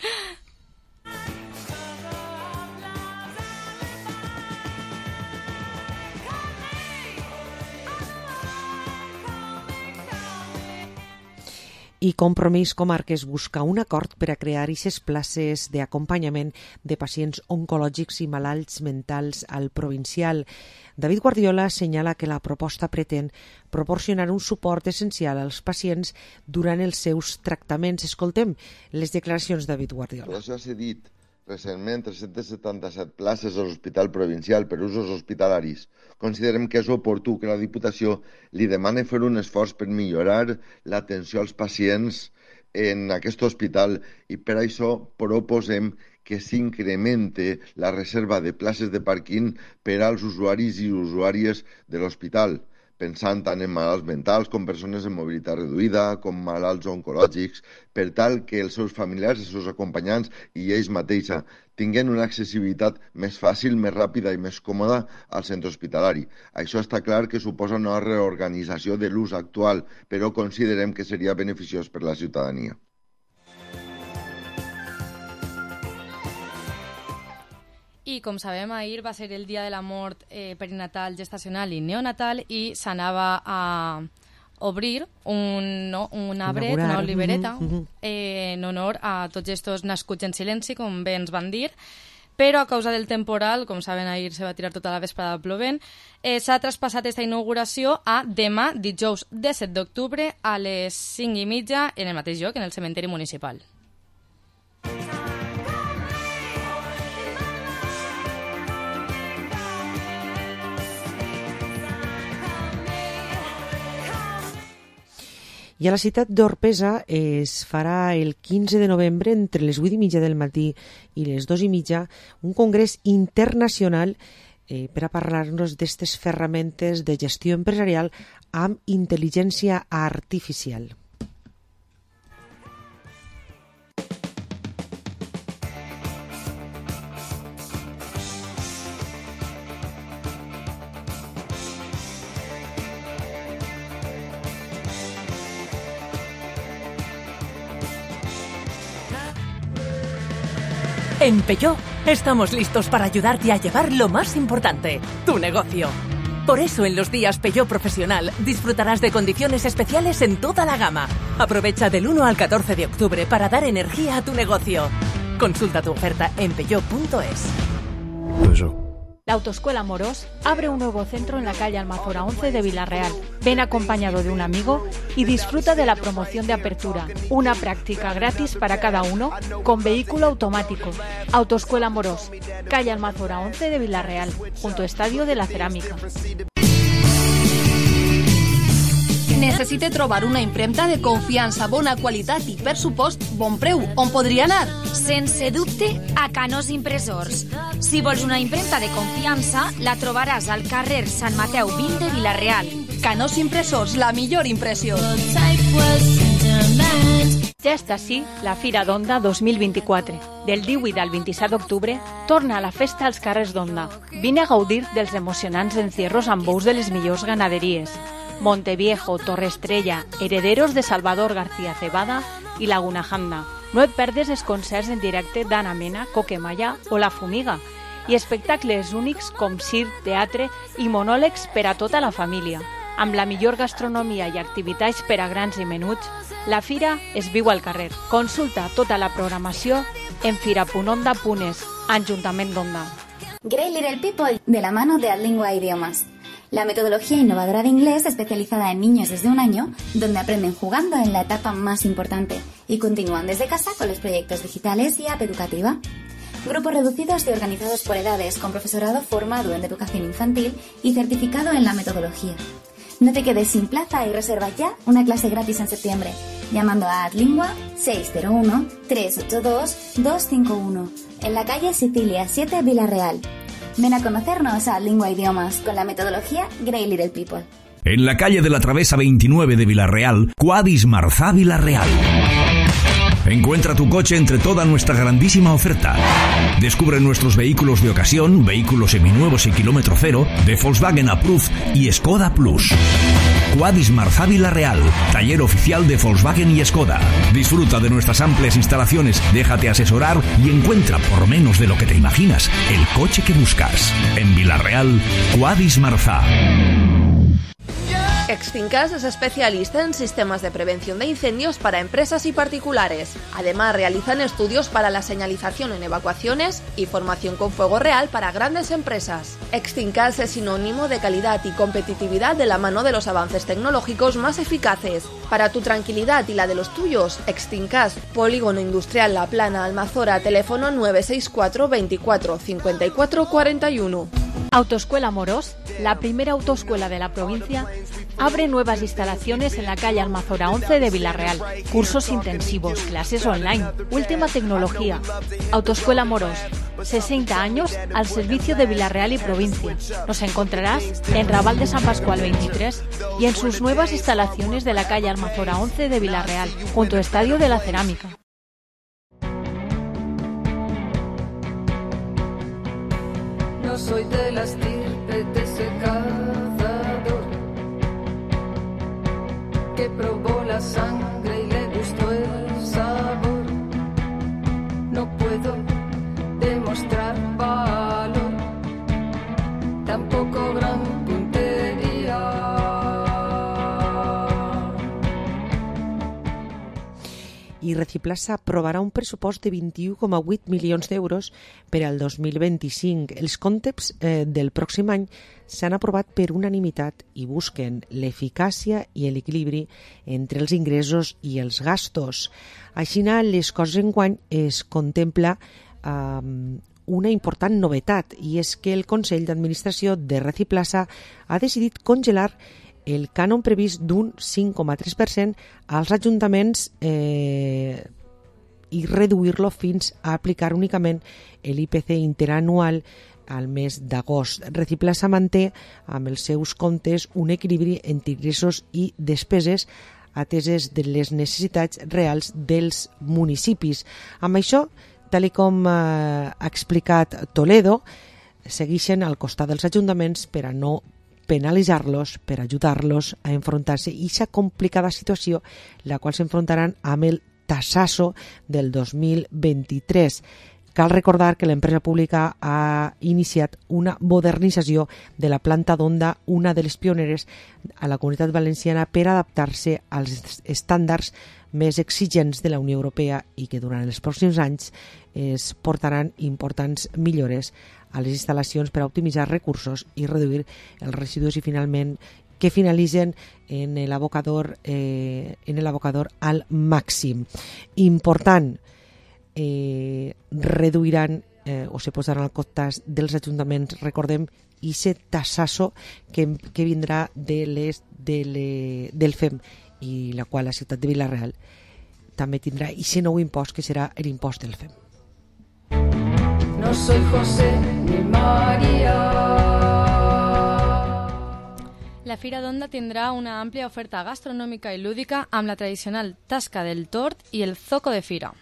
I Compromís Comarques busca un acord per a crear aquestes places d'acompanyament de pacients oncològics i malalts mentals al provincial. David Guardiola assenyala que la proposta pretén proporcionar un suport essencial als pacients durant els seus tractaments. Escoltem les declaracions de David Guardiola. Això s'ha dit recentment 377 places a l'Hospital Provincial per usos hospitalaris. Considerem que és oportú que la Diputació li demani fer un esforç per millorar l'atenció als pacients en aquest hospital i per això proposem que s'incremente la reserva de places de pàrquing per als usuaris i usuàries de l'hospital, pensant tant en malalts mentals com persones amb mobilitat reduïda, com malalts oncològics, per tal que els seus familiars, els seus acompanyants i ells mateixa tinguin una accessibilitat més fàcil, més ràpida i més còmoda al centre hospitalari. Això està clar que suposa una reorganització de l'ús actual, però considerem que seria beneficiós per la ciutadania. I, com sabem, ahir va ser el dia de la mort perinatal, gestacional i neonatal i s'anava a obrir un arbret, una olivereta, en honor a tots estos nascuts en silenci, com bé ens van dir, però a causa del temporal, com saben, ahir se va tirar tota la vesprada plovent, s'ha traspassat aquesta inauguració a demà, dijous 17 d'octubre, a les 5:30, en el mateix lloc, en el cementeri municipal. I a la ciutat d'Orpesa es farà el 15 de novembre, entre les 8:30 del matí i les 2:30, un congrés internacional per a parlar-nos d'aquestes ferramentes de gestió empresarial amb intel·ligència artificial. En Peugeot estamos listos para ayudarte a llevar lo más importante, tu negocio. Por eso en los días Peugeot Profesional disfrutarás de condiciones especiales en toda la gama. Aprovecha del 1 al 14 de octubre para dar energía a tu negocio. Consulta tu oferta en peugeot.es. La Autoescuela Morós abre un nuevo centro en la calle Almazora 11 de Villarreal. Ven acompañado de un amigo y disfruta de la promoción de apertura. Una práctica gratis para cada uno con vehículo automático. Autoescuela Morós, calle Almazora 11 de Villarreal, junto Estadio de la Cerámica. Necessite trobar una impremta de confiança, bona qualitat i, per supost, bon preu. On podria anar? Sense dubte, a Canós Impressors. Si vols una impremta de confiança, la trobaràs al carrer Sant Mateu 20 de Vila-real. Canós Impressors, la millor impressió. Ja està així la Fira d'Onda 2024. Del 18 al 27 d'octubre torna a la festa als carrers d'Onda. Vine a gaudir dels emocionants encierros amb bous de les millors ganaderies. Monteviejo, Torre Estrella, Herederos de Salvador García Cebada i Laguna Janda. No et perdes els concerts en directe d'Anna Mena, Coquemaya o La Fumiga i espectacles únics com circ, teatre i monòlegs per a tota la família. Amb la millor gastronomia i activitats per a grans i menuts, la fira es viu al carrer. Consulta tota la programació en fira.onda.es, Ajuntament d'Onda. Great Little People, de la mano de Adlingua Idiomas. La metodología innovadora de inglés especializada en niños desde 1 año, donde aprenden jugando en la etapa más importante y continúan desde casa con los proyectos digitales y app educativa. Grupos reducidos y organizados por edades, con profesorado formado en educación infantil y certificado en la metodología. No te quedes sin plaza y reserva ya una clase gratis en septiembre, llamando a Adlingua 601-382-251, en la calle Sicilia 7, Villarreal. Ven a conocernos a Lingua Idiomas con la metodología Great Little People. En la calle de la Travesa 29 de Villarreal, Quadis Marzá Villarreal. Encuentra tu coche entre toda nuestra grandísima oferta. Descubre nuestros vehículos de ocasión, vehículos seminuevos y kilómetro cero, de Volkswagen Approved y Skoda Plus. Quadis Marzá Villarreal, taller oficial de Volkswagen y Skoda. Disfruta de nuestras amplias instalaciones, déjate asesorar y encuentra por menos de lo que te imaginas el coche que buscas. En Villarreal, Quadis Marzá. Extincas es especialista en sistemas de prevención de incendios para empresas y particulares. Además, realizan estudios para la señalización en evacuaciones y formación con fuego real para grandes empresas. Extincas es sinónimo de calidad y competitividad de la mano de los avances tecnológicos más eficaces. Para tu tranquilidad y la de los tuyos, Extincas, Polígono Industrial La Plana, Almazora, teléfono 964 24 54 41. Autoescuela Morós, la primera autoescuela de la provincia, abre nuevas instalaciones en la calle Almazora 11 de Villarreal. Cursos intensivos, clases online, última tecnología. Autoescuela Morós, 60 años al servicio de Villarreal y provincia. Nos encontrarás en Raval de San Pascual 23 y en sus nuevas instalaciones de la calle Almazora 11 de Villarreal, junto a Estadio de la Cerámica. No soy de la estirpe de ese cazador que probó la sangre y le gustó el sabor. No puedo demostrar valor, tampoco gran puntería. i Reciplaza aprovarà un pressupost de 21,8 milions d'euros per al 2025. Els comptes del pròxim any s'han aprovat per unanimitat i busquen l'eficàcia i l'equilibri entre els ingressos i els gastos. Així, les coses enguany es contempla una important novetat, i és que el Consell d'Administració de Reciplaza ha decidit congelar el cànon previst d'un 5,3% als ajuntaments i reduir-lo fins a aplicar únicament l'IPC interanual al mes d'agost. Reciplaza manté amb els seus comptes un equilibri entre ingressos i despeses ateses de les necessitats reals dels municipis. Amb això, tal com ha explicat Toledo, segueixen al costat dels ajuntaments per a no penalitzar-los, per ajudar-los a enfrontar-se a aquesta complicada situació la qual s'enfrontaran amb el tassazo del 2023. Cal recordar que l'empresa pública ha iniciat una modernització de la planta d'Onda, una de les pioneres a la Comunitat Valenciana, per adaptar-se als estàndards més exigents de la Unió Europea i que durant els pròxims anys es portaran importants millores a les instal·lacions per a optimitzar recursos i reduir els residus i finalment que finalitzen en l'abocador al màxim. Important, reduiran o se posaran al costat dels ajuntaments, recordem, i aquest tassazo que vindrà del FEM, i la qual la ciutat de Vila-real també tindrà aquest nou impost que serà l'impost del FEM. No soy José ni María. La Fira d'Onda tindrà una àmplia oferta gastronòmica i lúdica amb la tradicional tasca del tort i el zoco de fira.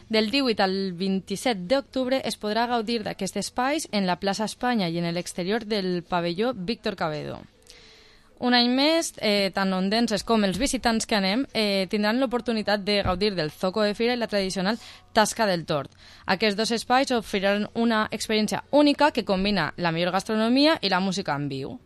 Del 18 al 27 d'octubre es podrà gaudir d'aquests espais en la plaça Espanya i en l'exterior del pavelló Víctor Cabedo. Un any més, tant ondenses com els visitants que anem tindran l'oportunitat de gaudir del zoco de fira i la tradicional tasca del tort. Aquests dos espais oferiran una experiència única que combina la millor gastronomia i la música en viu.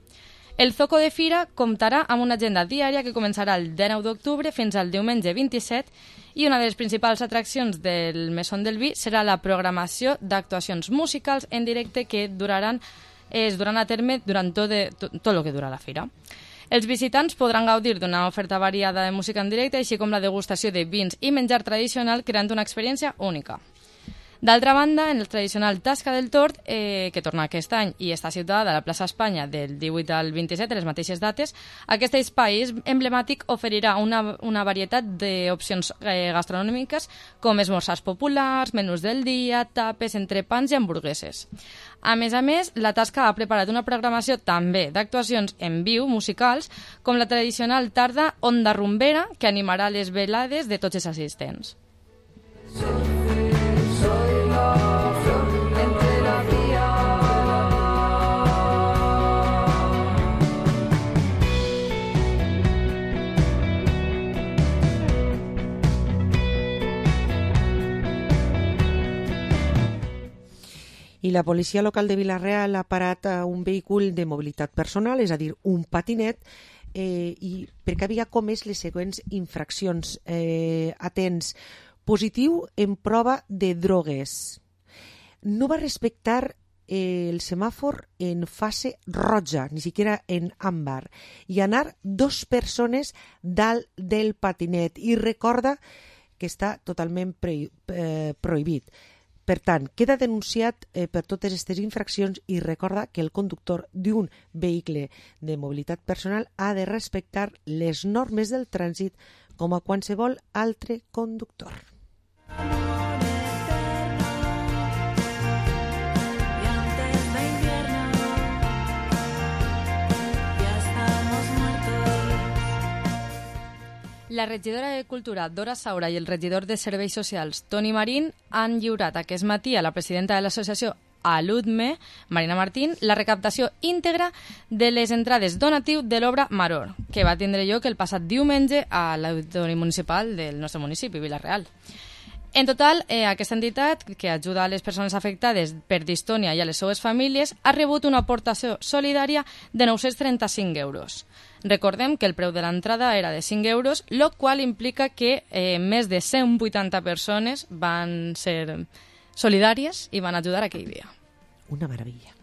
El zoco de fira comptarà amb una agenda diària que començarà el 19 d'octubre fins al diumenge 27 i una de les principals atraccions del Mesón del Vi serà la programació d'actuacions musicals en directe que es duran a terme durant tot el que dura la fira. Els visitants podran gaudir d'una oferta variada de música en directe, així com la degustació de vins i menjar tradicional, creant una experiència única. D'altra banda, en el tradicional Tasca del Tort, que torna aquest any i està situada a la plaça Espanya del 18 al 27, les mateixes dates, aquest espai emblemàtic oferirà una varietat d'opcions gastronòmiques com esmorzars populars, menús del dia, tapes, entrepans i hamburgueses. A més, la Tasca ha preparat una programació també d'actuacions en viu musicals, com la tradicional tarda Onda Rumbera, que animarà les velades de tots els assistents. I la policia local de Vila-real ha parat un vehícul de mobilitat personal, és a dir, un patinet, i perquè havia comès les següents infraccions. Atents, positiu en prova de drogues. No va respectar el semàfor en fase roja, ni siquiera en àmbar, i anar 2 persones dalt del patinet. I recorda que està totalment prohibit. Per tant, queda denunciat per totes aquestes infraccions i recorda que el conductor d'un vehicle de mobilitat personal ha de respectar les normes del trànsit com a qualsevol altre conductor. La regidora de Cultura, Dora Saura, i el regidor de Serveis Socials, Toni Marín, han lliurat aquest matí a la presidenta de l'associació Aludme, Marina Martín, la recaptació íntegra de les entrades donatiu de l'obra Maror, que va tindre lloc el passat diumenge a l'Auditori Municipal del nostre municipi, Vila-real. En total, aquesta entitat, que ajuda a les persones afectades per distònia i a les seues famílies, ha rebut una aportació solidària de 935 euros. Recordem que el preu de l'entrada era de 5 euros, el qual implica que més de 180 persones van ser solidàries i van ajudar aquell dia. Una meravella.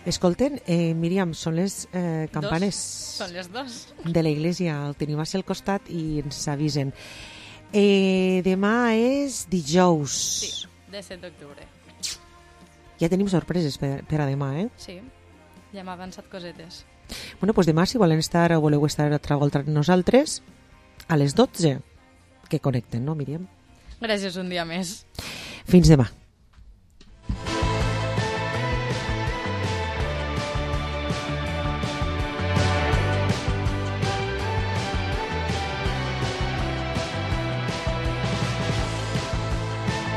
Escolten, Míriam, són les campanes Són les 2 de la iglesia, el tenim al costat i ens avisen. Demà és dijous. Sí, 17 d'octubre. Ja tenim sorpreses per a demà, eh? Sí, ja m'ha avançat cosetes. Bueno, doncs demà, si volen estar o voleu estar altra volta amb nosaltres, a les 12, que connecten, no, Míriam? Gràcies un dia més. Fins demà.